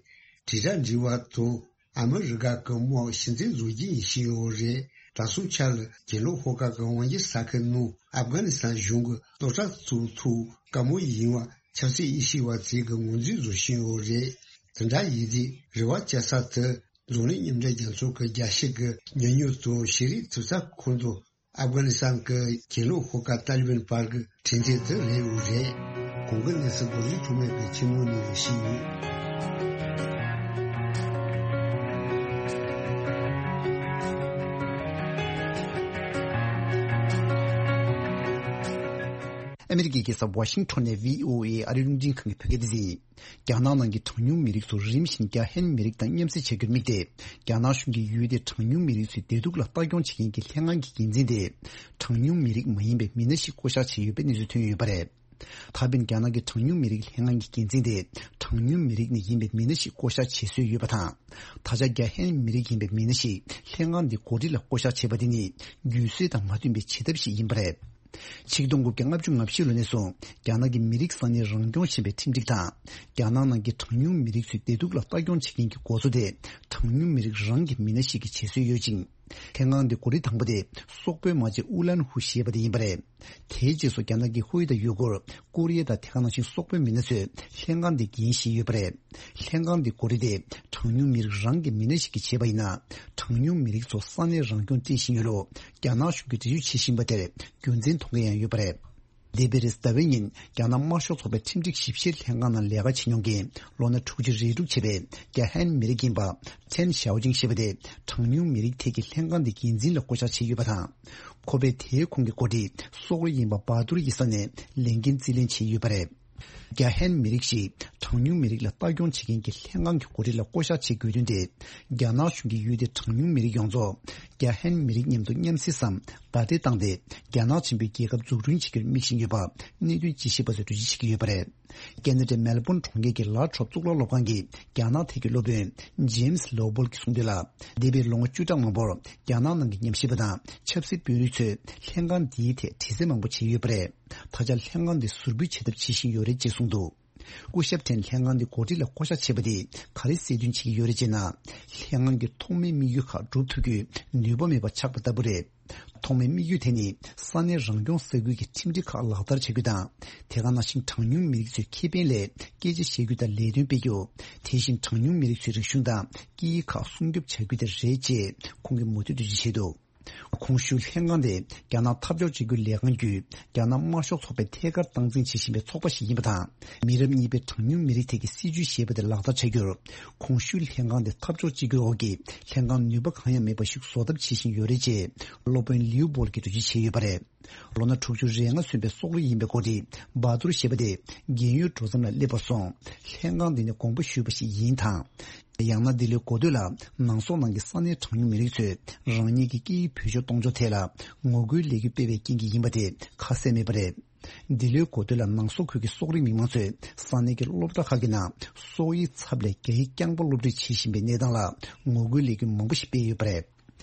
དྲིལ་བསྒྲགས་འབྲེལ་བ་དང་ཨ་མི་རི་ཀ་གི་དམག་གཞི་རྩའི་བཟོ་རྒྱུ་ཡིན་བཞིན་ཡོད་རེད། དྲ་སྲུང་ཆ་ལ་གྱེན་ལོགས་ཤོག་ཁག་གི་དབང་སྒྱུར་ས་ཁུལ་ནང་ཨབ་གྷ་ནི་སི་ཐན་གཞུང་གི་སློབ་གྲྭ་བཙུགས་ཐུབ་དཀའ་མོ་ཡིན་པ་ཆབ་སྲིད་དབྱེ་ཞིབ་པ་ཚོས་གི་ངོས་འཛིན་བཟོ་བཞིན་ཡོད་རེད། དེ་འདྲ་ཡིན་དུས་རེ་བ་བཅའ་ས་དེ་འཛམ་གླིང་མཉམ་འབྲེལ་རྒྱལ་ཚོགས་ཀྱི་རྒྱལ་སྤྱི་གི་ཉམས་མྱོང་དང་ཤེས་རིག་དྲིལ་བསྒྲགས་ཁང་དུ་ཨབ་གྷ་ནི་སི་ཐན་གྱི་གྱེན་ལོགས་ཤོག་ཁག་ཏཱ་ལི་བན་བར་གྱི་དྲུང་ཆེ་དེ་རེད་འོས་རེད། གོང་གི་གནས་ཚུལ་རྡོ་རྗེ་འཆང་མེད་ཀྱིས་ཆེན་མོ་ནས་ཞུས་ཡོད། ཨ་མི་རི་ཀའི་རྒྱལ་ས་ཝ་ཤིང་ཊོན་ནས་བྷི་ཨོ་ཨེ་ཨ་རིའི་རླུང་འཕྲིན་ཁང་གི་བོད་སྐད་སྡེ་ཚན། རྒྱ་ནག་ནང་གི་གྲངས་ཉུང་མི་རིགས་ཚོ་རིམ་བཞིན་རྒྱ་ཧན་མི་རིགས་དང་མཉམ་བསྲེས་བྱ་རྒྱུར་དམིགས་ཏེ། རྒྱ་ནག་གཞུང་གིས་ཡུལ་དེའི་གྲངས་ཉུང་མི་རིགས་ཚོའི་བདེ་སྡུག་ལ་ལྟ་སྐྱོང་བྱེད་མཁན་གྱི་ལྷན་ཁང་གི་འགན་འཛིན་དེ། གྲངས་ཉུང་མི་རིགས་མ་ཡིན་པའི་མི་སྣ་ཞིག་བསྐོ་བཞག་བྱས་ཡོད་པའི་གནས་ཚུལ་ཐོན་ཡོད་པ་རེད། ད་ཕན་རྒྱ་ནག་གི་གྲངས་ཉུང་མི་རིགས་ལྷན་ཁང་གི་འགན་འཛིན་དེ་གྲངས་ཉུང་མི་རིགས་ནས་ཡིན་པའི་མི་སྣ་ཞིག་བསྐོ་བཞག་བྱེད་སྲོལ་ཡོད་པ་དང་། ད་ཆ་རྒྱ་ཧན་མི་རིགས་ཡིན་པའི་མི་སྣ་ཞིག་ལྷན་ཁང་འདི་འགོ་ཁྲིད་ལ་བསྐོ་བཞག་བྱས་པ་དེ་ནི་རྒྱུན་སྲོལ་དང་མ་མཐུན་པའི་བྱེད་ཐབས་ཤིག་ཡིན་པ་རེད། ཆིག་སྟོང་དགུ་བརྒྱ་ལྔ་བཅུ་ང་བཞི་ལོ་ནས་བཟུང་རྒྱ་ནག་གི་མི་རིགས་ས་གནས་རང་སྐྱོང་ཞེས་པའི་ཁྲིམས་སྒྲིག་དང་། རྒྱ་ནག་ནང་གི་གྲངས་ཉུང་མི་རིགས་ཚོའི་བདེ་སྡུག་ལ་ལྟ་སྐྱོང་བྱེད་མཁན་གྱི་འགོ་གཙོ་དེ་གྲངས་ཉུང་མི་རིགས་རང་གི་མི་སྣ་ཞིག་གི་བྱེད་སྲོལ་ཡོད་ཅིང་། ལྷན་ཁང་འདི་འགོ་ཁྲིད་དང་པོ་དེ་སོག་པོའི་མ་ཇེ་ཨུ་ལན་ཧུ་ཞེས་པ་དེ་ཡིན་པ་རེད། དེའི་རྗེས་སུ་རྒྱ་ནག་གི་ཧུའེ་དང་ཡུ་གུར། ཀོ་རི་ཡ་དང་དེ་ག་ནང་བཞིན་སོག་པོའི་མི་སྣ་ཚོས་ལྷན་ཁང་འདི་འགན་བཞེས་ཡོད་པ་རེད། ལྷན་ཁང་འདི་འགོ་ཁྲིད་དེ་གྲངས་ཉུང་མི་རིགས་རང་གི་མི་སྣ་ཞིག་གིས་བྱས་པ་ཡིན་ན། གྲངས་ཉུང་མི་རིགས་ཚོ་ས་གནས་རང་སྐྱོང་སྤྲད་བཞིན་ཡོད་ལུགས་རྒྱ་ནག་གཞུང་གིས་འགྲེལ་བརྗོད་བྱེད་བཞིན་པ་དེར་རྒྱུ་མཚན་མཐོང་མཁན་ཡང་ཡོད་པ་རེད། འདས་པའི་རེས་གཟའ་པའི་ཉིན་རྒྱ་ནག་དམར་ཤོག་ཚོགས་པའི་ཁྲིམས་སྒྲིག་ཞིབ་བཤེར་ལྷན་ཁང་ནང་ལས་ཀ་བྱེད་མྱོང་མཁན་ལོ་ན་དྲུག་ཅུ་རེ་དྲུག་བྱས་པའི་རྒྱ་ཧན་མི་རིགས་ཡིན་པ་ཆན་ཞའོ་ཅིང་ཞེས་པ་དེ་གྲངས་ཉུང་མི་རིགས་ཐད་ཀྱི་ལྷན་ཁང་འདི་འགན་འཛིན་ལ་བསྐོ་བཞག་བྱས་ཡོད་པ་དང་། ཁོ་པས་དེའི་ཁོངས་ཀྱི་འགོ་ཁྲིད་སོག་རི་ཡིན་པ་བ་ཐུར་ཡི་ས་ནས་ལས་འགན་རྩིས་ལེན་བྱས་ཡོད་པ་རེད། རྒྱ་ཧན་མི་རིགས་ཤིག་གྲངས་ཉུང་མི་རིགས་ལ་ལྟ་སྐྱོང་བྱེད་མཁན་གྱི་ལྷན་ཁང་གི་འགོ་ཁྲིད་ལ་བསྐོ་བཞག་བྱེད་དགོས་དོན་དེ། རྒྱ་ནག་གཞུང་གིས་ཡུལ་དེའི་གྲངས་ཉུང་མི་རིགས་ཡོངས་རྫོགས་རྒྱ་ཧན་མི་རིགས་མཉམ་དུ་མཉམ་བསྲེས་སམ་བརྡ་སྤྲོད་བཏང་སྟེ། རྒྱ་ནག་ཆེན་པོའི་རྒྱལ་ཁབ་འཛུགས་སྐྲུན་བྱེད་རྒྱུར་དམིགས་བཞིན་ཡོད་པ་གནད་དོན་དཔྱད་ཞིབ་པ་ཚོས་འགྲེལ་བརྗོད་བྱེད་ཀྱི་ཡོད་པ་རེད། ཁེ་ན་ཌའི་མེལ་བོན་གྲོང་ཁྱེར་གྱི་ལ་ཁྲོབ་གཙུག་ལག་སློབ་ཁང་གི་རྒྱ་ནག་ཐད་ཀྱི་སློབ་དཔོན་ཇེམ་སི་ལོ་བོལ་གྱིས་གསུངས་དོན་ལ། འདས་པའི་ལོ་ངོ་བཅུ་ཕྲག་མང་པོར་རྒྱ་ནག་ནང་གི་ཉམས་ཞིབ་པ་དང་ཆབ་སྲིད་དཔོན་རིགས་ཚོས་ལྷན་ཁང་འདིའི་ཐད་དྲི་རྩད་མང་པོ་བྱས་ཡོད་པ་རེད། ད་ཆ་ལྷན་ཁང་འདི་ཟུར་འབུད་བྱེད་ཐབས་བྱེད་བཞིན་ཡོད་རེད་ཅེས་གསུངས་འདུག་སྐུ་ཞབས་ཁྲེན་ལྷན་ཁང་འདི་འགོ་ཁྲིད་ལ་བསྐོ་བཞག་བྱས་པ་དེས་ག་རེ་གསལ་སྟོན་བྱེད་ཀྱི་ཡོད་རེད་ཅེ་ན། ལྷན་ཁང་གི་ཐོག་མའི་དམིགས་ཡུལ་ཁག་སྒྲུབ་ཐུབ་རྒྱུའི་ནུས་པ་མེད་པ་ཆགས་པ་ལྟ་བུ་རེད། ཐོག་མའི་དམིགས་ཡུལ་དེ་ནི་ས་གནས་རང་སྐྱོང་ས་ཁུལ་གྱི་ཁྲིམས་སྒྲིག་ཁག་ལག་བསྟར་བྱ་རྒྱུ་དང་། དེ་ག་ནང་བཞིན་གྲངས་ཉུང་མི་རིགས་ཚོའི་ཁེ་ཕན་སླད་སྐད་ཆ་བཤད་རྒྱུ་དང་ལས་དོན་སྤེལ་རྒྱུ། དེ་བཞིན་གྲངས་ཉུང་མི་རིགས་ཚོའི་རིག་གཞུང་དང་སྐད་ཡིག་ཁག་སྲུང་སྐྱོབ་བྱ་རྒྱུ་དེ་རེད་ཅེས་ཁོང་གིས་མུ་མཐུད་དུ་འགྲེལ་བརྗོད་བྱས་འདུག་གོང་ཞུས་ལྷན་ཁང་དེ་རྒྱ་ནག་འཐབ་ཕྱོགས་གཅིག་གྱུར་ལས་ཁང་བརྒྱུད་རྒྱ་ནག་དམར་ཤོག་ཚོགས་པས་ཐད་ཀར་སྟངས་འཛིན་བྱེད་བཞིན་པའི་ཚོགས་པ་ཞིག་ཡིན་པ་དང་། མི་རབས་གཉིས་པའི་གྲངས་ཉུང་མི་རིགས་ཐད་ཀྱི་སྲིད་ཇུས་ཞེས་པ་དེ་ལག་བསྟར་བྱ་རྒྱུར། གོང་ཞུས་ལྷན་ཁང་དེ་འཐབ་ཕྱོགས་གཅིག་གྱུར་འོག་གི་ལྷན་ཁང་ནུས་པ་གང་ཡང་མེད་པ་ཞིག་བཟོ་ཐབས་བྱེད་བཞིན་ཡོད་རེད་ཅེས་སློབ་དཔོན་ལིའུ་པོལ་གྱིས་འགྲེལ་བརྗོད་བྱས་ཡོད་པ་རེད། ལོ་ན་དྲུག་ཅུ་རེ་ལྔ་སོན་པའི་སོག་རི་ཡིན་པའི་འགོ་ཁྲིད་བ་ཐུར་ཞེས་པ་དེ་རྒན་ཡོལ་འགྲོ་མཚམས་ལ་སླེབས་པ་སོང་། ལྷན་ཁང་འདི་ནས་དགོངས་པ་ཞུས་པ་ཞིག་ཡིན་དང་། ཡང་ན་འདི་ལོའི་འགོ་སྟོད་ལ་ནང་སོག་ནང་གི་ས་གནས་གྲངས་ཉུང་མི་རིགས་ཚོས་རང་ཉིད་ཀྱི་སྐད་ཡིག་བེད་སྤྱོད་གཏོང་ཕྱོགས་ཐད་ལ་ངོ་རྒོལ་ལས་འགུལ་སྤེལ་བའི་རྐྱེན་གྱིས་ཡིན་པ་དེ་ཁ་གསལ་མེད་པ་རེད། འདི་ལོའི་འགོ་སྟོད་ལ་ནང་སོག་ཁུལ་གྱི་སོག་རིགས་མི་མང་ཚོས་ས་གནས་ཀྱི་སློབ་གྲྭ་ཁག་གི་ནང་སོག་ཡིག་ཚབ་ལས་རྒྱ་ཡིག་རྐྱང་པ་སློབ་ཁྲིད་བྱེད་བཞིན་པའི་གནས་སྟངས་ལ་ངོ་རྒོལ་ལས་འགུལ་མང་པོ་ཞིག་སྤེལ་ཡོད་པ་རེད།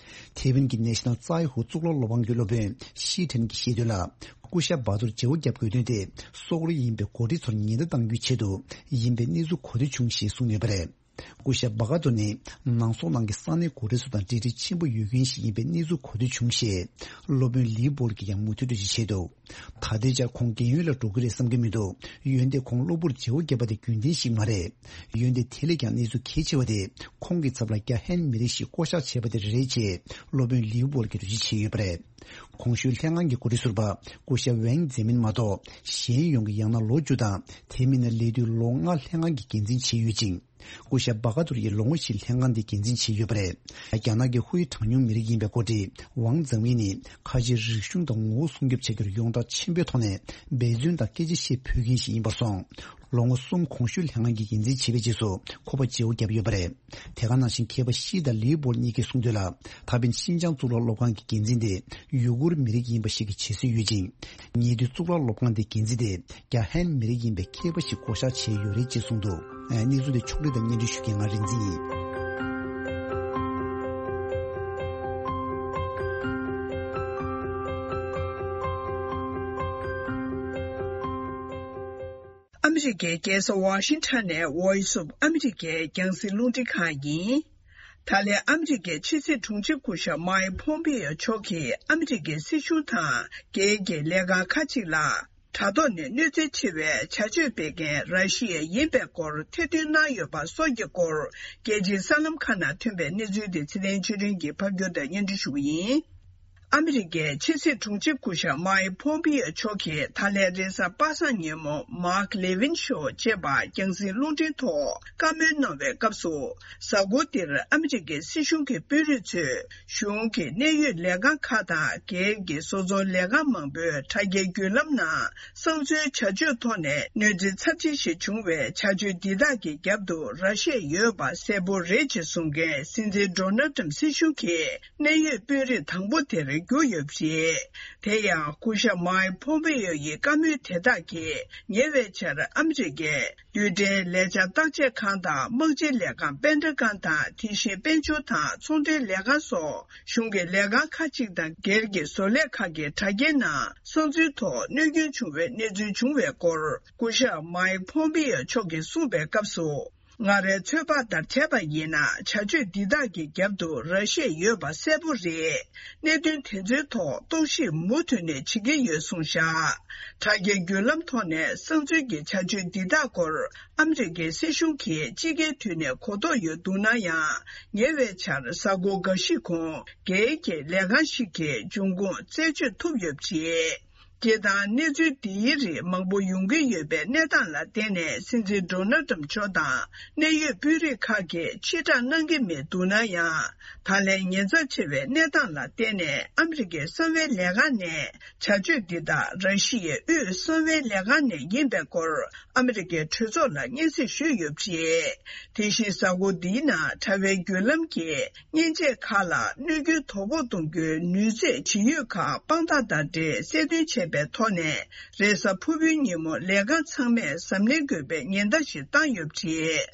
ཐེ་ཝན་གྱི་ནེ་ཤ་ནལ་ཙའེ་ཧུའུ་གཙུག་ལག་སློབ་ཁང་གི་སློབ་དཔོན་ཤི་ཁྲེན་གྱིས་བཤད་དོན་ལ། སྐུ་ཞབས་བ་ཐུར་བརྗེ་པོ་བརྒྱབ་དགོས་དོན་དེ་སོག་རིགས་ཡིན་པའི་འགོ་ཁྲིད་ཚོར་ཉེན་བརྡ་གཏང་རྒྱུའི་ཆེད་དུ་ཡིན་པའི་གནས་ཚུལ་གོ་ཐོས་བྱུང་ཞེས་གསུངས་ཡོད་པ་རེད། སྐུ་ཞབས་བྷ་ག་ཏུར་ནི་ནང་སོག་ནང་གི་ས་གནས་འགོ་ཁྲིད་ཚོ་དང་འབྲེལ་འདྲིས་ཆེན་པོ་ཡོད་མཁན་ཞིག་ཡིན་པའི་གནས་ཚུལ་གོ་ཐོས་བྱུང་ཞེས། སློབ་དཔོན་ལིའུ་པོལ་གྱིས་ཀྱང་མུ་མཐུད་བརྗོད་གཞི་བྱས་འདུག་ད་ལྟའི་ཆར་ཁོང་རྒན་ཡོལ་ལ་འགྲོ་གི་རེད་བསམ་གྱི་མི་འདུག་འོན་ཏེ་ཁོང་གློ་བུར་བརྗེ་བོ་བརྒྱབ་པ་དེ་རྒྱུན་ལྡན་ཞིག་མ་རེད། འོན་ཏེ་དེ་ལས་ཀྱང་གནས་ཚུལ་གལ་ཆེ་བ་དེ་ཁོང་གི་ཚབ་ལ་རྒྱ་ཧན་མི་རིགས་ཤིག་བསྐོ་བཞག་བྱས་པ་དེ་རེད་ཅེས་སློབ་དཔོན་ལིའུ་པོལ་གྱིས་འགྲེལ་བརྗོད་བྱས་ཡོད་པ་རེད། གོང་ཞུས་ལྷན་ཁང་གི་འགོ་ཁྲིད་ཟུར་པ་སྐུ་ཞབས་ཝེང་ཛེ་མིན་མ་གཏོགས་གཞན་ཡོངས་ཀྱིས་ཡང་ན་ལོ་བཅུ་དང་དེ་མིན་ན་ལས་དུས་ལོ་ལྔ་ལྷན་ཁང་གི་འགན་འཛིན་བྱས་ཡོད་ཅིང་། སྐུ་ཞབས་བྷ་ག་ཏུར་ཡིས་ལོ་ངོ་བཞིར་ལྷན་ཁང་འདི་འགན་འཛིན་བྱས་ཡོད་པ་རེད། རྒྱ་ནག་གི་ཧུའེ་གྲངས་ཉུང་མི་རིགས་ཡིན་པའི་འགོ་ཁྲིད་ཝང་ཙང་ཝེ་ནི་ཁ་ཆེའི་རིག་གཞུང་དང་ངོ་བོ་སྲུང་སྐྱོབ་བྱ་རྒྱུར་ཡོངས་གྲགས་ཆེན་པོའི་ཐོག་ནས་འབད་བརྩོན་དང་སྐད་ཆ་བཤད་ཕོད་མཁན་ཞིག་ཡིན་པར་སོང་། ལོ་ངོ་གསུམ་གོང་ཞུས་ལྷན་ཁང་གི་འགན་འཛིན་བྱས་པའི་རྗེས་སུ་ཁོ་པ་བརྗེ་བོ་བརྒྱབ་ཡོད་པ་རེད། དེ་ག་ནང་བཞིན་མཁས་པ་ཤི་དང་ལིའུ་པོལ་གཉིས་ཀྱིས་གསུངས་དོན་ལ། ད་ཕན་ཤིན་ཅང་གཙུག་ལག་སློབ་ཁང་གི་འགན་འཛིན་དེ་ཡུ་གུར་མི་རིགས་ཡིན་པ་ཞིག་གི་བྱེད་སྲོལ་ཡོད་ཅིང་། ཉེ་དུས་གཙུག་ལག་སློབ་ཁང་དེའི་འགན་འཛིན་དེ་རྒྱ་ཧན་མི་རིགས་ཡིན་པའི་མཁས་པ་ཞིག་བསྐོ་བཞག་བྱས་ཡོད་རེད་ཅེས་གསུངས་འདུག་གནས་ཚུལ་དེ་ཕྱོགས་སྒྲིག་དང་སྙན་སྒྲོན་ཞུ་མཁན་ང་རིག་འཛིན་ཡིན། ཨ་མི་རི་ཀའི་རྒྱལ་ས་ཝ་ཤིང་ཊོན་ནས་Voice of America རྒྱང་སྲིང་རླུང་འཕྲིན་ཁང་ཡིན། ད་ལན་ཨ་མི་རི་ཀའི་ཕྱི་སྲིད་དྲུང་ཆེ་སྐུ་ཞབས་མའེ་ཕོམ་པེ་ཡོ་མཆོག་གིས་ཨ་མི་རི་ཀའི་སྲིད་གཞུང་དང་སྒེར་གྱི་ལས་ཁང་ཁག་ཅིག་ལ་དྲ་ཐོག་ནས་གནོད་འཚེ་ཆེ་བའི་བྱ་སྤྱོད་སྤེལ་མཁན་ར་ཤི་ཡ་ཡིན་པའི་སྐོར་ཐེར་འདོན་གནང་ཡོད་པ་སོགས་ཀྱི་སྐོར་རྒྱལ་སྤྱིའི་གསར་ལམ་ཁག་ནང་ཐོན་པའི་གནས་ཚུལ་དེ་ཚེ་བརྟན་ཆོས་སྒྲོན་གྱིས་ཕབ་སྒྱུར་དང་སྙན་སྒྲོན་ཞུ་གི་ཡིན། ཨ་མི་རི་ཀའི་ཕྱི་སྲིད་དྲུང་ཆེ་སྐུ་ཞབས་མའེ་ཕོམ་པེ་ཡོ་མཆོག་གིས་ད་ལན་རེས་གཟའ་པ་སངས་ཉིན་མོ་མཱག་ལེ་ཝིན་ཤོ་ཅེས་པ་རྒྱང་སྲིང་རླུང་འཕྲིན་ཐོག་བཀའ་མོལ་གནང་བའི་སྐབས་སུ། གཟའ་འཁོར་འདིར་ཨ་མི་རི་ཀའི་སྲིད་གཞུང་གི་དཔོན་རིགས་ཚོས་གཞུང་གི་གནད་ཡོད་ལས་ཁང་ཁག་དང་སྒེར་གྱི་བཟོ་ཚོང་ལས་ཁང་མང་པོའི་དྲ་རྒྱའི་བརྒྱུད་ལམ་ནང་གསང་འཛུལ་བྱ་སྤྱོད་ཐོག་ནས་གནོད་འཚེ་ཚབས་ཆེན་ཞིག་བྱུང་བའི་བྱ་སྤྱོད་འདི་དག་གི་རྒྱབ་ཏུ་ར་ཤི་ཡ་ཡོད་པ་གསལ་པོ་རེད་ཅེས་གསུང་མཁན་སྲིད་འཛིན་ཌོ་ནལ་ཏྲམ་སྲིད་གཞུང་གི་གནད་ཡོད་དཔོན་རིགས་དང་པོ་དེར་གྱུར་ཡོད་པ་རེད། དེ་ཡང་སྐུ་ཞབས་མའེ་ཕོམ་པེ་ཡོ་ཡི་བཀའ་མོལ་དེ་དག་གིས་ཉེ་བའི་ཆར་ཨ་མི་རི་ཀའི་རྡུལ་ཕྲན་ལས་འཆར་བརྟག་དཔྱད་ཁང་དང་དམག་སྤྱིའི་ལས་ཁང་པེན་ཏ་གོན་དང་དེ་བཞིན་དཔལ་འབྱོར་དང་ཚོང་འབྲེལ་ལས་ཁང་སོགས་གཞུང་གི་ལས་ཁང་ཁག་ཅིག་དང་སྒེར་གྱི་བཟོ་ལས་ཁག་གི་དྲ་རྒྱའི་ནང་གསང་འཛུལ་ཐོག་གནོད་སྐྱོན་བྱུང་བའི་གནས་ཚུལ་བྱུང་བའི་སྐོར་སྐུ་ཞབས་མའེ་ཕོམ་པེ་ཡོ་མཆོག་གིས་གསུངས་པའི་སྐབས་སུ། ང་རའི་ཚོད་དཔག་ལྟར་བྱས་པ་ཡིན་ན་བྱ་སྤྱོད་འདི་དག་གི་རྒྱབ་ཏུ་ར་ཤི་ཡ་ཡོད་པ་གསལ་པོ་རེད། གནད་དོན་དེ་ཚོའི་ཐོག་རྟོག་ཞིབ་མུ་མཐུད་ནས་བྱེད་ཀྱི་ཡོད་གསུངས་བཞག་དྲ་རྒྱའི་བརྒྱུད་ལམ་ཐོག་ནས་གསང་འཛུལ་གྱི་བྱ་སྤྱོད་འདི་དག་སྐོར་ཨ་མི་རི་ཀའི་སྲིད་གཞུང་གིས་དཔྱིད་ཀའི་དུས་ནས་གོ་རྟོགས་ཡོད་འདུག་ན་ཡང་། ཉེ་བའི་ཆར་གཟའ་འཁོར་འགའ་ཞིག་གོང་སྒེར་གྱི་ལས་ཁང་ཞིག་གིས་འབྱུང་ཁུངས་རྩད་གཅོད་ཐུབ་ཡོད་པ་རེད། སྤྱིར་བཏང་གནས་ཚུལ་འདིའི་རིགས་མང་པོ་ཡོང་གི་ཡོད་པའི་གནས་སྟངས་ལ་བརྟེན་ནས་སྲིད་འཛིན་ཌོ་ནལ་ཏྲམ་མཆོག་དང་གནད་ཡོད་དཔོན་རིགས་ཁག་གིས་ཕྱིར་བསྒྲགས་གནང་གི་མི་འདུག་ན་ཡང་། ད་ལན་ཉེན་ཚབས་ཆེ་བའི་གནས་སྟངས་ལ་བརྟེན་ནས་ཨ་མི་རི་ཀའི་གསང་བའི་ལས་ཁང་ནས་བྱ་སྤྱོད་འདི་དག་ར་ཤི་ཡའི་དབུས་གསང་བའི་ལས་ཁང་ནས་ཡིན་པའི་སྐོར་ཨ་མི་རི་ཀའི་གྲོས་ཚོགས་ལ་སྙན་སེང་ཞུས་ཡོད་པ་རེད། དེ་བཞིན་གཟའ་འཁོར་འདིའི་ནང་དྲ་བའི་བརྒྱུད་ལམ་གྱིས། མཉེན་ཆས་ཁག་ལ་གནོད་སྐྱོན་དོ་ཕོག་གཏོང་རྒྱུའི་ནུས་ཚད་ཇི་ཡོད་ཁག་དཔང་རྟགས་དང་འབྲེལ་གསལ་སྟོན་བྱས་པའི་ཐོག་ནས། རེས་གཟའ་ཕུར་བུའི་ཉིན་མོ་ལས་ཁང་ཚང་མས་གཟབ་ནན་དགོས་པའི་ཉེན་བརྡ་ཞིག་བཏང་ཡོད་པ་རེད།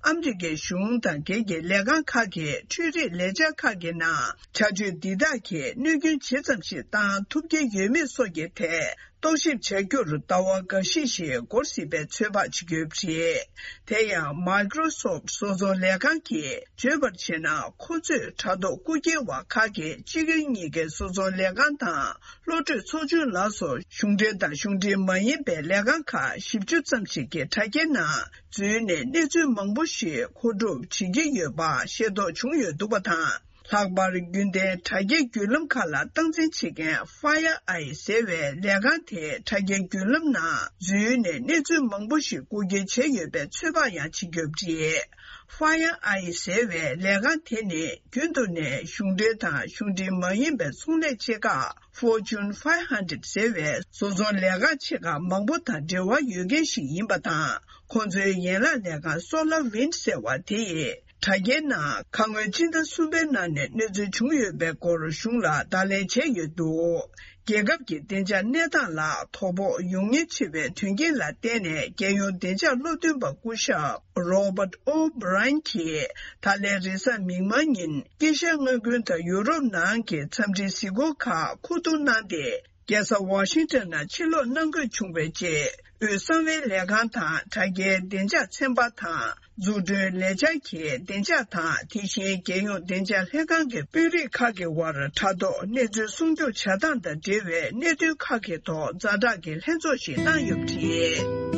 ཨ་མི་རི་ཀའི་གཞུང་དང་སྒེར་གྱི་ལས་ཁང་ཁག་གིས་འཕྲུལ་རིག་ལས་འཆར་ཁག་གི་ནང་བྱ་སྤྱོད་འདི་དག་གིས་གནོད་སྐྱོན་ཇི་ཙམ་ཞིག་བཏང་ཐུབ་ཀྱི་ཡོད་མེད་སོགས་ཀྱི་ཐད། རྟོག་ཞིབ་བྱ་རྒྱུར་ཟླ་བ་འགའ་ཤས་ཤིག་འགོར་སྲིད་པའི་ཚོད་དཔག་བྱེད་ཀྱི་ཡོད་པ་རེད། དེ་ཡང་Microsoft བཟོ་ཚོང་ལས་ཁང་གིས་བརྗོད་པར་བྱས་ན། ཁོ་ཚོས་དྲ་ཐོག་རྐུ་འཁྱེར་བ་ཁག་གིས་སྤྱི་ཁྱབ་གཉིས་ཀའི་བཟོ་ཚོང་ལས་ཁང་དང་། གློག་འཕྲུལ་ཚོགས་ཆུང་ལ་སོགས་གཞུང་འབྲེལ་དང་གཞུང་འབྲེལ་མ་ཡིན་པའི་ལས་ཁང་ཁག་བཞི་བཅུ་ཙམ་ཞིག་གི་དྲ་རྒྱའི་ནང་འཛུལ་ནས་གནས་ཚུལ་མང་པོ་ཞིག་མཁོ་སྒྲུབ་བྱེད་ཀྱི་ཡོད་པ་ཤེས་རྟོགས་བྱུང་ཡོད་འདུག་པ་དང་། ལྷག་པར་རྒྱུན་ལྡན་དྲ་རྒྱའི་བརྒྱུད་ལམ་ཁག་ལ་སྟངས་འཛིན་བྱེད་མཁན་Fire Eye ཟེར་བའི་ལས་ཁང་དེའི་དྲ་རྒྱའི་བརྒྱུད་ལམ་ནང་འཛུལ་ནས་གནས་ཚུལ་མང་པོ་ཞིག་རྐུ་འཁྱེར་བྱས་ཡོད་པའི་ཚོད་དཔག་ཡང་བྱེད་ཀྱི་ཡོད་པ་རེད། Fire Eye ཟེར་བའི་ལས་ཁང་དེ་ནི་རྒྱུན་དུ་ནས་གཞུང་འབྲེལ་དང་གཞུང་འབྲེལ་མ་ཡིན་པའི་ཚོང་ལས་ཆེ་ཁག་Fortune five hundred ཟེར་བའི་བཟོ་ཚོང་ལས་ཁང་ཆེ་ཁག་མང་པོ་དང་འབྲེལ་བ་ཡོད་མཁན་ཞིག་ཡིན་པ་དང་། ཁོང་ཚོའི་ཡན་ལག་ལས་ཁང་SolarWinds ཟེར་བ་དེ་ཡིས། དྲ་རྒྱའི་ནང་ཁ་སྔོན་སྤྱི་ཟླ་གསུམ་པའི་ནང་ནས་གནོད་འཚེ་བྱུང་ཡོད་པའི་སྐོར་གཞུང་ལ་བརྡ་ལན་བྱས་ཡོད་འདུག་རྒྱལ་ཁབ་ཀྱི་བདེ་འཇགས་གནས་སྟངས་ལ་དོ་ཕོག་ཡོང་ཉེན་ཆེ་བའི་དོན་རྐྱེན་ལ་བརྟེན་ནས། རྒྱལ་ཡོངས་བདེ་འཇགས་སློབ་སྟོན་པ་སྐུ་ཞབས་Robert O'Brien གྱིས་ད་ལན་རེས་གཟའ་མིག་དམར་ཉིན་དཀྱིལ་ཤར་མངའ་ཁུལ་དང་ཡུ་རོབ་ནང་གི་འཚམས་འདྲིའི་གཟིགས་སྐོར་ཁག་མཁོ་བསྡུ་གནང་སྟེ། རྒྱལ་ས་ཝ་ཤིང་ཊོན་ནང་ཕྱིར་ལོག་གནང་དགོས་བྱུང་བའི་རྗེས། དབུས་གསང་བའི་ལས་ཁང་དང་དྲ་རྒྱའི་བདེ་འཇགས་ཚན་པ་དང་། འཛུགས་སྐྲུན་ལས་འཆར་གྱི་བདེ་འཇགས་དང་། དེ་བཞིན་རྒྱལ་ཡོངས་བདེ་འཇགས་ལྷན་ཁང་གི་དཔོན་རིགས་ཁག་གི་དབར་དྲ་ཐོག་གནས་ཚུལ་སྲུང་སྐྱོབ་བྱ་སྟངས་དང་འབྲེལ་བའི་གནད་དོན་ཁག་གི་ཐོག་ཛ་དྲག་གི་ལྷན་ཚོགས་ཤིག་གནང་ཡོད་པ་རེད།